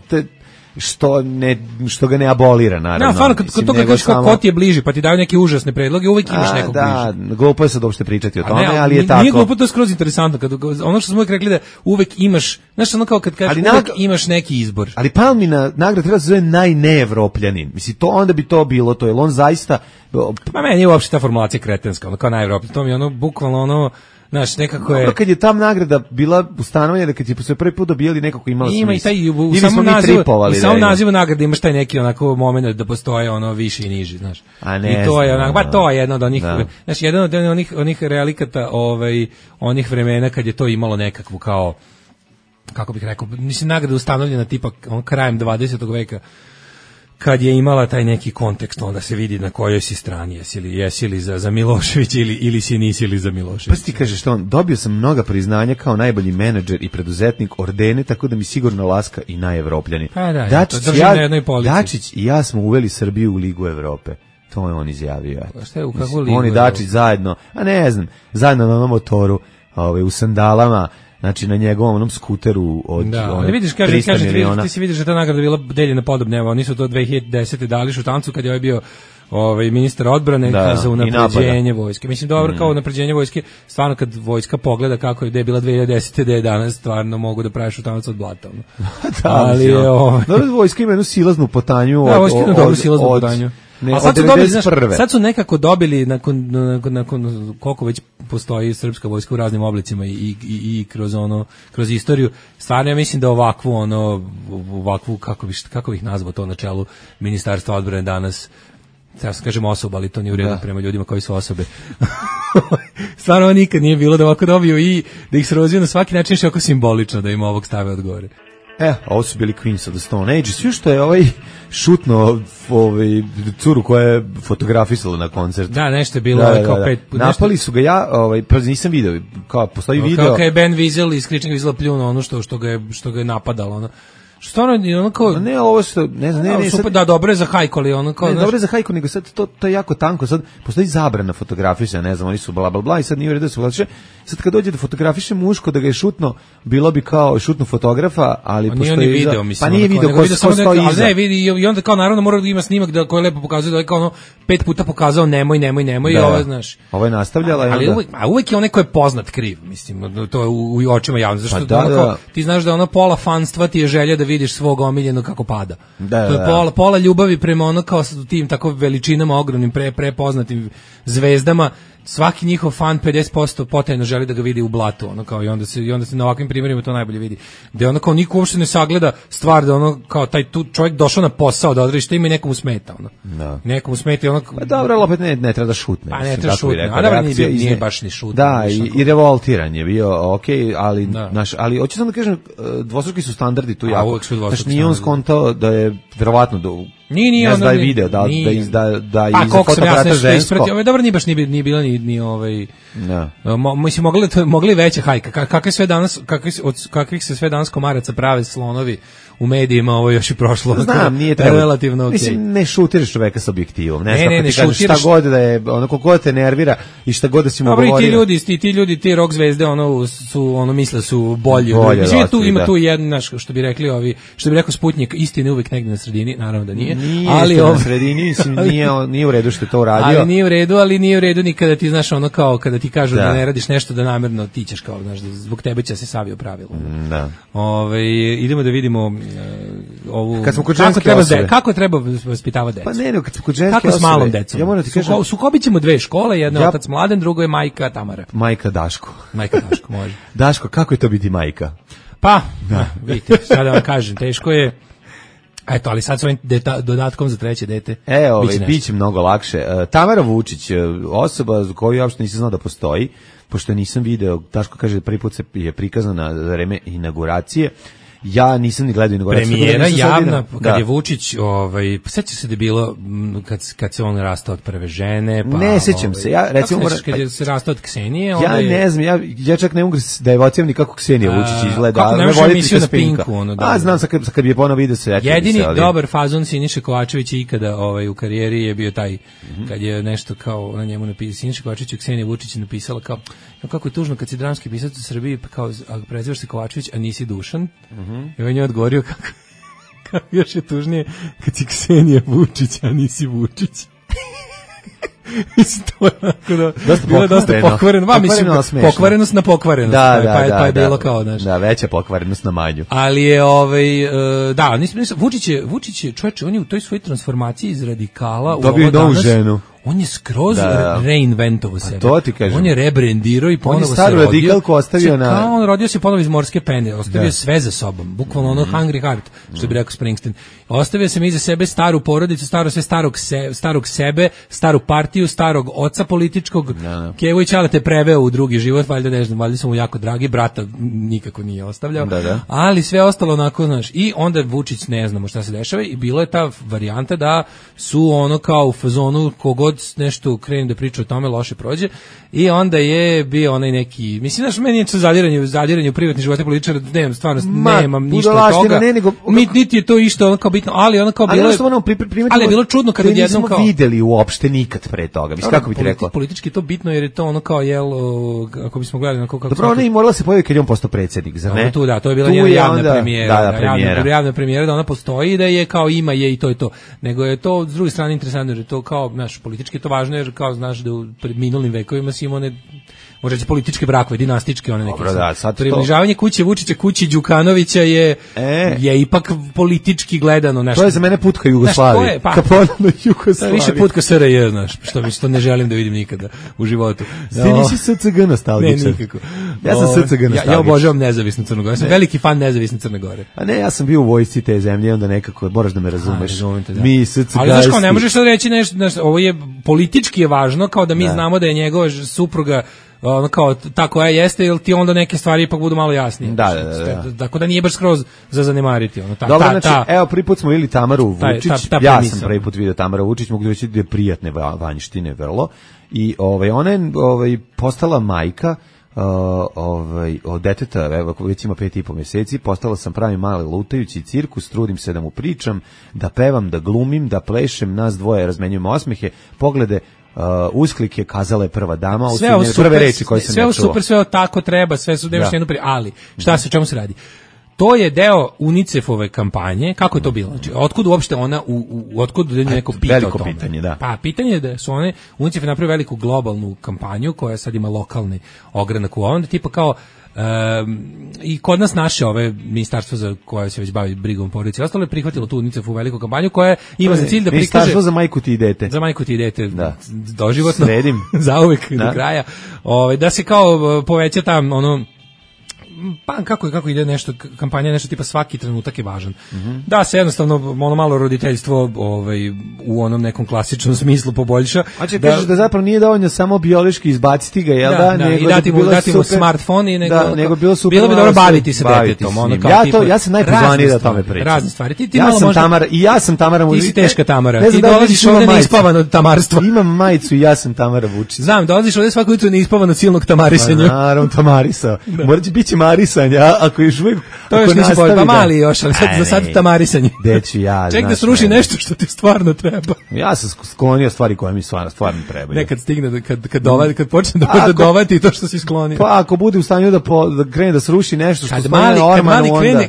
što ga ne abolira, naravno. Da, stvarno, kad to kažeš ko ti je bliži, pa ti daju neke užasne predloge, uvijek imaš nekog bliži. Da, glupo je sad uopšte pričati o tome, ali je tako. Nije glupo, to je skroz interesantno, ono što smo uvijek rekli da uvijek imaš, znaš, ono kao kad kažeš uvijek imaš neki izbor. Ali Palmina nagrada treba se zove najneevropljanin. Mislim, to onda bi to bilo, to je on zaista... Ma meni je uopšte ta formulacija kretenska, ono kao najevropljanin, to mi je ono, bukvalno ono... Znaš, nekako je... Kad je tam nagrada bila ustanovljena, kad je se prvi put dobijali nekako imala smisla. Ima i taj, u samom nazivu nagrade imaš taj neki onako moment da postoje ono više i niži, znaš. A ne i to je onako, ba to je jedno od onih, znaš, jedan od onih relikata, onih vremena kad je to imalo nekakvu kao, kako bih rekao, mislim, nagrada ustanovljena tipa krajem 20. veka, kad je imala taj neki kontekst, onda se vidi na kojoj si strani, jesi li za Miloševića ili si nisi li za Miloševića. Pa ti kažeš što dobio sam mnoga priznanja kao najbolji menadžer i preduzetnik, ordene, tako da mi sigurno laska i najevropljanin. Pa da, Dačić i ja smo uveli Srbiju u Ligu Evrope. To je on izjavio. Šta je, u kakvu ligu? On i Dačić zajedno, a ne znam, zajedno na onom motoru, u sandalama, znači na njegovom onom skuteru od vidiš, 300 miliona. Ti si vidiš da ta nagrada bila deljena podobne, evo, oni su to 2010. dali Šutanovcu kad je ovaj bio ministar odbrane za unapređenje vojske. Mislim, dobro, kao unapređenje vojske, stvarno kad vojska pogleda kako je gde je bila 2010. gde je danas, stvarno mogu da pravi Šutanovac od blata. Ali je vojska ima jednu silaznu potanju. Da, vojska ima dobru silaznu potanju. Sad su nekako dobili nakon koliko već postoji srpska vojska u raznim oblicima i kroz istoriju. Stvarno ja mislim da ovakvu kako bih nazvao to na čelu Ministarstva odbrane danas, sad kažem osoba, ali to nije u redu prema ljudima koji su osobe. Stvarno nikad nije bilo da ovako dobiju i da ih se rozviju na svaki način, što je oko simbolično da im ovog stave odgovore. Ovo su bili Queens of the Stone Age. Sve što je šutno curu koja je fotografisala na koncertu. Da, nešto je bilo kao 5 puta. Napali su ga pa nisam video, kao postoji video. Kao je Ben Wiesel iz Kričnog Vizela pljunuo ono što ga je napadalo, ono. Stvarno je ono kao... Ne, ovo što... Ne, super, da, dobro je za hajku, ali ono kao... Ne, dobro je za hajku, nego sad to je jako tanko. Sad postoji zabrana fotografisanja, ne znam, oni su bla, bla, bla, i sad nije u redu da se fotografisanje. Sad kad dođe da fotografiše muško, da ga je šutno, bilo bi kao šutno fotografa, ali postoji... Nije video, mislim. Pa nije video ko stoji iza. Ali ne, vidi, i onda kao naravno mora da ima snimak koji lepo pokazuje, da je kao 5 puta pokazao nemoj, i ovo, znaš. Ovo je nastavljala. Ali uvek je onaj ko je poznat kriv, mislim, to je u očima javnosti. Zašto ti znaš da pola fanstva ti je želja da vidiš svog omiljenog kako pada. To je pola ljubavi prema ono kao tim tako veličinama ogromnim prepoznatim zvezdama svaki njihov fan 50% potajno želi da ga vidi u blatu, ono kao i onda se na ovakvim primjerima to najbolje vidi. Da ono kao niko uopšte ne sagleda stvar da ono kao taj tu čovjek došao na posao da odradi šta ima i nekomu smeta ono. Da. Nekomu smeta ono. Pa dobro, opet ne treba da šutne. Pa ne treba šutne. A da nije baš ni šutne. Da, i revoltiran je bio, okej, ali ali hoću samo da kažem dvostruki su standardi tu jako. Znači nije on skontao da je verovatno Nije ne znam video da iza fotoaparata žensko. Ovo je dobro, nije baš ni bila ni ovaj. Da. Mislim mogli veća hajka. Kakvih se sve danas komaraca prave slonovi u medijima, ovo još i prošlo. Znam, nije treba. Relativno okej. Mislim, ne šutiraš čoveka sa objektivom. Ne šutiraš šta god da je, ono koliko te nervira i šta god da si mu govorio. Dobro, i ti ljudi, ti rock zvezde, misle su bolji. Mislim, ima tu jedan, što bi rekli ovi, što bi rekao Sputnjik, istina je uvek negde na sredini, naravno da nije. Ali na sredini, mislim, nije u redu što je to uradio. Ali nije u redu ni kada ti, znaš, ono kao, kada ti kažu da ne radiš nešto, da namerno ti ćeš kao, znaš, zbog tebe će se savio pravilo. Da. Idemo da vidimo ovu kako treba vaspitavati decu. Pa ne, kad smo kod ženske kako s malom decom. Ja moram ti kažem, sukobićemo dve škole, jedna je otac Mladen, drugo je majka Tamara. Majka Daško, može. Daško, kako je to biti majka? Pa, vidite, sada vam kažem, teško je. Eto, ali sad s ovim dodatkom za treće dete. Biće mnogo lakše. Tamara Vučić, osoba koju ja uopšte nisam znao da postoji, pošto nisam video, Daško kaže prvi put je prikazana za vreme inauguracije. Ja nisam ni gledao inauguraciju. Premijera javna, kad je Vučić, sećaš se da je bilo kad se on rastao od prve žene, pa ne sećam se. Ja recimo kad je se rastao od Ksenije, ne znam, ja čak ne mogu da evociram ni kako Ksenija Vučić izgleda. Kako ne može emisiju na Pinku, znam sad kad bi je ponovo video se. Jedini dobar fazon Siniše Kovačević ikada u karijeri je bio taj kad je nešto kao na njemu napisao Siniša Kovačević i Ksenija Vučić napisala kao kako je tužno kad si dramski pisac u Srbiji, pa kao prezivaš se Kovačević, a nisi Dušan. I on je odgovorio kako još je tužnije kad si Ksenija Vučić, a nisi Vučić. Mislim, to je dosta pokvareno. Pokvarenost na pokvarenost. Pa je bilo kao, znaš. Da, veća pokvarenost na manju. Ali je, Vučić je, čovječe, on je u toj svojoj transformaciji iz radikala dobio novu ženu. On je skroz reinventovao sebe. To ti kažem. On je rebrendirao i ponovo se rodio. On je staru radikalku ostavio na... On rodio se ponovo iz morske pene, ostavio sve za sobom. Bukvalno ono hungry heart, što bi rekao Springsteen. Ostavio sam iza sebe staru porodicu, starog sebe, staru partiju, starog oca političkog. Kevo i Čale te preveo u drugi život, valjda ne znam, valjda sam mu jako dragi, brata nikako nije ostavljao. Ali sve ostalo onako, znaš. I onda Vučić ne znamo šta se dešava i bilo je ta varijanta da su ono kao u fazonu kogod nešto krene da priča o tome loše prođe i onda je bio onaj neki, mislim, znaš, meni je to zadiranje u privatni živote političara, nemam ništa od toga, niti je to isto ono kao bitno, ali ono kao bilo je, ali je bilo čudno kad odjednom kao... nismo videli uopšte nikad pre toga, mislim, kako bi ti rekao? Politički to bitno jer je to ono kao, ako bismo gledali... Dobro, ona i morala se pojaviti kad je on postao predsjednik, zar ne? To je bila njena javna premijera. Javna premijera da ona postoji i da je kao ima je i to je to. Nego je to, s druge strane, interesantno jer je to kao, znaš, politički je to važno jer kao, znaš, da u minulim vekovima si imao one, možda će političke brakove, dinastičke, one neke. Približavanje kuće Vučića, kući Đukanovića je ipak politički gledano nešto. To je za mene put ka Jugoslaviji. Ka ponovno Jugoslaviji. Više put ka SRJ, znaš, što ne želim da vidim nikada u životu. Ti nisi SCG nostalgičan. Ne, nikako. Ja sam SCG nostalgičan. Ja obožavam nezavisnu Crnu Goru. Ja sam veliki fan nezavisne Crne Gore. A ne, ja sam bio u vojsci te zemlje, onda nekako moraš da me razumeš. Mi SCG. Ali znaš kao, ne možeš sad reći nešto, ovo je politički je važno, kao da mi znamo da je njegova supruga ono kao tako jeste, jer ti onda neke stvari ipak budu malo jasnije. Da. Tako da nije baš skroz za zanemariti. Dobro, znači, evo, prvi put smo vidjeli Tamaru Vučić, ja sam prvi put vidio Tamaru Vučić, mogu reći da je prijatne vanjštine vrlo, i ona je postala majka od deteta, već ima 5,5 mjeseci, postala sam pravi mali lutajući cirkus, trudim se da mu pričam, da pevam, da glumim, da plešem, nas dvoje razmenjujemo osmehe, poglede, usklike, kazala je prva dama, prve reči koje sam ja čuo. Sve super, sve tako treba, sve su nemaš jednu ali šta se, o čemu se radi? To je deo UNICEF-ove kampanje, kako je to bilo? Znači, otkud uopšte ona, otkud neko pita o tome? Pitanje, da. Pa, pitanje je da su UNICEF je napravio veliku globalnu kampanju koja sad ima lokalni ogranak u ovom, da tipa kao I kod nas naše ove ministarstvo za koje se već bavi brigom porodice i ostalo je prihvatilo tu UNICEF-u veliku kampanju koja ima za cilj da prikaže ministarstvo za majku ti i dete. Za majku ti i dete, doživotno, sredim, zauvek do kraja. Da se kao poveća tam ono, pa kako ide nešto, kampanja nešto tipa svaki trenutak je važan. Da se jednostavno ono malo roditeljstvo u onom nekom klasičnom smislu poboljša. A će kažeš da zapravo nije dovoljno samo biološki izbaciti ga, jel da? Nego i dati mu smartfon i nego bilo super. Bilo bi dobro baviti se detetom, ono kao ja sam najpozvaniji da o tome pričam. Razne stvari. Ti ja sam Tamara i ja sam Tamara Vučić. Ti si teška Tamara. Ti dolaziš ovde neispavan od tamarstva. Imam majicu i ja sam Tamara Vučić. Znam, dolaziš ovde svako jutro neispavan od silnog tamarisanja. Naravno, tamarisao. Moraće biti marisanja, ako još uvijek to još nisi bolj, pa mali još, ali za sad tamarisanje. Deći ja. Ček da sruši nešto što ti stvarno treba. Ja sam sklonio stvari koje mi stvarno trebaju. Nekad stigne, kad počne da dovati to što si sklonio. Pa ako bude u stanju da krene da sruši nešto što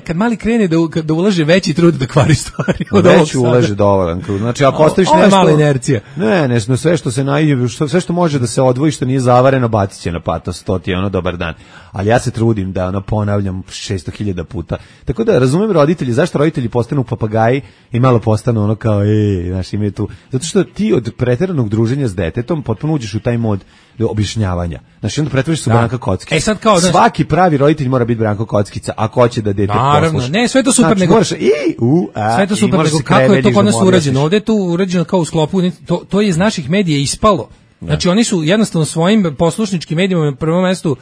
kad mali krene da ulaže veći trud da kvari stvari. Već ulaže dovoljan trud. Znači ako ostaviš nešto... Ovo je mala inercija. Ne, sve što se najde, sve što može da se odvoji, što nije zavareno, bacit će na patos, to ti je ono dobar dan. Ali ja se trudim da ono ponavljam 600.000 puta. Tako da razumem roditelji, zašto roditelji postanu papagaji i malo postanu ono kao, znaš, imaju tu. Zato što ti od preteranog druženja s detetom potpuno uđeš u taj mod objašnjavanja. Znači onda pretvoriš se u Branka Kockica. Sad kao, svaki pravi roditelj mora biti Branko Kockica ako hoće da dete posluša. Naravno, ne, sve to super, znači, nego sve to super, nego kako je to kod nas urađeno? Ovde je to urađeno kao u sklopu, to je iz naših medija ispalo. Znači oni su jednostavno svojim poslušničkim medijima na prvom mestu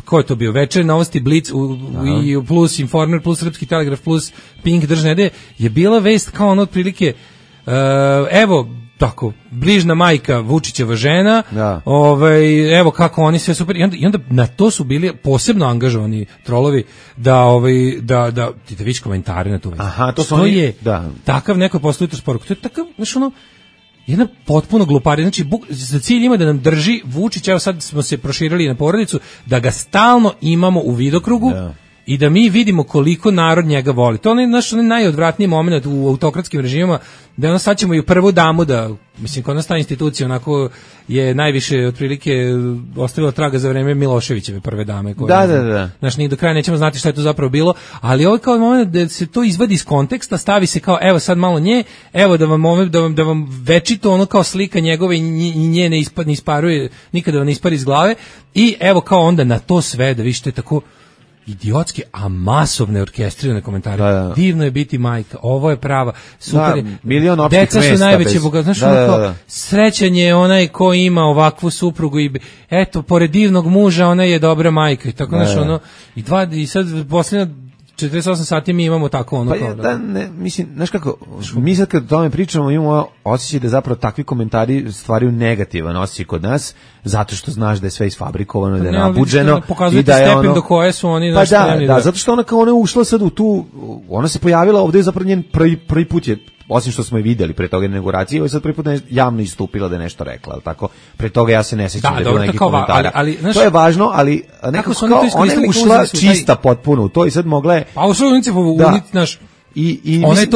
ko je to bio, Večer, Novosti, Blic i plus Informer, plus Srpski telegraf, plus Pink držne je bila vest kao ono otprilike evo tako, bližna majka Vučićeva žena, evo kako oni sve super, i onda na to su bili posebno angažovani trolovi da vidiš komentare na tu vest. Aha, to je takav neko postoji to sporuku, to je takav, znaš ono, jedna potpuno gluparija, znači za cilj ima da nam drži Vučić, evo sad smo se proširili na porodicu, da ga stalno imamo u vidokrugu i da mi vidimo koliko narod njega voli. To je naš najodvratniji moment u autokratskim režimima, da ono sad ćemo i u prvu damu da, mislim, kod nas ta institucija onako je najviše otprilike ostavila traga za vreme Miloševićeve prve dame. Da. Znaš, ni do kraja nećemo znati šta je to zapravo bilo, ali ovo je kao moment da se to izvadi iz konteksta, stavi se kao, evo sad malo nje, evo da vam večito ono kao slika njegove i nje ne isparuje, nikada vam ne ispari iz glave, i evo kao onda na to sve da vište tako idiotske, a masovne orkestrirane komentare. Divno je biti majka, ovo je prava, super, deca su najveće bogatstvo, znaš, srećan je onaj ko ima ovakvu suprugu i eto, pored divnog muža ona je dobra majka i tako, znaš, ono, i sad posljednja 48 sati mi imamo tako ono kao mislim, znaš kako, mi sad kad o tome pričamo imamo osjećaj da zapravo takvi komentari stvaraju negativan osjećaj kod nas, zato što znaš da je sve isfabrikovano, da je nabuđeno i da je stepen do koje su oni zato što ona kao ona je ušla sad u tu, ona se pojavila ovdje, zapravo njen prvi put je, osim što smo je vidjeli pre toga inauguracije, ovo sad prvi put javno istupila da je nešto rekla, ali tako, pre toga ja se ne sjećam da je bilo neki komentara. To je važno, ali nekako kao ona je ušla čista potpuno u to i sad mogla je... Pa ušla naš... I mislim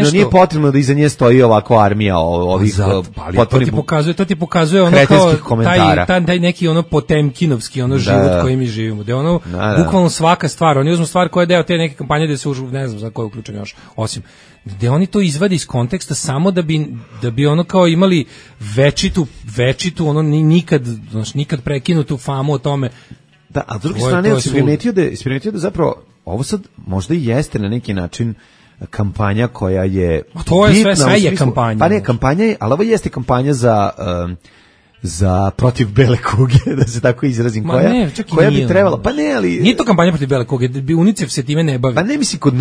da nije potrebno da iza nje stoji ovako armija ovih potpunih... To ti pokazuje ono kao taj neki ono potemkinovski ono život koji mi živimo, da je ono bukvalno svaka stvar, oni uzmu stvar koja je deo te neke kampanje da se ne znam za koju uključen još, osim gde oni to izvade iz konteksta samo da bi ono kao imali večitu ono nikad prekinutu famu o tome. Da, a s druge strane si primetio da zapravo ovo sad možda i jeste na neki način kampanja koja je to je sve je kampanja. Pa ne, kampanja je, ali ovo jeste kampanja za protiv bele kuge, da se tako izrazim, koja bi trebala, pa ne, ali... Nije to kampanja protiv bele kuge, UNICEF se time ne bavi. Pa ne, mislim, kod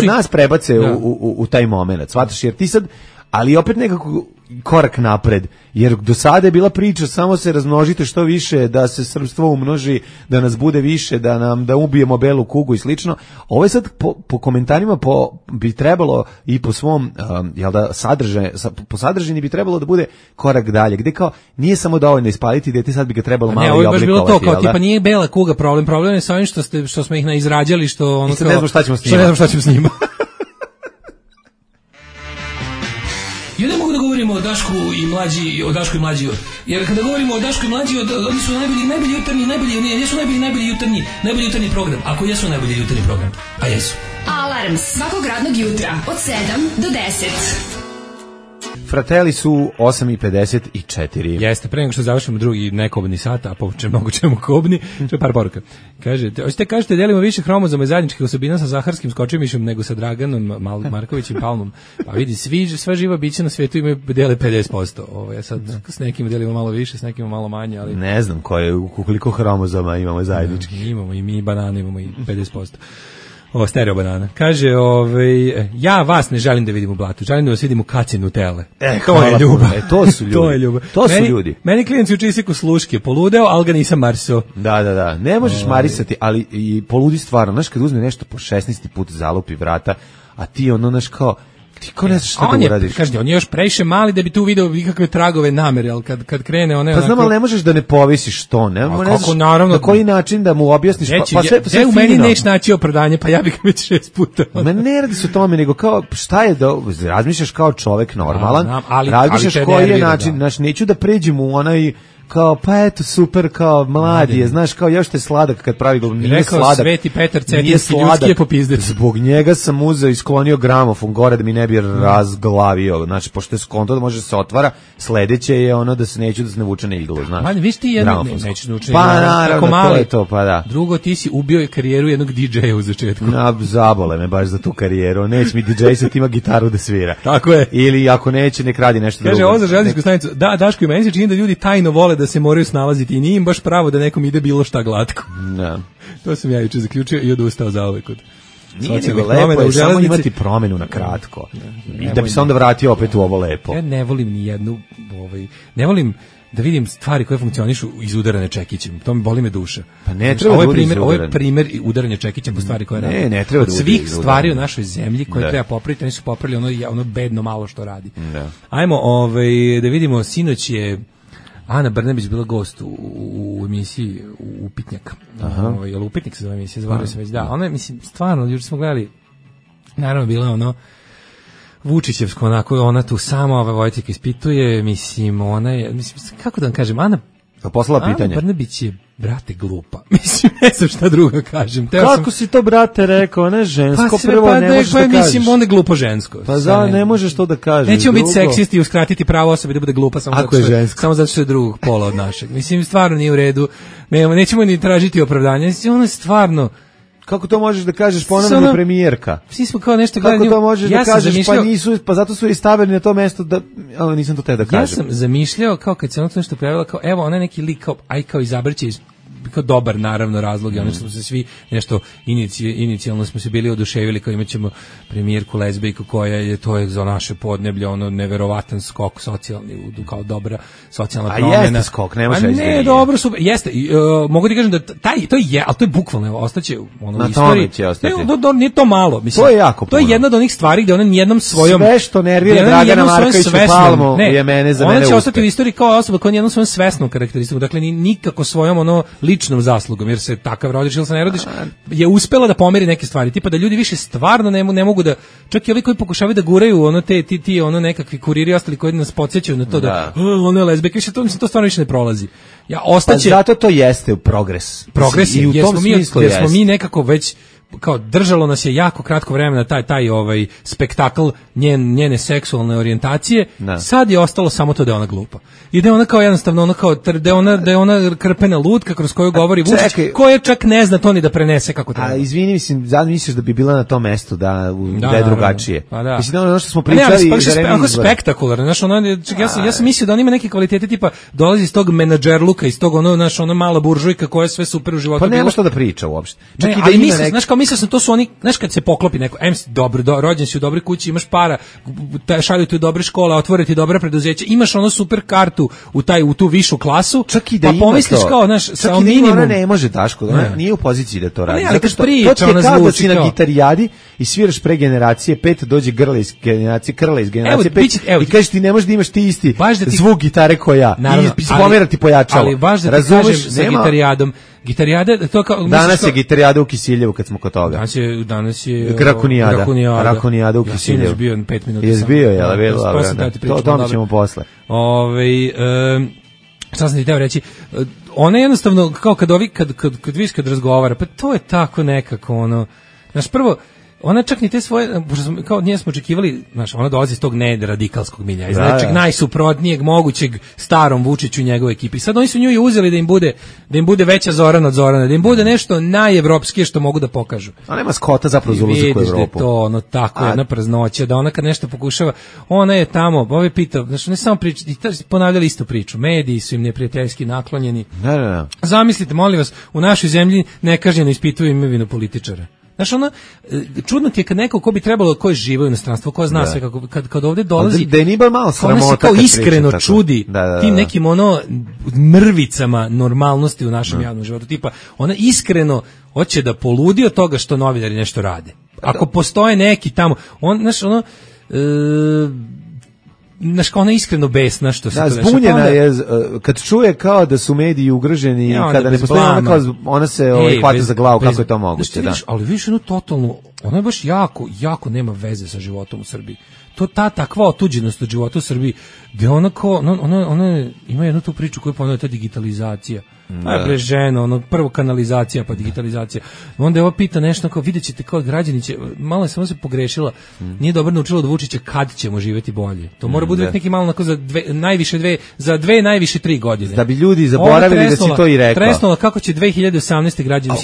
nas prebace u taj moment, shvataš, jer ti sad, ali opet nekako korak napred, jer do sada je bila priča samo se razmnožite što više, da se srpstvo umnoži, da nas bude više, da ubijemo belu kugu i slično. Ovo je sad po komentarima bi trebalo i po svom po sadržini bi trebalo da bude korak dalje, gde kao nije samo dovoljno ispaliti dete, sad bi ga trebalo malo i oblikovati. Ne, ovo je baš bilo to, kao tipa nije bela kuga problem je sa ovim što smo ih izrađali, što ono kao... ne znam šta ćemo s njima. Ja ne mogu da govorimo Dašku i mlađi, jer kada govorimo o Dašku i mlađi, oni su najbolji jutarnji program, ako jesu najbolji jutarnji program, a jesu. Alarm svakog radnog jutra od 7 do 10. Fratelli su 8:54. Jeste, pre nego što završimo drugi nekobni sat, a povučem mnogo čemu kobni, što je par poruka. Kažete, delimo više hromozoma i zajedničkih osobina sa Zaharskim skočimišem nego sa Draganom Markovićem Palmom. Pa vidi, sva živa bića na svetu imaju dele 50%. Ja sad s nekim delimo malo više, s nekim malo manje, ali ne znam koliko hromozoma imamo zajedničkih. Imamo i mi banane, imamo i 50%. Stereo banana. Kaže, ja vas ne želim da vidim u blatu, želim da vas vidim u kaci Nutelle. To je ljubav. To su ljudi. To je ljubav. To su ljudi. Meni klijent u čisiku sluške, poludeo, ali ga nisam marsao. Da. Ne možeš marisati, ali i poludi stvarno. Znaš, kad uzme nešto po 16. put zalupi vrata, a ti znaš kao, ti ko ne znaš šta da uradiš. Kažete, on je još previše mali da bi tu video ikakve tragove namere, ali kad krene one... Pa znam, ali ne možeš da ne povisiš to, ne? Kako, naravno... Na koji način da mu objasniš, pa sve u meni neš naći opravdanje, pa ja bih već 6 puta. Ma ne radi se o tome, nego kao, šta je da razmišljaš kao čovek normalan, razmišljaš koji je način, znaš, neću da pređem u onaj... kao, pa eto, super, kao, mladi je, znaš, kao, još te sladak kad pravi govor, nije rekao sladak. Sveti Petar Cetinski, ljudski je popizdec. Zbog njega sam uzeo i sklonio gramofon gore da mi ne bi razglavio, znači, pošto je skonto da može se otvara, sledeće je ono da se neću da se ne vuče na iglu, znaš. Ma, viš ti jedno, neću da vuče na iglu. Pa, naravno, to je to, pa da. Drugo, ti si ubio karijeru jednog DJ-a u začetku. Zabole me baš za tu karijeru, neće mi DJ sad ima gitaru da svira. Tako je. Ili ako neće, nek radi nešto drugo. Kaže, ovo za železničku stanicu, da, Daško, i meni se čini da ljudi tajno vole da se moraju snalaziti i nije im baš pravo da nekom ide bilo šta glatko. Da. To sam ja juče zaključio i odustao zauvek od nije nego lepo je samo imati promenu na kratko. I da bi se onda vratio opet u ovo lepo. Ja ne volim ni jednu, ne volim da vidim stvari koje funkcionišu izudarane čekićem. To mi boli me duša. Pa ne treba ovo je primjer udaranja čekićem po stvari koje radi. Ne treba od svih stvari u našoj zemlji koje treba popraviti, oni su popravili ono bedno malo što radi. Da. Ajmo da vidimo, sinoć je Ana Brnabić bila gost u emisiji Upitnjak. Jel Upitnik se zove emisija, zvala se već, da. Ona je, mislim, stvarno, juče smo gledali, naravno bila ono Vučićevsko, onako, ona tu sama Vojtika ispituje, mislim, ona je, mislim, kako da vam kažem, Ana Brnabić je, brate, glupa. Mislim, ne znam šta drugo kažem. Kako si to, brate, rekao? Ona je žensko, prvo ne možeš da kažeš. Mislim, onda je glupo žensko. Pa ne možeš to da kažeš. Nećemo biti seksisti i uskratiti pravo osobi da bude glupa samo zato što je drugog pola od našeg. Mislim, stvarno nije u redu. Nećemo ni tražiti opravdanje. Ona je stvarno... Kako to možeš da kažeš ponovno premijerka? Svi smo kao nešto gledali. Kako to možeš da kažeš pa zato su i stavili na to mesto da nisam to te da kažem. Ja sam zamišljao kao kad se ono nešto pojavilo kao evo ona neki lik kao izabraće kao dobar naravno razlog i ono što smo se svi nešto inicijalno smo se bili oduševili kao imaćemo premijerku lezbijku koja je to je za naše podneblje ono neverovatan skok socijalni kao dobra socijalna promjena. A jeste skok, ne može ne, dobro super, jeste. Mogu ti kažem da to je, ali to je bukvalno ostaće ono u istoriji. Nije to malo, mislim. To je jako puno. To je jedna od onih stvari gde ona nijednom svojom sve što nervira Dragana Markovića Palmu je mene za mene. Ona će ostati u istoriji kao osoba koja nijednom svojom svesnom karakteristikom, dakle nikako svojom ono ličnom zaslugom, jer se takav rodiš ili se ne rodiš, je uspela da pomeri neke stvari, tipa da ljudi više stvarno ne mogu da, čak i ovi koji pokušavaju da guraju ono ti ono nekakvi kuriri ostali koji nas podsjećaju na to da ono je lezbijka, više to stvarno više ne prolazi. Ja ostaće. Pa zato to jeste progres. Progres je, jer smo mi nekako već kao držalo nas je jako kratko vremena taj spektakl njene seksualne orijentacije. Sad je ostalo samo to da je ona glupa. I da je ona kao jednostavno ona kao da je ona krpena lutka kroz koju govori Vučić, koja čak ne zna to ni da prenese kako treba. A izvini, mislim, sad misliš da bi bila na tom mestu da je drugačije. Pa da. Mislim ono što smo pričali onako spektakularno, znaš, ja sam mislio da on ima neke kvalitete tipa dolazi iz tog menadžerluka, iz tog ona mala buržujka koja je sve super u životu. Pa nema što da priča uopšte. Čak i da ima kao mislio sam to su oni, znaš kad se poklopi neko, dobro, rođen si u dobroj kući, imaš para, šalju te u dobre škole, otvore ti dobra preduzeća, imaš ono super kartu u tu višu klasu, čak i da pa pomisliš kao, znaš, sa minimum. Ona ne može, Daško, ona nije u poziciji da to radi. Zato što to je kao da si na gitarijadi i sviraš pre generacije 5, dođe grla iz generacije 5 i kažeš ti ne možeš da imaš ti isti zvuk gitare koja ja i pomerati pojačalo. Ali baš da ti kažem sa gitarijadom, Gitarijada, to kao... Danas je gitarijada u Kisiljevu kad smo kod toga. Danas je Rakonijada u Kisiljevu. Ja sam bio 5 minuta. Jes bio, jel, bilo? To tamo ćemo posle. Šta sam ti teo reći? Ona jednostavno, kao kad viš kad razgovara, pa to je tako nekako, ono... Znaš, prvo, ona čak ni te svoje, kao nije smo očekivali, znaš, ona dolazi iz tog neradikalskog milja, iz nečeg najsuprotnijeg mogućeg starom Vučiću i njegove ekipi. Sad oni su nju i uzeli da im bude veća Zorana od Zorana, da im bude nešto najevropskije što mogu da pokažu. A nema skota zapravo za ulazak u Evropu. Vidiš da je to, ono, tako jedna praznoća, da ona kad nešto pokušava, ona je tamo, ove pita, znači ne samo priča, ponavljali istu priču, mediji su im neprijateljski naklonjeni. Ne. Zamislite, molim vas, u našoj zemlji nekažnjeno ispituju imovinu političara. Znaš, ono, čudno ti je kad neko ko bi trebalo, ko je živo u inostranstvu, ko zna sve, kad ovde dolazi, da je ni bar malo sramota, ona se kao iskreno čudi tim nekim ono mrvicama normalnosti u našem javnom životu, tipa, ona iskreno hoće da poludi od toga što novinari nešto rade. Ako postoje neki tamo, znaš, ono, znaš, kao ona iskreno besna što se to dešava. Zbunjena je, kad čuje kao da su mediji ugroženi, kada ne postoji, ona se hvata za glavu, kako je to moguće. Ali vidiš jednu totalnu, ona je baš jako nema veze sa životom u Srbiji. To takva otuđenost od života u Srbiji, gde ona kao, ona ima jednu tu priču koju ponavlja, ta digitalizacija. Bre ženo, ono, prvo kanalizacija pa digitalizacija. Onda je ovo pita nešto kao, vidjet ćete kao građani će, malo je samo se pogrešila, nije dobro naučila od Vučića kad ćemo živjeti bolje. To mora bude neki malo onako za najviše 3 godine. Da bi ljudi zaboravili da si to i rekao. Tresnula kako će 2018. građani,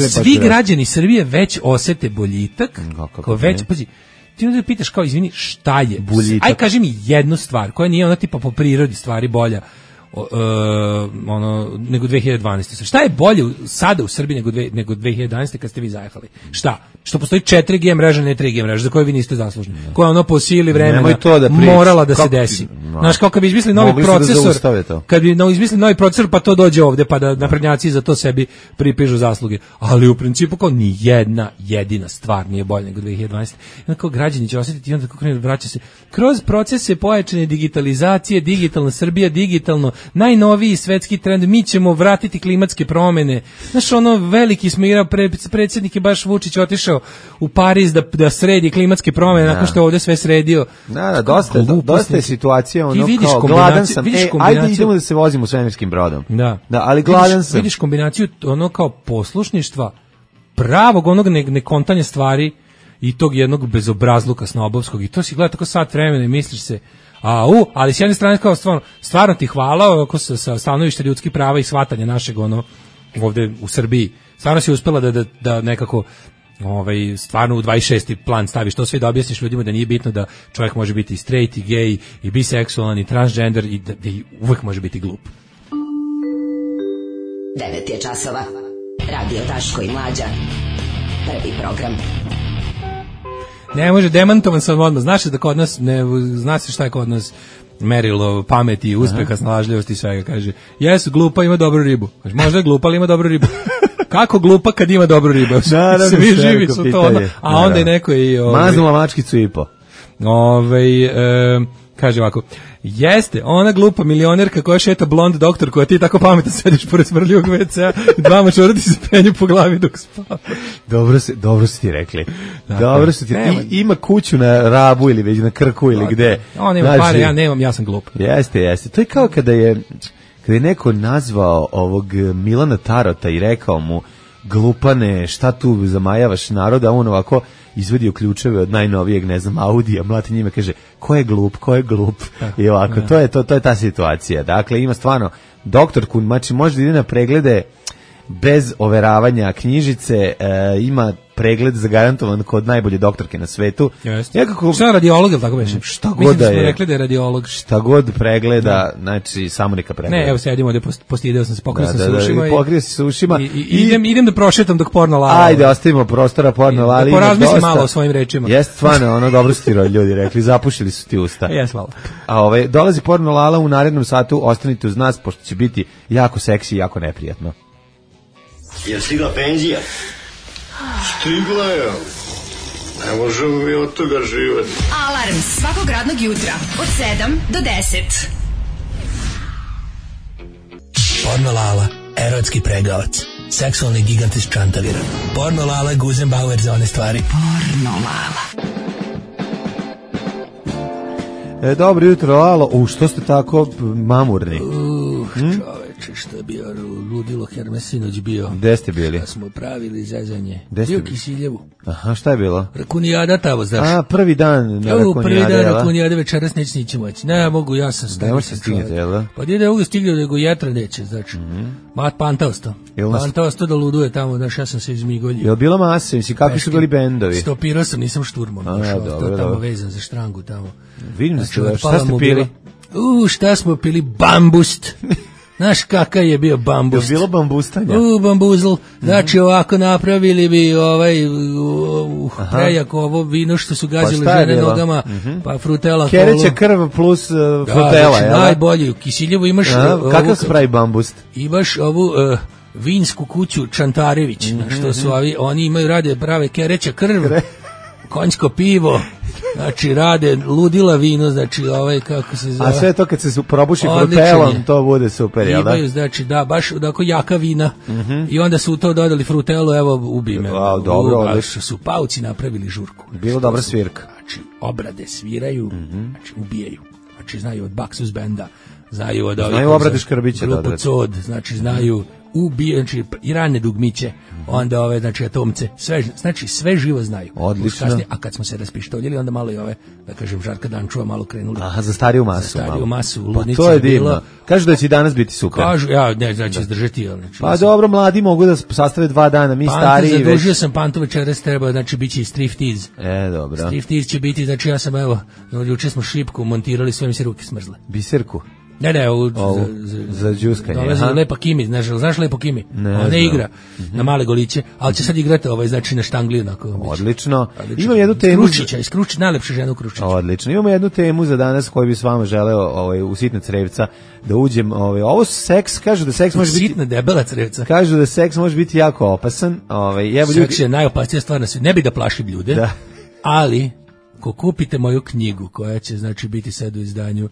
svi građani Srbije već osete boljitak, kao već, pazi, ti onda pitaš kao, izvini, šta je boljitak? Aj kaži mi jednu stvar koja nije ona tipa po prirodi stvari bolja nego 2012. Šta je bolje sada u Srbiji nego 2011. kad ste vi zajehali? Šta? Što postoji 4G mreža, ne 3G mreža, za koje vi niste zaslužni. Koja ono po sili vremena morala da se desi. Znaš, kao kad bi izmislili novi procesor, kad bi izmislili novi procesor, pa to dođe ovde, pa da naprednjaci za to sebi pripižu zasluge. Ali u principu kao ni jedna jedina stvar nije bolja nego 2012. I onda kao građani će osjetiti i onda kako vraća se kroz procese pojačane digitalizacije, digitalna Srbija, digitalno najnoviji svetski trend, mi ćemo vratiti klimatske promene. Znaš, ono, veliki smo igrao, predsjednik je baš Vučić otišao u Pariz da sredi klimatske promene, nakon što je ovdje sve sredio. Dosta je situacija, ono, kao, gladan sam, ajde idemo da se vozimo svemirskim brodom. Da, ali gladan sam. Vidiš kombinaciju, ono, kao poslušništva, pravog onog nekontanja stvari i tog jednog bezobrazluka snobovskog, i to si gleda tako sat vremena i misliš se, ali s jedne strane kao stvarno ti hvala oko sa stanovišta ljudskih prava i shvatanja našeg ono ovde u Srbiji. Stvarno si uspela da nekako stvarno u 26. plan staviš to sve, da objasniš ljudima da nije bitno da čovjek može biti i straight, i gay, i biseksualan, i transgender, i da uvek može biti glup. 9 je časova. Radio Daško i Mlađa. Prvi program. Ne može, demantovan sam odmah. Znaš da kod nas, zna se šta je kod nas merilo pameti, uspeha, snalažljivosti i svega, kaže. Jesu, glupa ima dobru ribu. Kaže, možda je glupa, ali ima dobru ribu. Kako glupa kad ima dobru ribu? Svi živi su to odmah. A onda je neko i... Maznula mačkicu i po. Kaže ovako, jeste, ona glupa milionerka koja šeta blond doktor, koja ti tako pametno sediš pored smrljivog WC-a i dva mačora ti se penju po glavi dok spava. Dobro si ti rekli. Dobro si ti. Ima kuću na Rabu ili već na Krku ili gde. On ima pare, ja nemam, ja sam glup. Jeste. To je kao kada je neko nazvao ovog Milana Tarota i rekao mu, glupane, šta tu zamajavaš naroda, a on ovako izvadio ključeve od najnovijeg, ne znam, Audija, mlati njime, kaže, ko je glup? I ovako, to je ta situacija. Dakle, ima stvarno doktorku, znači može da ide na preglede bez overavanja knjižice, ima pregled zagarantovan kod najbolje doktorke na svetu. Šta je radiolog, ili tako beše? Šta god da je. Rekli da je radiolog. Šta god pregleda, znači samo neka pregleda. Ne, evo sedimo ovdje, postideo sam se, pokrio sam se ušima. Pokrio se ušima. Idem da prošetam dok porno lala. Ajde, ostavimo prostora porno lali. Da porazmislim malo o svojim rečima. Jeste, stvarno, ono, dobro su ti ljudi rekli, zapušili su ti usta. Jes, malo. A dolazi porno lala u narednom satu, ostanite uz nas, pošto će biti jako seksi i jako neprijatno. Je stigla penzija? Stigla je. Ne možemo mi od toga živati. Alarm svakog radnog jutra od 7 do 10. Porno Lala, erotski pregavac. seksualni gigant iz Čantavira. Porno Lala, Guzenbauer za one stvari. Porno Lala. Dobro jutro, Lalo. Što ste tako mamurni? Čoveče, što je bio ludilo Hermesinoć bio. Gde ste bili? Da smo pravili zezanje. Bio u Kisiljevu. Aha, šta je bilo? Rakunijada tamo, znaš. Prvi dan na Rakunijade. Prvi dan Rakunijade, večeras neće moći. Ne mogu, ja sam stari. Ne možete stignete, jel da? Pa nije da mogu stignete, nego jetra neće, znači. Mat Pantaosto. Pantaosto da luduje tamo, znaš, ja sam se izmigoljio. Jel bila masa, misli, kakvi su bili bendovi? Stopirao sam, nisam šturmom. To tamo vezan za štrangu tamo. Vidim da ste, šta ste pili? Šta smo pili? Bambust. Znaš kakav je bio bambust? Je bilo bambustanja? Bambuzl. Znači ovako napravili bi prejak ovo vino što su gazili žene nogama, pa frutela. Kereća krv plus frutela. Znači najbolji. U Kisiljevu imaš... Kakav se pravi bambust? Imaš ovu... vinsku kuću Čantarević, što su oni imaju, rade prave kereća krv, konjsko pivo, znači rade ludila vino, znači kako se zove. A sve to kad se probuši frutelom, to bude super, jel da? Imaju, znači baš tako jaka vina i onda su u to dodali frutelu, evo ubi me. Dobro, odlično. Su pauci napravili žurku. Bilo dobra svirka. Znači obrade sviraju, znači ubijaju, znači znaju od Baksus benda, znaju od ovih... Znaju obrade Škrbića. Grupu Cod, znači znaju znači i rane dugmiće, onda ove, znači atomce, sve živo znaju. Odlično. Kasnije, a kad smo se raspištoljili, onda malo i ove, da kažem, Žarka Dančuva malo krenuli. Aha, za stariju masu. Za stariju masu, ludnica. Pa to je divno. Kažu da će danas biti super. Kažu, znači izdržati. Pa dobro, mladi mogu da sastave 2 dana, mi stariji već. Zadužio sam Pantu večeras, treba, znači bit će i striptease. Dobro. Striptease će biti, znači ja sam, evo, juče smo šipku montirali, sve mi se ruke smrzle. Biserku? Ne, za džuskanje. Dolazi Lepa Kimi, znaš Lepo Kimi? Ne igra na male goliće, ali će sad igrati znači na štangli. Odlično. Imam jednu temu. Iskručić, najlepša žena u Kručiću. Odlično. Imamo jednu temu za danas koju bi s vama želeo u sitna crevca da uđem. Ovo seks, kažu da seks može biti... Sitna debela crevca. Kažu da seks može biti jako opasan. Seks je najopasnija stvar na svijetu. Ne bi da plašim ljude, ali ko kupite moju knjigu koja će znači biti sad u izdanju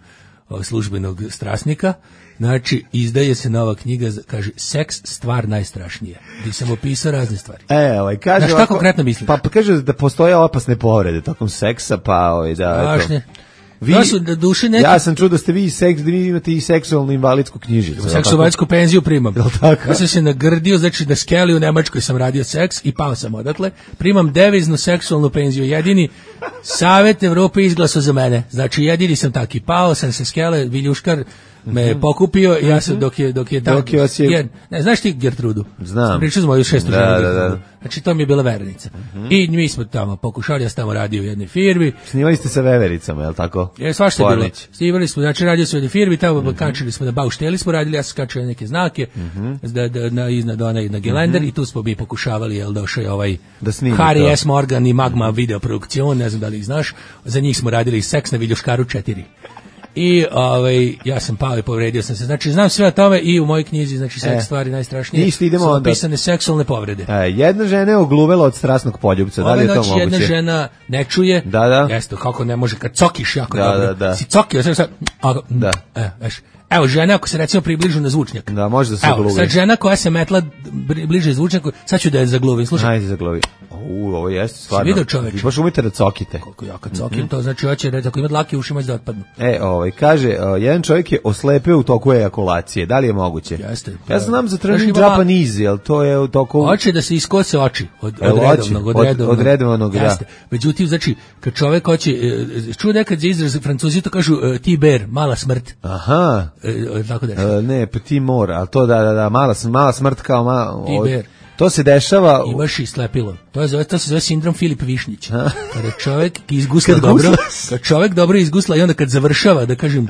službenog strasnika, znači izdaje se nova knjiga, kaže seks stvar najstrašnija, gdje sam opisao razne stvari. Kaže šta konkretno mislim? Pa kaže da postoje opasne povrede tokom seksa, strašne. Ja sam čuo da ste vi imate i seksualnu invalidsku knjižicu. Seksualnu penziju primam. Ja sam se nagrdio, znači na skeli u Nemačkoj sam radio seks i pao sam odatle. Primam deviznu seksualnu penziju. Jedini Savet Evrope izglasao za mene. Znači jedini sam taki. Pao sam se skele, Viljuškar me pokupio i ja sam dok je tamo. Ne, znaš ti Gertrudu? Znam. Pričao smo moju 6. ženu. Da. Znači to mi je bila verenica. I mi smo tamo pokušali, ja sam tamo radio u jednoj firmi. Snimali ste sa vevericama, je li tako? Svašta je bilo. Snimali smo, znači radio smo u jednoj firmi, tamo kačili smo na baušteli smo radili, ja sam kačio neke znake iznad na gelender i tu smo mi pokušavali, jel došao je ovaj Harry S. Morgan i Magma video produkcion, ne znam da li ih znaš, za njih smo radili seks na Viljuškaru 4. I ja sam pao i povredio sam se. Znači znam sve o tome i u mojoj knjizi, znači seks stvari najstrašnije. Su opisane seksualne povrede. Jedna žena je ogluvela od strasnog poljubca. Da li je to moguće? Jedna žena ne čuje. Da. Jeste, kako ne može kad cokiš jako dobro. Da. Si cokio, sad. Evo, žena ako se recimo približu na zvučnjak. Da, može da se ogluvi. Sad žena koja se metla bliže zvučnjaku, sad ću da je zagluvim. Slušaj. Ajde zagluvi. Ovo jeste stvarno. Si vidio čoveče? Vi baš umite da cokite. Koliko ja kad cokim, to znači hoće reći ako ima dlake ušima da otpadnu. Kaže, jedan čovjek je oslepeo u toku ejakulacije. Da li je moguće? Jeste. Ja znam za trening Japanese, jel to je u toku... Hoće da se iskose oči od redovnog, da. Međutim, znači, kad čovjek hoće, čuo nekad za izraz Francuzi to kažu T-bear, mala smrt. Aha. Tako da ne, petit mort, ali to da, mala smrt kao T-bear. To se dešava... Imaš i slepilo. To se zove sindrom Filip Višnjić. Kada čovjek izgusla dobro, kad čovjek dobro izgusla i onda kad završava, da kažem,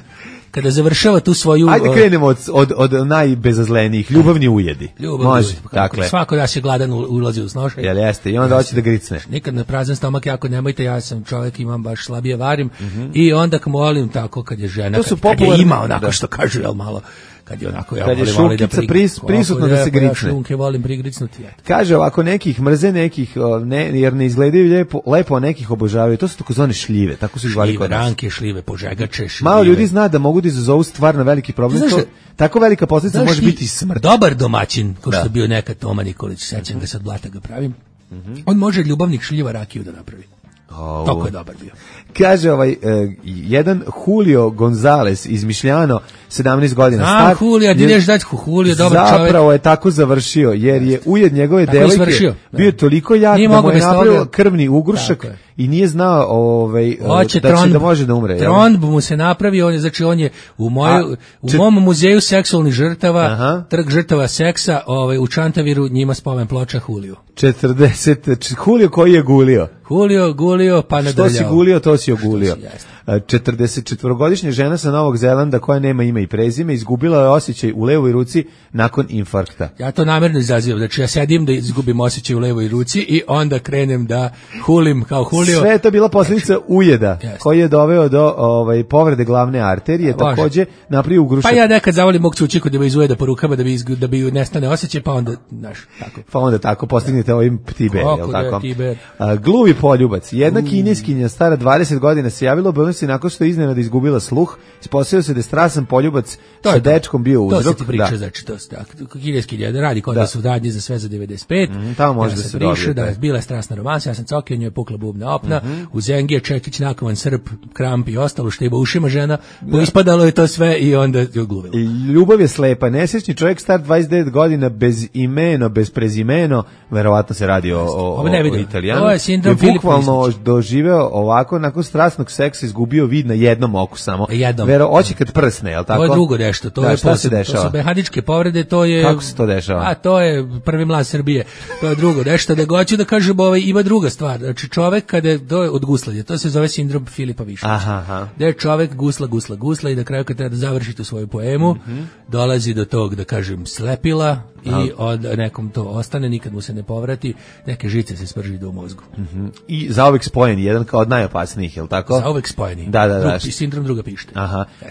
kada završava tu svoju... Ajde krenemo od najbezazlenijih, ljubavni ujedi. Može, dakle. Svako da se gladan ulazi u snošaj. Jel jeste, i onda hoće da gricne. Nikad na prazan stomak jako nemojte, ja sam čovjek, imam baš slabije varim i onda molim tako kad je žena, kad je ima onako što kažu, jel malo, kad je onako ja kad je volim da šunkica prisutno da se gricne. Ja šunke volim prigrisnuti. Kaže ovako, nekih mrze, nekih jer ne izgledaju lepo, a nekih obožavaju. To su takozvane šljive, tako su ih zvali kod nas. Ranke, šljive, požegače, šljive. Malo ljudi zna da mogu da izazovu stvarno veliki problem. Tako velika posljedica može biti smrt. Dobar domaćin, kao što je bio nekad Toma Nikolić, sećam ga, sad blata ga pravim. On može ljubavnik šljiva rakiju da napravi. Toko je dobar bio. Kaže jedan Julio Gonzalez iz Mišljano, 17 godina star. Julio, ideš dati Julio, dobar čovjek. Zapravo je tako završio, jer je ujed njegove devojke bio toliko jak da mu je napravio krvni ugrušak i nije znao da može da umre. Tromb mu se napravio, znači on je u mom muzeju seksualnih žrtava, trg žrtava seksa, u Čantaviru, njima spomen ploča Julio. 40, Julio koji je gulio. Julio, gulio, pa nadrljao. Što si gulio, to si ogulio. 44-godišnja žena sa Novog Zelanda koja nema ime i prezime izgubila je osjećaj u levoj ruci nakon infarkta. Ja to namjerno izazivam, znači ja sedim da izgubim osjećaj u levoj ruci i onda krenem da hulim kao Julio. Sve je to bila posljedica ujeda koji je doveo do povrede glavne arterije, takođe napravio ugrušak. Pa ja nekad zavolim mog cučiku da me izujeda po rukama da bi nestane osjećaj, pa onda, tako. Pa onda tako postignete ovim ptiber, jel tako? Gluvi poljubac. Jedna kineskinja stara 20 godina se javila u nakon što je iznenada izgubila sluh, ispostavio se da je strasan poljubac sa dečkom bio uzrok. To se ti priča, znači to se tako. Kineski radi kod da su radnji za sve za 95. Tamo može da se dobije. Da, bila je strasna romansa, ja sam cokio, njoj je pukla bubna opna, u Zengije čekić, nakovan srp, kramp i ostalo što je ušima žena, ispadalo je to sve i onda je gluvilo. Ljubav je slepa, nesrećni čovjek star 29 godina, bez imeno, bez prezimeno, verovatno se radi o Italijanu. Ovo je sindrom Filipa. Bukvalno doživeo ovako, nakon strasnog seksa izgubio vid na jednom oku samo. Oči kad prsne, jel tako? To je drugo nešto, to je posebno. To su mehaničke povrede, to je... Kako se to dešava? A to je prvi mlad Srbije. To je drugo nešto. Da hoću da kažem, ima druga stvar. Znači čovek kada je od guslanja, to se zove sindrom Filipa Višnića. Da je čovek gusla i na kraju kad treba da završi tu svoju poemu, dolazi do tog, da kažem, slepila i od nekom to ostane, nikad mu se ne povrati, neke žice se sprži do mozgu. I zauvek spojeni, jedan kao od najopasnijih, je li tako? Zauvek spojeni. Da. Sindrom druga pište.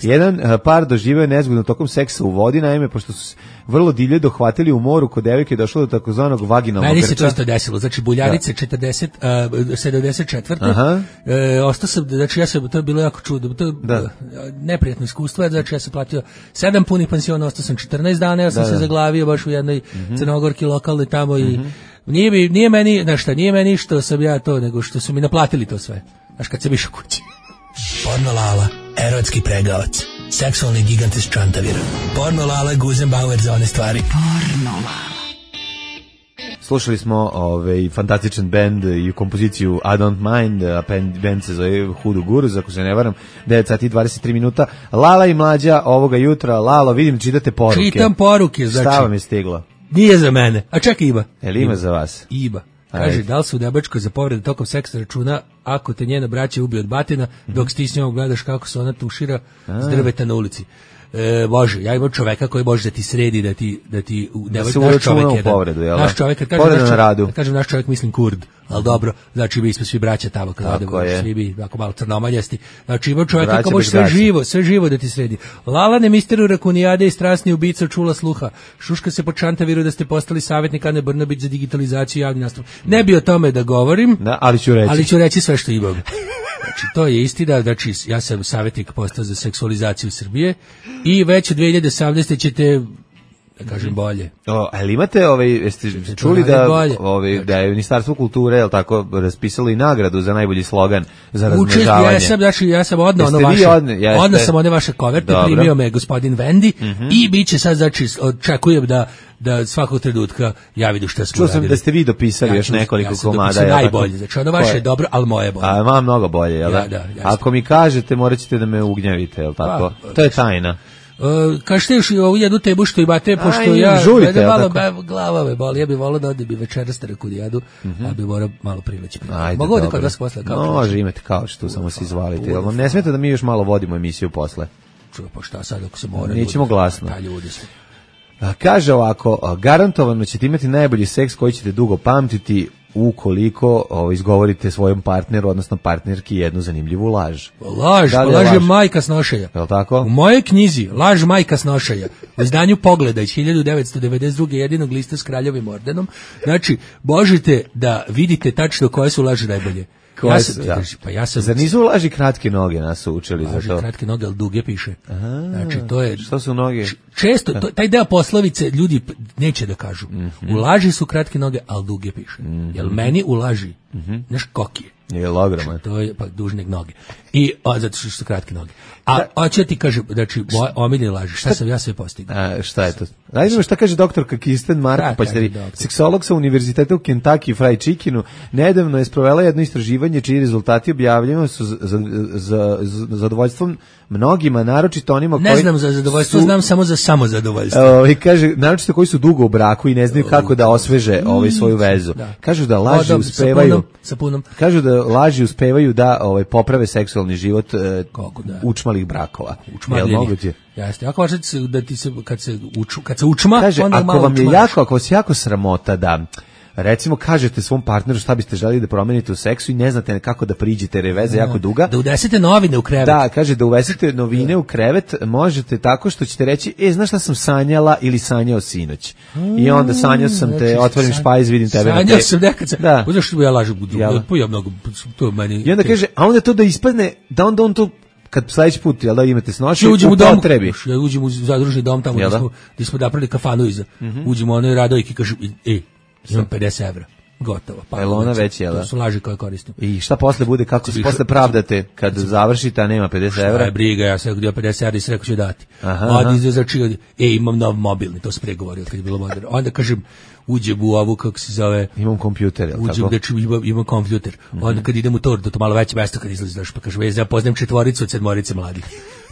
Jedan par doživio je nezgodno tokom seksa u vodi, naime, pošto su vrlo divlje dohvatili u moru, kod devojke je došlo do takozvanog vaginalnog grča. Meni se to isto desilo, znači Buljarice 74. Ostao sam, znači to je bilo jako čudno, to je neprijatno iskustvo, znači ja sam platio 7 punih pensiona, ostao sam 14 dana, ja sam se zaglavio baš u jednoj Crnogorki lokalnoj tamo i nije meni što sam ja to, nego što su mi naplatili to sve, znaš kad sam išao kući. Porno Lala, erotski pregavac, seksualni gigant iz Čantavira. Porno Lala, Guzenbauer za one stvari. Porno Lala. Slušali smo fantastičan band i kompoziciju I Don't Mind, band se zove Hudu Guruz, ako se ne varam, 9 sati i 23 minuta. Lala i Mlađa ovoga jutra. Lalo, vidim, čitate poruke. Čitam poruke, znači. Šta vam je stiglo? Nije za mene, a čak Iba. Ima za vas? Iba. Kaže, da li se u Debačkoj za povrede tokom seksa računa ako te njena braća ubije od batina, dok ti s njom gledaš kako se ona tušira s drveta na ulici. Bože, ja imam čoveka koji može da ti sredi, da ti naš čovek jedan. Povredu, jel? Naš čovek, kad kažem naš čovek, mislim Kurd, ali dobro, znači mi smo svi braća tamo kad odemo, svi bi ako malo crnomaljasti. Znači imam čoveka koji može sve živo da ti sredi. Lalane misteru rakunijade i strasni ubica čula sluha. Šuška se po Čantaviru da ste postali savjetnik Ane Brnabić za digitalizaciju javni nastup. Ne bi o tome da govorim, ali ću reći sve što imam. Znači, to je istina, znači, ja sam savjetnik postao za seksualizaciju Srbije i već u 2017. ćete, da kažem, bolje. Ali imate, jeste čuli da je Ministarstvo kulture, jel tako, raspisalo i nagradu za najbolji slogan za razmnožavanje? Ja sam odno sam one vaše koverte, primio me gospodin Vendi i bit će sad, znači, očekujem da svakog trenutka ja vidim šta smo radili. Čuo sam da ste vi dopisali još nekoliko komada. Ja najbolje, znači ono vaše je dobro, ali moje je bolje. A vam mnogo bolje, jel da? Da. Ako mi kažete, morat ćete da me ugnjavite, jel tako? To je tajna. Kažete još i ovu jednu tebu što imate, pošto ja žurite, malo glava me boli, ja bih volao da bi večeras kud jedu, a bi morao malo prileći. Mogu ovdje kod vas posle? Može, imate kao što samo se izvalite. Jel vam ne smeta da mi još malo vodimo emisiju posle? Čuo, pa šta sad ako se mora? Nećemo glasno. Da, ljudi su. Kaže ovako, garantovano ćete imati najbolji seks koji ćete dugo pamtiti ukoliko izgovorite svojom partneru, odnosno partnerki jednu zanimljivu laž. Laž je majka snošaja. Je li tako? U mojoj knjizi Laž majka snošaja, u izdanju Pogleda iz 1992. jedinog lista s kraljevim ordenom, znači, možete da vidite tačno koje su laži najbolje. Zar nisu laži kratke noge, nas su učili za to? Laži kratke noge, ali duge piše. Znači, to je... Što su noge? Često, taj deo poslovice ljudi neće da kažu. U laži su kratke noge, ali duge piše. Jel meni u laži, znaš kokije? Je ogroman. To je pa dužnik noge. I zato što su kratke noge. A hoće ti kaže, znači, omiljene laži, šta sam ja sve postigao? Šta je to? Radimo šta kaže doktorka Kirsten Marko, seksolog sa univerziteta u Kentucky Fried Chickenu, nedavno je sprovela jedno istraživanje čiji rezultati objavljeni su za zadovoljstvom mnogima, naročito onima koji... Ne znam za zadovoljstvo, znam samo za samozadovoljstvo. Kaže, naročito koji su dugo u braku i ne znaju kako da osveže svoju vezu. Kažu da laži uspevaju... Kažu da laži uspevaju da poprave seksualni život učmalih brakova. Učmaljenje. Jeste, ako važete da ti se kad se učma, kaže, onda ako vam je jako, ako vas jako sramota da recimo kažete svom partneru šta biste želeli da promenite u seksu i ne znate kako da priđete jer je veza jako duga. Da unesete novine u krevet. Da, kaže da unesete novine u krevet možete tako što ćete reći, znaš šta sam sanjala ili sanjao sinoć. I onda sanjao sam te, otvorim špajz, vidim tebe. Sanjao sam nekad. Uzeo što ja lažem u drugu. Ja mnogo, to meni... I onda kaže, a onda to da ispadne, da onda on to kad sledeći put da imate snoši, u potrebi. Ja uđem u zadružni dom tamo gdje smo napravili kafanu iza. Uđemo onoj Radojki i kažem, imam 50 evra. Gotovo. Pa ona već je, da? To su laži koje koristim. I šta posle bude, kako se posle pravdate kad završite, a nema 50 evra? Šta je briga, ja sam gdje 50 evra i se rekao ću dati. Odi znači, imam nov mobilni, to se pregovorio kad je bilo moderno. Onda kažem, uđem u ovu, kako se zove... Imam kompjuter, jel' tako? Imam kompjuter. Onda kad idem u to malo veće mesto kad izlazi, pa kažem, ja poznajem 4 od 7 mladih.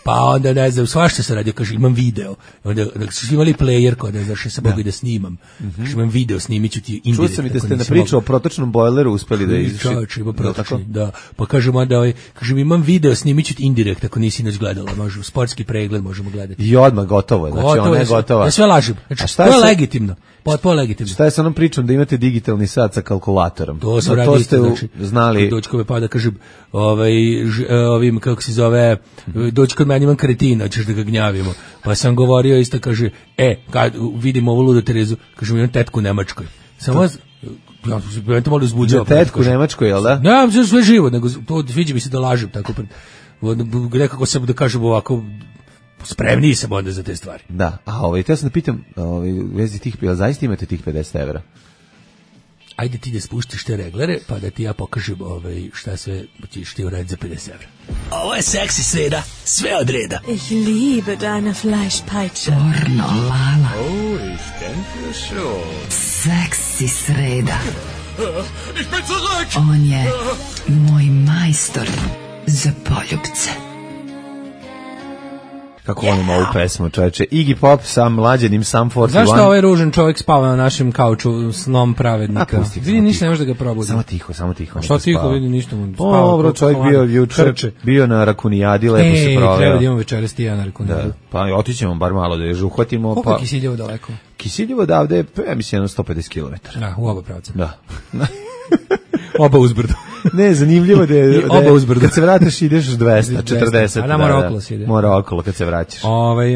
Pa onda, ne znam, svašta se radio, kaže, imam video. Onda su imali player kod, ne znaš, ja sam mogu da snimam. Kaže, imam video, snimit ću ti indirektno. Čuo sam i da ste na priču o protočnom bojleru uspeli da izvrši. Čovječ, ima protočni, da. Pa kažem onda, kažem, imam video, snimit ću ti indirekt, ako nisi inač gledala, možemo, sportski pregled možemo gledati. I odmah gotovo je, znači ona je gotova. Ja sve lažem, znači, to je legitimno. To je legitimno. Šta je sa onom pričom da imate digitalni sat sa kalkulatorom? To sam radio isto, znači, znali. Dočkove pa da kažem, ovim, kako se zove, doći kod meni imam kretina, ćeš da ga gnjavimo. Pa sam govorio isto, kaže, kad vidim ovu ludu Terezu, kaže, imam tetku u Nemačkoj. Samo ja te malo uzbuđao. Tetku u Nemačkoj, jel da? Ne, sve živo, nego to sviđa mi se da lažem, tako nekako sam da kažem ovako, spremniji sam onda za te stvari. Da, te sam da pitam, vezi tih, zaista imate tih 50 evra? Ajde ti da spuštiš te reglere, pa da ti ja pokažem šta sve ćeš ti uraditi za 50 evra. Ovo je seksi sreda, sve od reda. Ich liebe deine Fleischpeitsche. Pornolala. Oh, ich denke schon. Seksi sreda. Ich bin zurück! On je moj majstor za poljubce. Kako volim ovu pesmu, čoveče. Iggy Pop sa mlađenim Sum 41. Zašto ovaj ružan čovjek spava na našem kauču snom pravednika? Vidi, ništa ne može da ga probudi. Samo tiho. Što tiho, vidi, ništa mu spava. Dobro, čovjek bio juče, bio na Rakunijadi, lepo se proveo. Treba da imamo večeras ti ja na Rakunijadu. Pa otićemo bar malo da je uhvatimo. Koliko je Kisiljevo daleko? Kisiljevo odavde, ja mislim, 150 km. Da, u oba pravca. Da. Oba uzbrdo. Ne, zanimljivo da je oba uzbrdo. Kad se vratiš ideš 240. A da, mora okolo se ide. Mora okolo kad se vraćaš.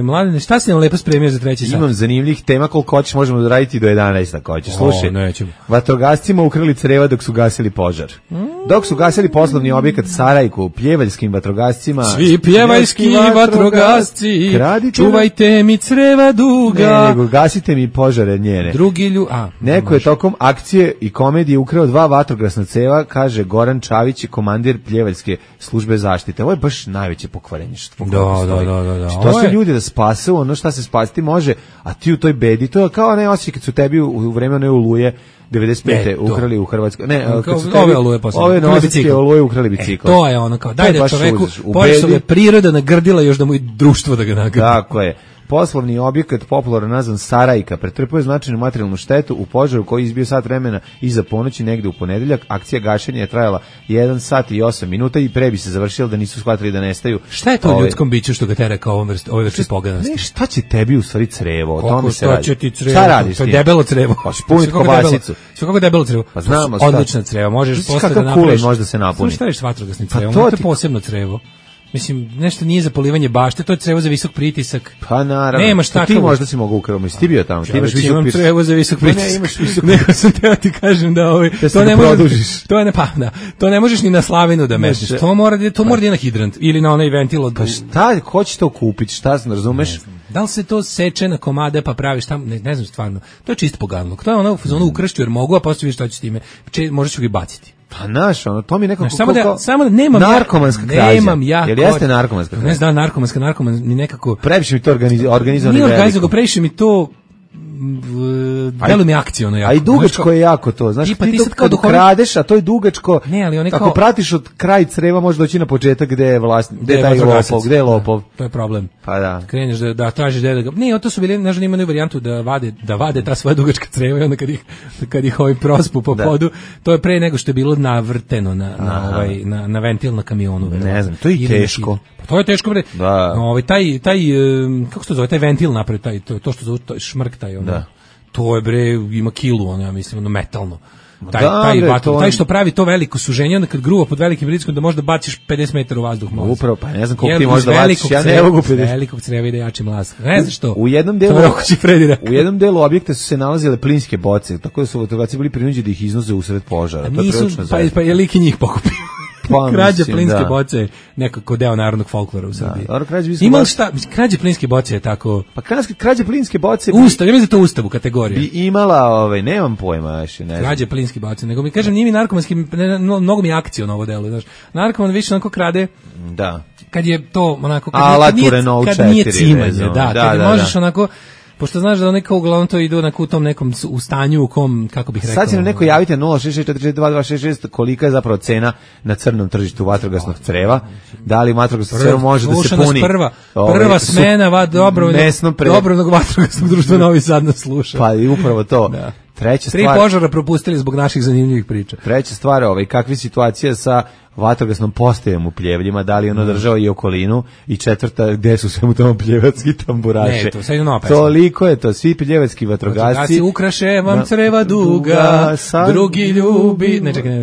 Mladine, šta si nam lepo spremio za treći sat? Imam zanimljivih tema koliko hoćeš, možemo da raditi do 11 ako hoćeš. Slušaj, nećemo. Vatrogascima ukrali creva dok su gasili požar. Dok su gasili poslovni objekat Sarajku, pjevaljskim vatrogascima. Svi pjevaljski vatrogasci, čuvajte mi creva duga. Ne, nego gasite mi požare njene. Neko je tokom akcije i komedije ukrao 2 vatrogasna ceva, kaže Goran Čavić, komandir pljevaljske službe zaštite. Ovo je baš najveće pokvarenje što Da. To su ljudi da spasu ono šta se spasiti može, a ti u toj bedi, to je kao ne osjećaj kad su tebi u vreme one oluje 95. ukrali u Hrvatskoj. Ne, kad su tebi ove novosadske oluje ukrali bicikl. To je ono kao, daj da čoveku, pošto je priroda nagrdila još da mu i društvo da ga nagrdi. Tako je. poslovni objekat popularno nazvan Sarajka pretrpio je značajnu materijalnu štetu u požaru koji je izbio sat vremena iza ponoći negde u ponedeljak. Akcija gašenja je trajala 1 sat i 8 minuta i pre bi se završila da nisu shvatili da nestaju. Šta je to u ljudskom biću što ga tera kao ove vrste poganosti? Ne, šta će tebi u stvari crevo? O tome se radi. Šta će ti crevo? Šta radiš? To je debelo crevo. Pa špunit kobasicu. Sve kako debelo crevo. Pa znamo šta. Odlična creva. Možeš posle da napraviš. Možda se napuni. Šta je s vatrogasnim crevom? To je posebno crevo. Mislim, nešto nije za polivanje bašte, to je crevo za visok pritisak. Pa naravno. Nemaš tako. Ti možda si mogu ukraviti, ti bio tamo, ti imaš visok pritisak. Crevo za visok pritisak. Ne, imaš visok pritisak. Nego sam teo ti kažem da to ne možeš. To ne možeš ni na slavinu da mešaš. To mora da na hidrant ili na onaj ventil od. Pa šta, ko će to kupiti? Šta se razumeš? Da li se to seče na komade pa praviš tamo, ne znam stvarno. To je čist poganluk. To je ono u fazonu ukršću jer mogu, a posle vidiš šta će s time. Možeš ga i baciti. Pa naš, to mi je nekako samo da nemam narkomanska krađa. Nemam ja. Jel jeste narkomanska krađa? Ne znam, narkoman mi nekako previše mi to organizovano. Nije organizovano, previše mi to delo mi akciono jako. A i dugačko je jako to. Znaš, ti sad kad kradeš, a to je dugačko. Ne, ali oni ako pratiš od kraj creva, možeš doći na početak gde je vlasnik, gde je taj lopov, gde je lopov. To je problem. Pa da. Kreneš da tražiš da ga. Ne, to su bili, ne znam, imaju varijantu da vade ta svoja dugačka creva i onda kad ih ovaj prospu po podu, to je pre nego što je bilo navrteno na ventil na kamionu. Ne znam, to je teško. To je teško bre. Da. Taj kako se to zove, taj ventil napravi, to što zove šmrk taj ono. Da. To je bre, ima kilu, ja mislim, metalno. Taj što pravi to veliko suženje, onda kad gruva pod velikim pritiskom da možda baciš 50 metara u vazduh. Upravo, pa ne znam koliko ti možda baciš, ja ne mogu 50. Velikog creva ide jači mlaz. Ne znam što. U jednom delu objekta su se nalazile plinske boce, tako da su vatrogasci bili prinuđeni da ih iznoze usred požara. Pa je lik i njih pokupio. Krađa plinske boce, nekako deo narodnog folklora u Srbiji. Ima šta, krađa plinske boce je tako. Pa krađa plinske boce. Ustav, ja mislim da to ustav u kategoriji. Bi imala, nemam pojma, ne znam. Krađa plinske boce, nego mi kažem, nije mi narkomanski, mnogo mi akcija na ovo delu, znaš. Narkoman više onako krade. Da. Kad je to onako kad nije cimanje, kad možeš onako. Pošto znaš da oni kao uglavnom to idu u tom nekom u stanju u kom, kako bih rekao. Sad će nam neko javiti 066442266 kolika je zapravo cena na crnom tržištu vatrogasnog creva. Da li vatrogasno crevo može da se puni? Prva smena Dobrovoljnog vatrogasnog društva Novi Sad nas sluša. Pa i upravo to. Da. Treća stvar, 3 požara propustili zbog naših zanimljivih priča. Treća stvar, kakva je situacija sa vatrogasnom postajom u Pljevljima, da li ono držao i okolinu, i četvrta, gde su svemu tamo pljevački tamburaše. Ne, to sad je nova pesma. Toliko je to, svi pljevački vatrogasci. Ukraše vam creva duga, drugi ljubi,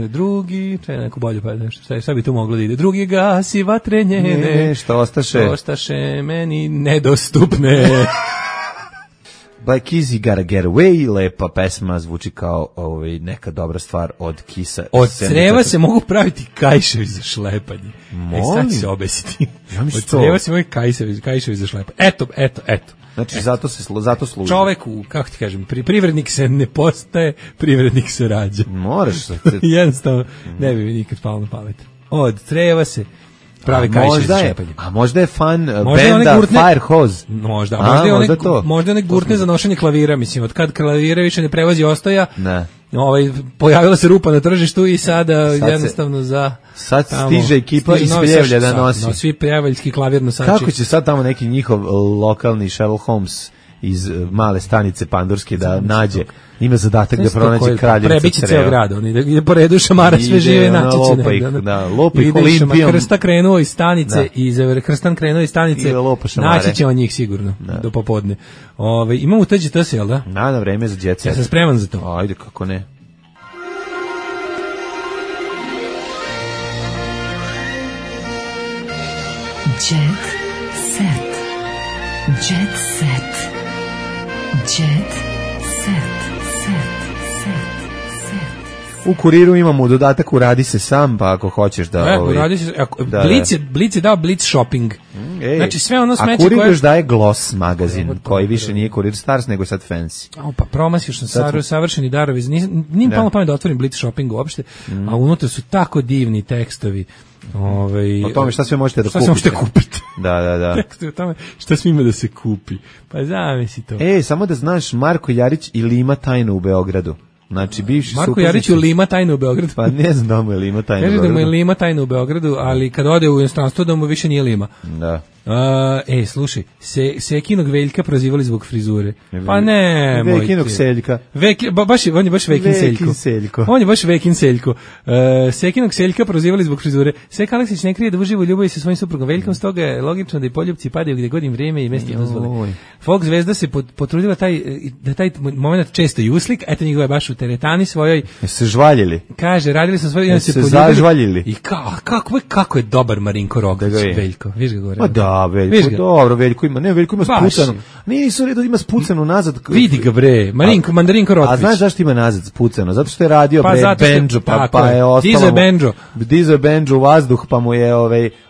drugi, neku bolju pa nešto, šta bi tu moglo da ide, drugi gasi vatre njene, što ostaše meni nedostupne. Black Easy Gotta Get Away, lepa pesma, zvuči kao neka dobra stvar od Kisa. Od creva se mogu praviti kajševi za šlepanje. Sad će se obesiti. Od creva se mogu kajševi za šlepanje. Eto. Znači, zato služi. Čoveku, kako ti kažem, privrednik se ne postaje, privrednik se rađa. Moraš. Jednostavno, ne bi mi nikad palo na pamet. Od creva se pravi kajševi za šlepanje. A možda je fan benda Firehose. Možda one gurtne za nošenje klavira, mislim, od kad klavira više ne prevozi ostoja, pojavila se rupa na tržištu i sada jednostavno sad stiže ekipa iz Pljevlja da nosi. Svi pljevaljski klavir nosači. Kako će sad tamo neki njihov lokalni Sherlock Holmes iz male stanice Pandurske da nađe, ima zadatak da pronađe kraljevica creva. Prebiće ceo grad, oni po redu šamara sve žive, naći će lopa ih Olimpijom. Krstan krenuo iz stanice, naći će on njih sigurno, do popodne. Imamo uteđe to se, jel da? Na vreme za Jet Set. Ja sam spreman za to. Ajde, kako ne. Jet Set. Jet Set. Jet Set. U Kuriru imamo dodatak uradi se sam, pa ako hoćeš da... uradi se, Blic je dao Blic shopping. Znači sve ono smeće koje... A Kurir još daje Gloss magazin, koji više nije Kurir Stars, nego je sad fancy. Pa promasio sam savršeni darovi. Nije palo pamet da otvorim Blic shopping uopšte, a unutra su tako divni tekstovi. O tome šta sve možete da kupite. Šta sve možete kupiti. Da. Tekstovi o tome šta sve ima da se kupi. Pa zamisli to. Samo da znaš, Marko Jarić i Lima tajno u Beogradu. Znači, bivši Marko Jarić u Lima tajno u Beogradu. Pa ne znam da mu je Lima tajno u Beogradu. Kaže da mu je Lima tajno u Beogradu, ali kad ode u inostranstvo da mu više nije Lima. Da. Slušaj, Sekinog Veljka prozivali zbog frizure. Pa ne, Vekinog Seljka. On je baš Vekin Seljko. On je baš Vekin Seljko. Sekinog Seljka prozivali zbog frizure. Sek Aleksić ne krije da uživa u ljubavi sa svojim suprugom Veljkom, stoga je logično da i poljupci padaju gdje god im vrijeme i mesti dozvole. Folk zvezda se potrudila da taj moment često i uslik, eto njegove je baš u teretani svojoj. Se žvaljili. Kaže, radili su svoje, se zažvaljili. I kako je dobar Marinko Roglić, Veljko. Viš ga gore. Ma da, Veljko, dobro, Veljko ima spucano. Nisu redu ima spucano nazad. Vidi ga bre, Mandarinko Roglić. A znaš zašto ima nazad spucano? Zato što je radio Benđo, pa je ostalo. Dizo je Benđo u vazduh, pa mu je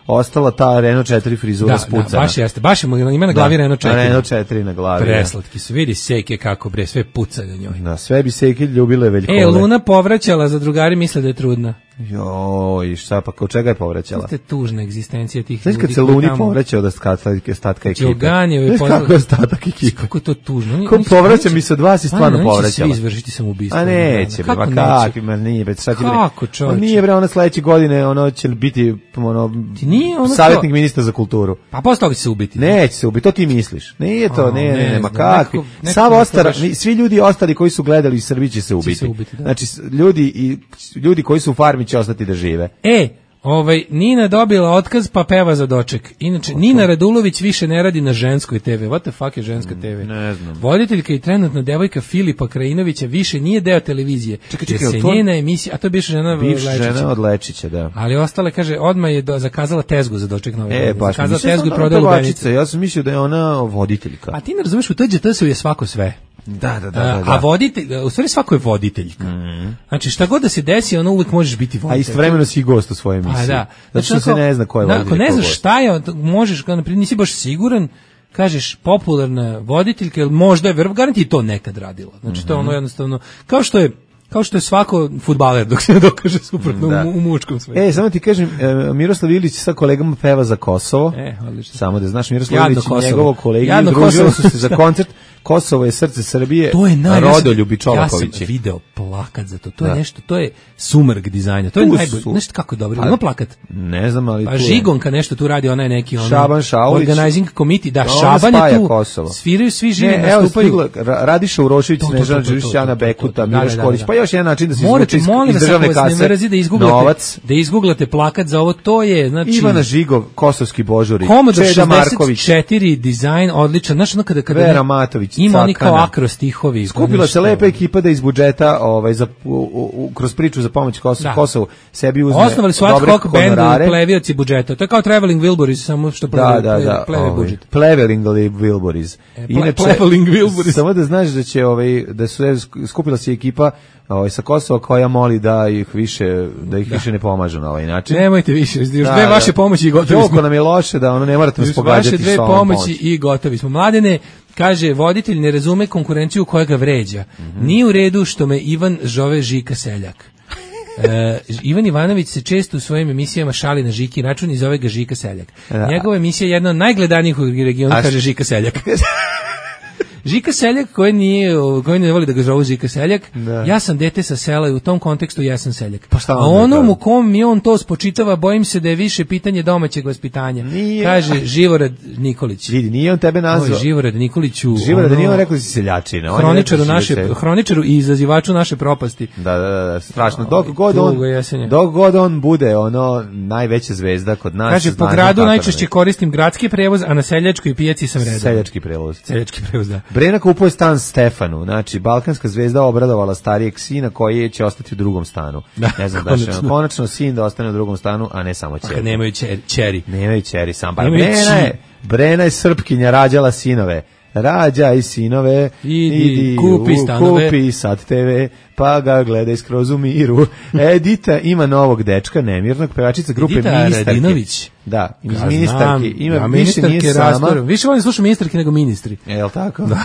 ostala ta Renault 4 frizura spucana. Da, baš jeste. Baš ima na glavi Renault 4. Renault 4 na glavi. Preslatki su. Vidi Seke kako bre, sve puca na njoj. Da, sve bi Seke ljubile Veljkove. Luna povraćala, za drugari misle da je trudna. Joj, šta pa, kod čega je povraćala? To je tužna egzistencija tih ljudi. Znaš kad se Luni povraćao da statka ekipe? Znaš kako je ostatak ekipe? Kako je to tužno? Ko povraća mi se od vas i stvarno povraćala? Neće svi izvršiti samoubistvo. A neće, kako neće? Kakvi, nije, bre, šta ti bre? Kako, čovječe? Nije, bre, ona sledeće godine, ono će biti, savjetnik ministra za kulturu. Pa posle toga će se ubiti. Neće se ubiti, to ti misliš. Nije to, ne, ma kakvi. Svi ljudi ostali koji su gledali u Srbiji će se ubiti. Znači, ljudi koji su u farmi će ostati da žive. Nina dobila otkaz pa peva za doček. Inače, Nina Radulović više ne radi na ženskoj TV. What the fuck je ženska TV? Ne znam. Voditeljka i trenutna devojka Filipa Krajinovića više nije deo televizije. Čekaj, se njena emisija, a to je bivša žena Lečića. Žena od Lečića, da. Ali ostale, kaže, odmah je zakazala tezgu za doček nove godine. Baš, zakazala tezgu i prodala lubenice. Ja sam mislio da je ona voditeljka. A ti ne razumeš, u TGT-u je svako sve. Da. A voditelj, u stvari svako je voditeljka. Znači šta god da se desi, ono uvijek možeš biti voditelj. A istovremeno si i gost u svojoj emisiji. Da. Zato što se ne zna ko je voditelj. Ako ne znaš šta je, možeš, naprijed, nisi baš siguran, kažeš popularna voditeljka, ili možda je garanti to nekad radila. Znači to je ono jednostavno, kao što je svako fudbaler dok se ne dokaže suprotno u muškom svetu. Samo ti kažem, Miroslav Ilić sa kolegama peva za Kosovo. Odlično. Samo da znaš, Miroslav Ilić i njegovo kolegi družili su se za koncert Kosovo je srce Srbije, Rodoljubi Čolakovići. Ja sam video plakat za to. To je nešto, to je sumrk dizajna. To je najbolje. Nešto kako je dobro. Ima plakat? Ne znam, ali pa Žigonka nešto tu radi, ona je neki Šaban Šaulić. Organizing committee. Da, Šaban je tu. Kosovo. Sviraju svi živi, nastupaju. Radiša Urošević, Snežana Đurišić, Ana Bekuta, Miloš Kolić. Pa još jedan način da se izvuče iz državne kase novac. Da izguglate plakat za ovo, to je, znači Ivana Žigov, Kosovski Božuri, Čeda Marković, 64 dizajn, odličan. Znaš, ono kada Vera Matović, ima oni kao akrostihovi. Skupila se lepa ekipa da iz budžeta kroz priču za pomoć Kosovu sebi uzme osnovali su ad hoc band plevioci budžeta. To je kao Traveling Wilburys, samo što pleve budžet. Pleveling Wilburys. Inače, samo da znaš da će da su skupila se ekipa sa Kosova koja moli da ih više ne pomažu na ovaj način. Nemojte više, još dve vaše pomoći i gotovi smo. Joko nam je loše da ne morate nas pogađati vaše dve pomoći i gotovi smo. Mladene, kaže, voditelj ne razume konkurenciju koja ga vređa. Nije u redu što me Ivan zove Žika Seljak. Ivan Ivanović se često u svojim emisijama šali na Žiki račun i zove ga Žika Seljak. Njegova emisija je jedna od najgledanijih u regionu, kaže Žika Seljak. Žika Seljak koji ne voli da ga zovu Žika Seljak, ja sam dete sa sela i u tom kontekstu ja sam seljak. A onom u kom mi on to spočitava, bojim se da je više pitanje domaćeg vaspitanja. Kaže Živorad Nikolić. Vidi, nije on tebe nazvao. Živorad Nikoliću. Živorad nije on rekao da si seljačina. Hroničaru i izazivaču naše propasti. Da, strašno. Dok god on bude najveća zvezda kod nas. Kaže, po gradu najčešće koristim gradski prevoz, a na seljačkoj pijaci sam redan. Seljački prevoz, da. Brena kupuje stan Stefanu, znači balkanska zvezda obradovala starijeg sina koji će ostati u drugom stanu. Ne znam da konačno sin da ostane u drugom stanu, a ne samo ćeri. Nemaju ćeri. Nemaju ćeri, sam bar. Brena je Srpkinja, rađala sinove. Rađaj sinove, idi kupi sad TV, pa ga gledaj skroz u miru. Edita ima novog dečka, nemirnog, pevačica grupe Ministarke. Edita Radinović. Da, iz Ministarke. Ima, više nije sama. Više volim slušati Ministarke nego ministri. Je li tako? Da.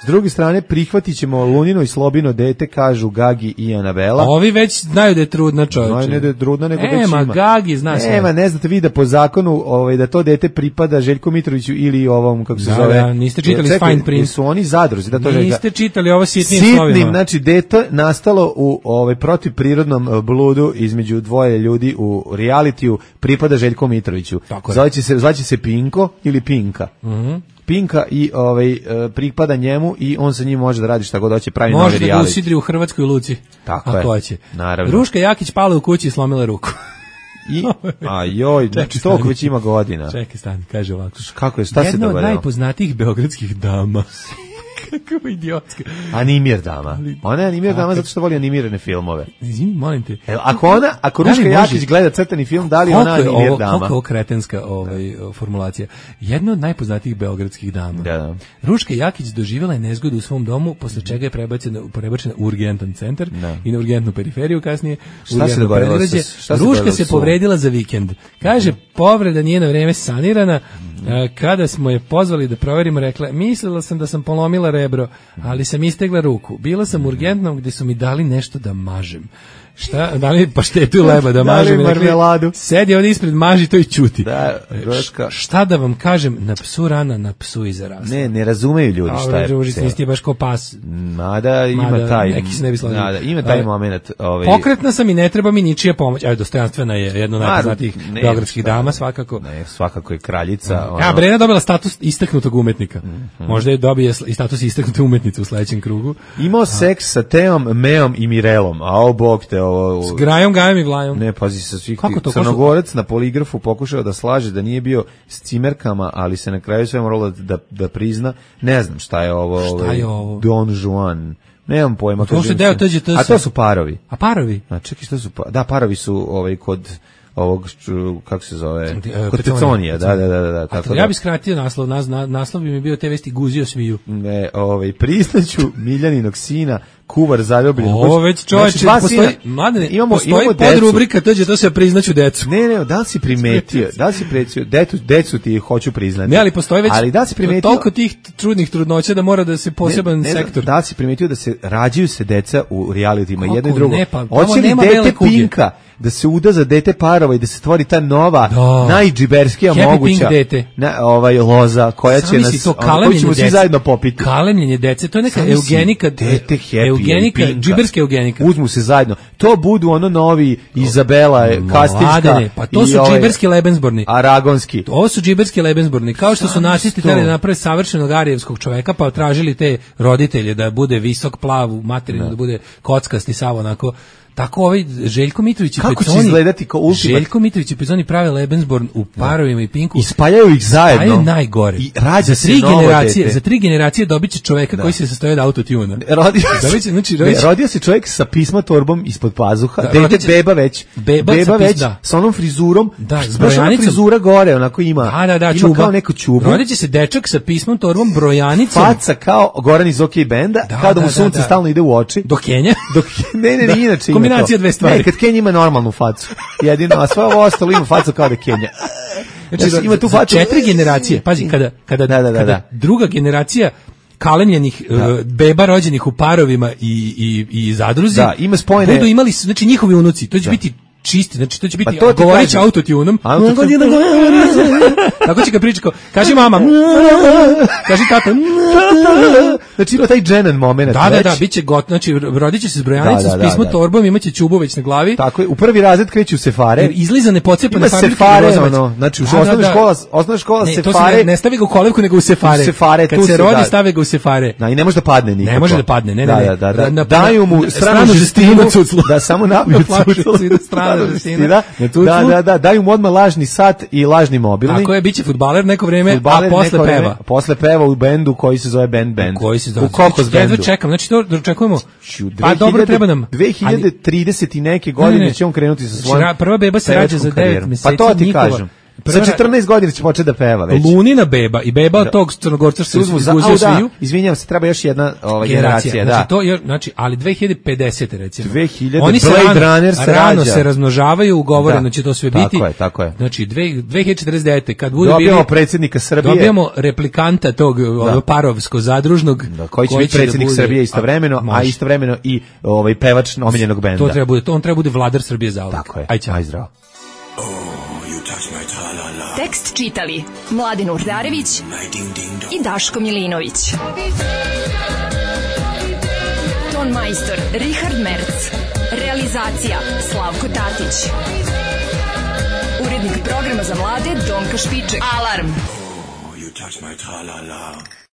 S druge strane, prihvatit ćemo Lunino i Slobino dete, kažu Gagi i Anabela. Ovi već znaju da je trudna, čovječe. Ne da je trudna, nego već ima. Gagi zna sve. Ne znate vi da po zakonu da to dete pripada Željku Mitroviću ili ovom, kako se zove. Da, niste čitali Fine Print. Su oni zadruzi. Da to niste čitali ovo sitnim slovima. Znači, dete nastalo u protivprirodnom bludu između dvoje ljudi u realitiju, pripada Željku Mitroviću. Zvaće se Pinko ili Pinka. Pinka i pripada njemu i on sa njim može da radi šta god hoće, pravi novi reality. Može da ga usidri u Hrvatskoj luci. Tako je. Hoće. Naravno. Ruška Jakić pala u kući i slomila ruku. Znači toliko već ima godina. Čekaj, stani, kaže ovako. Kako je, šta se dogodilo? Jedna od najpoznatijih beogradskih dama. Kako idiotska. Animir dama. Ona je animir dama zato što voli animirane filmove. Izvini, molim te. Ako Ruška Jakić gleda crtani film, da li ona animir dama? Koliko je ovo kretenska formulacija. Jedna od najpoznatijih beogradskih dama. Da. Ruška Jakić doživjela je nezgodu u svom domu, posle čega je prebačena u urgentan centar i na urgentnu periferiju kasnije. Šta se dogodilo? Ruška se povredila za vikend. Kaže, povreda nije na vreme sanirana. Kada smo je pozvali da proverimo, rekla, mislila sam da sam polomila rebro, ali sam istegla ruku. Bila sam urgentnom gdje su mi dali nešto da mažem. Šta, da li paštetu leba da mažem? Marmeladu. Sedi ovdje ispred, maži to i čuti. Da, šta da vam kažem, na psu rana, na psu i zarasla. Ne razumeju ljudi šta je. Nisi baš ko pas. Mada ima taj. Neki se ne bi složili. Ima taj moment. Pokretna sam i ne treba mi ničija pomoć. Dostojanstvena je jedna od najpoznatijih beogradskih dama, svakako. Ne, svakako je kraljica. Brena dobila status istaknutog umetnika. Možda je dobije i status istaknute umetnice u sledećem krugu. Imao seks sa Teom, Meom i Mirelom, a bog te s Grajom, Gajom i Vlajom. Ne, pazi, sa svih Crnogorac na poligrafu pokušao da slaže da nije bio s cimerkama, ali se na kraju sve moralo da prizna. Ne znam šta je ovo. Šta je ovo? Don Juan. Nemam pojma. To se deo TGT. A to su parovi. A parovi? A čekaj, što su parovi? Da, parovi su kod ovog, kako se zove, kod Peconija, da. Tako ja bih skratio naslov, naslov bi mi bio te vesti guzio sviju. Ne, priznaću Miljaninog sina, kuvar zaljubljen. Ovo već čovječe, postoji podrubrika, to se priznaću decu. Ne, da li si primetio, decu ti hoću priznati. Ne, ali postoji već toliko tih trudnih trudnoća da mora da se poseban sektor. Da li si primetio da se rađaju se deca u realitima, jedno i drugo. Hoće li dete Pinka da se uda za dete parova i da se stvori ta nova, najdžiberskija moguća loza koja će nas, koju ćemo svi zajedno popiti. Kalemljenje dece, to je neka eugenika, džiberska eugenika. Uzmu se zajedno. To budu novi Izabela, Kastiljska. Pa to su džiberski lebensborni. Aragonski. Ovo su džiberski lebensborni. Kao što su nacisti htjeli da naprave savršenog arijevskog čoveka, pa tražili te roditelje da bude visok, plav, materinu, da bude kockasti, sav onako. Tako Željko Mitrović i Kako će izgledati kao ultimat? Željko Mitrović i Peconi prave Lebensborn u parovima i Pinku. I spajaju ih zajedno. Spajaju najgore. I rađa se novo dete. Za 3 generacije dobit će čoveka koji se sastoji od autotuna. Rodio se čovjek sa pisma torbom ispod pazuha. Dete beba već. Sa onom frizurom. S brojanicom. Frizura gore, onako ima. Ima kao neko čubu. Rodit će se dečak sa pismom, torbom, brojanicom. Faca kao Goran iz OK benda. Kada mu sunce stalno ide u oči. Do Kenja. Ne, inače kombinacija dve stvari. Ne, kad Kenja ima normalnu facu. Jedino, a sve ovo ostalo ima facu kao da Kenja. Znači, ima tu facu. 4 generacije. Pazi, kada druga generacija kalemljenih beba rođenih u parovima i zadruzi ima spojene. Budu imali, znači njihovi unuci, to će biti čisti, znači to će biti govorit će autotunom. Tako će ga pričati, kaži mama, kaži tata. Znači ima taj dženan moment. Da, bit će znači rodit će se s brojanicom, s pismo torbom, imaće čubu već na glavi. Tako je, u prvi razred kreću sefare. Jer izlizane pocepane sefare, znači u osnovna škola sefare. Ne stavi ga u kolevku, nego u sefare. Kad se rodi, stave ga u sefare. I ne može da padne nikako. Ne može da padne, ne. Daju mu stranu žestinu, da samo napiju cuclu. Da, daju mu odmah lažni sat i lažni mobilni. Tako je, bit će fudbaler neko vreme, a posle peva. Posle peva u bendu koji se zove Band. U Kokos bendu. Čekam, znači to dočekujemo. Pa dobro, treba nam 2030 i neke godine će on krenuti sa svojom prva beba se rađa za 9 meseci. Pa to ti kažem. Sa 14 godina će početi da peva već. Lunina beba i beba tog Crnogorca što se izguzio sviju. Izvinjavam se, treba još jedna generacija, znači, to je, znači, ali 2050 recimo. 2000 oni se rano se razmnožavaju, ugovoreno će to sve biti. Tako je. Znači 2049 kad bude dobijamo predsjednika Srbije. Dobijamo replikanta tog parovsko zadružnog koji će biti predsjednik Srbije istovremeno, a istovremeno i pevač omiljenog benda. To treba bude, on treba bude vladar Srbije zauvek. Tako je. Aj zdravo. Tekst čitali Mladin Urdarević i Daško Milinović. Ton majstor Richard Merc. Realizacija Slavko Tatić. Urednik programa za mlade Donka Špiček. Alarm!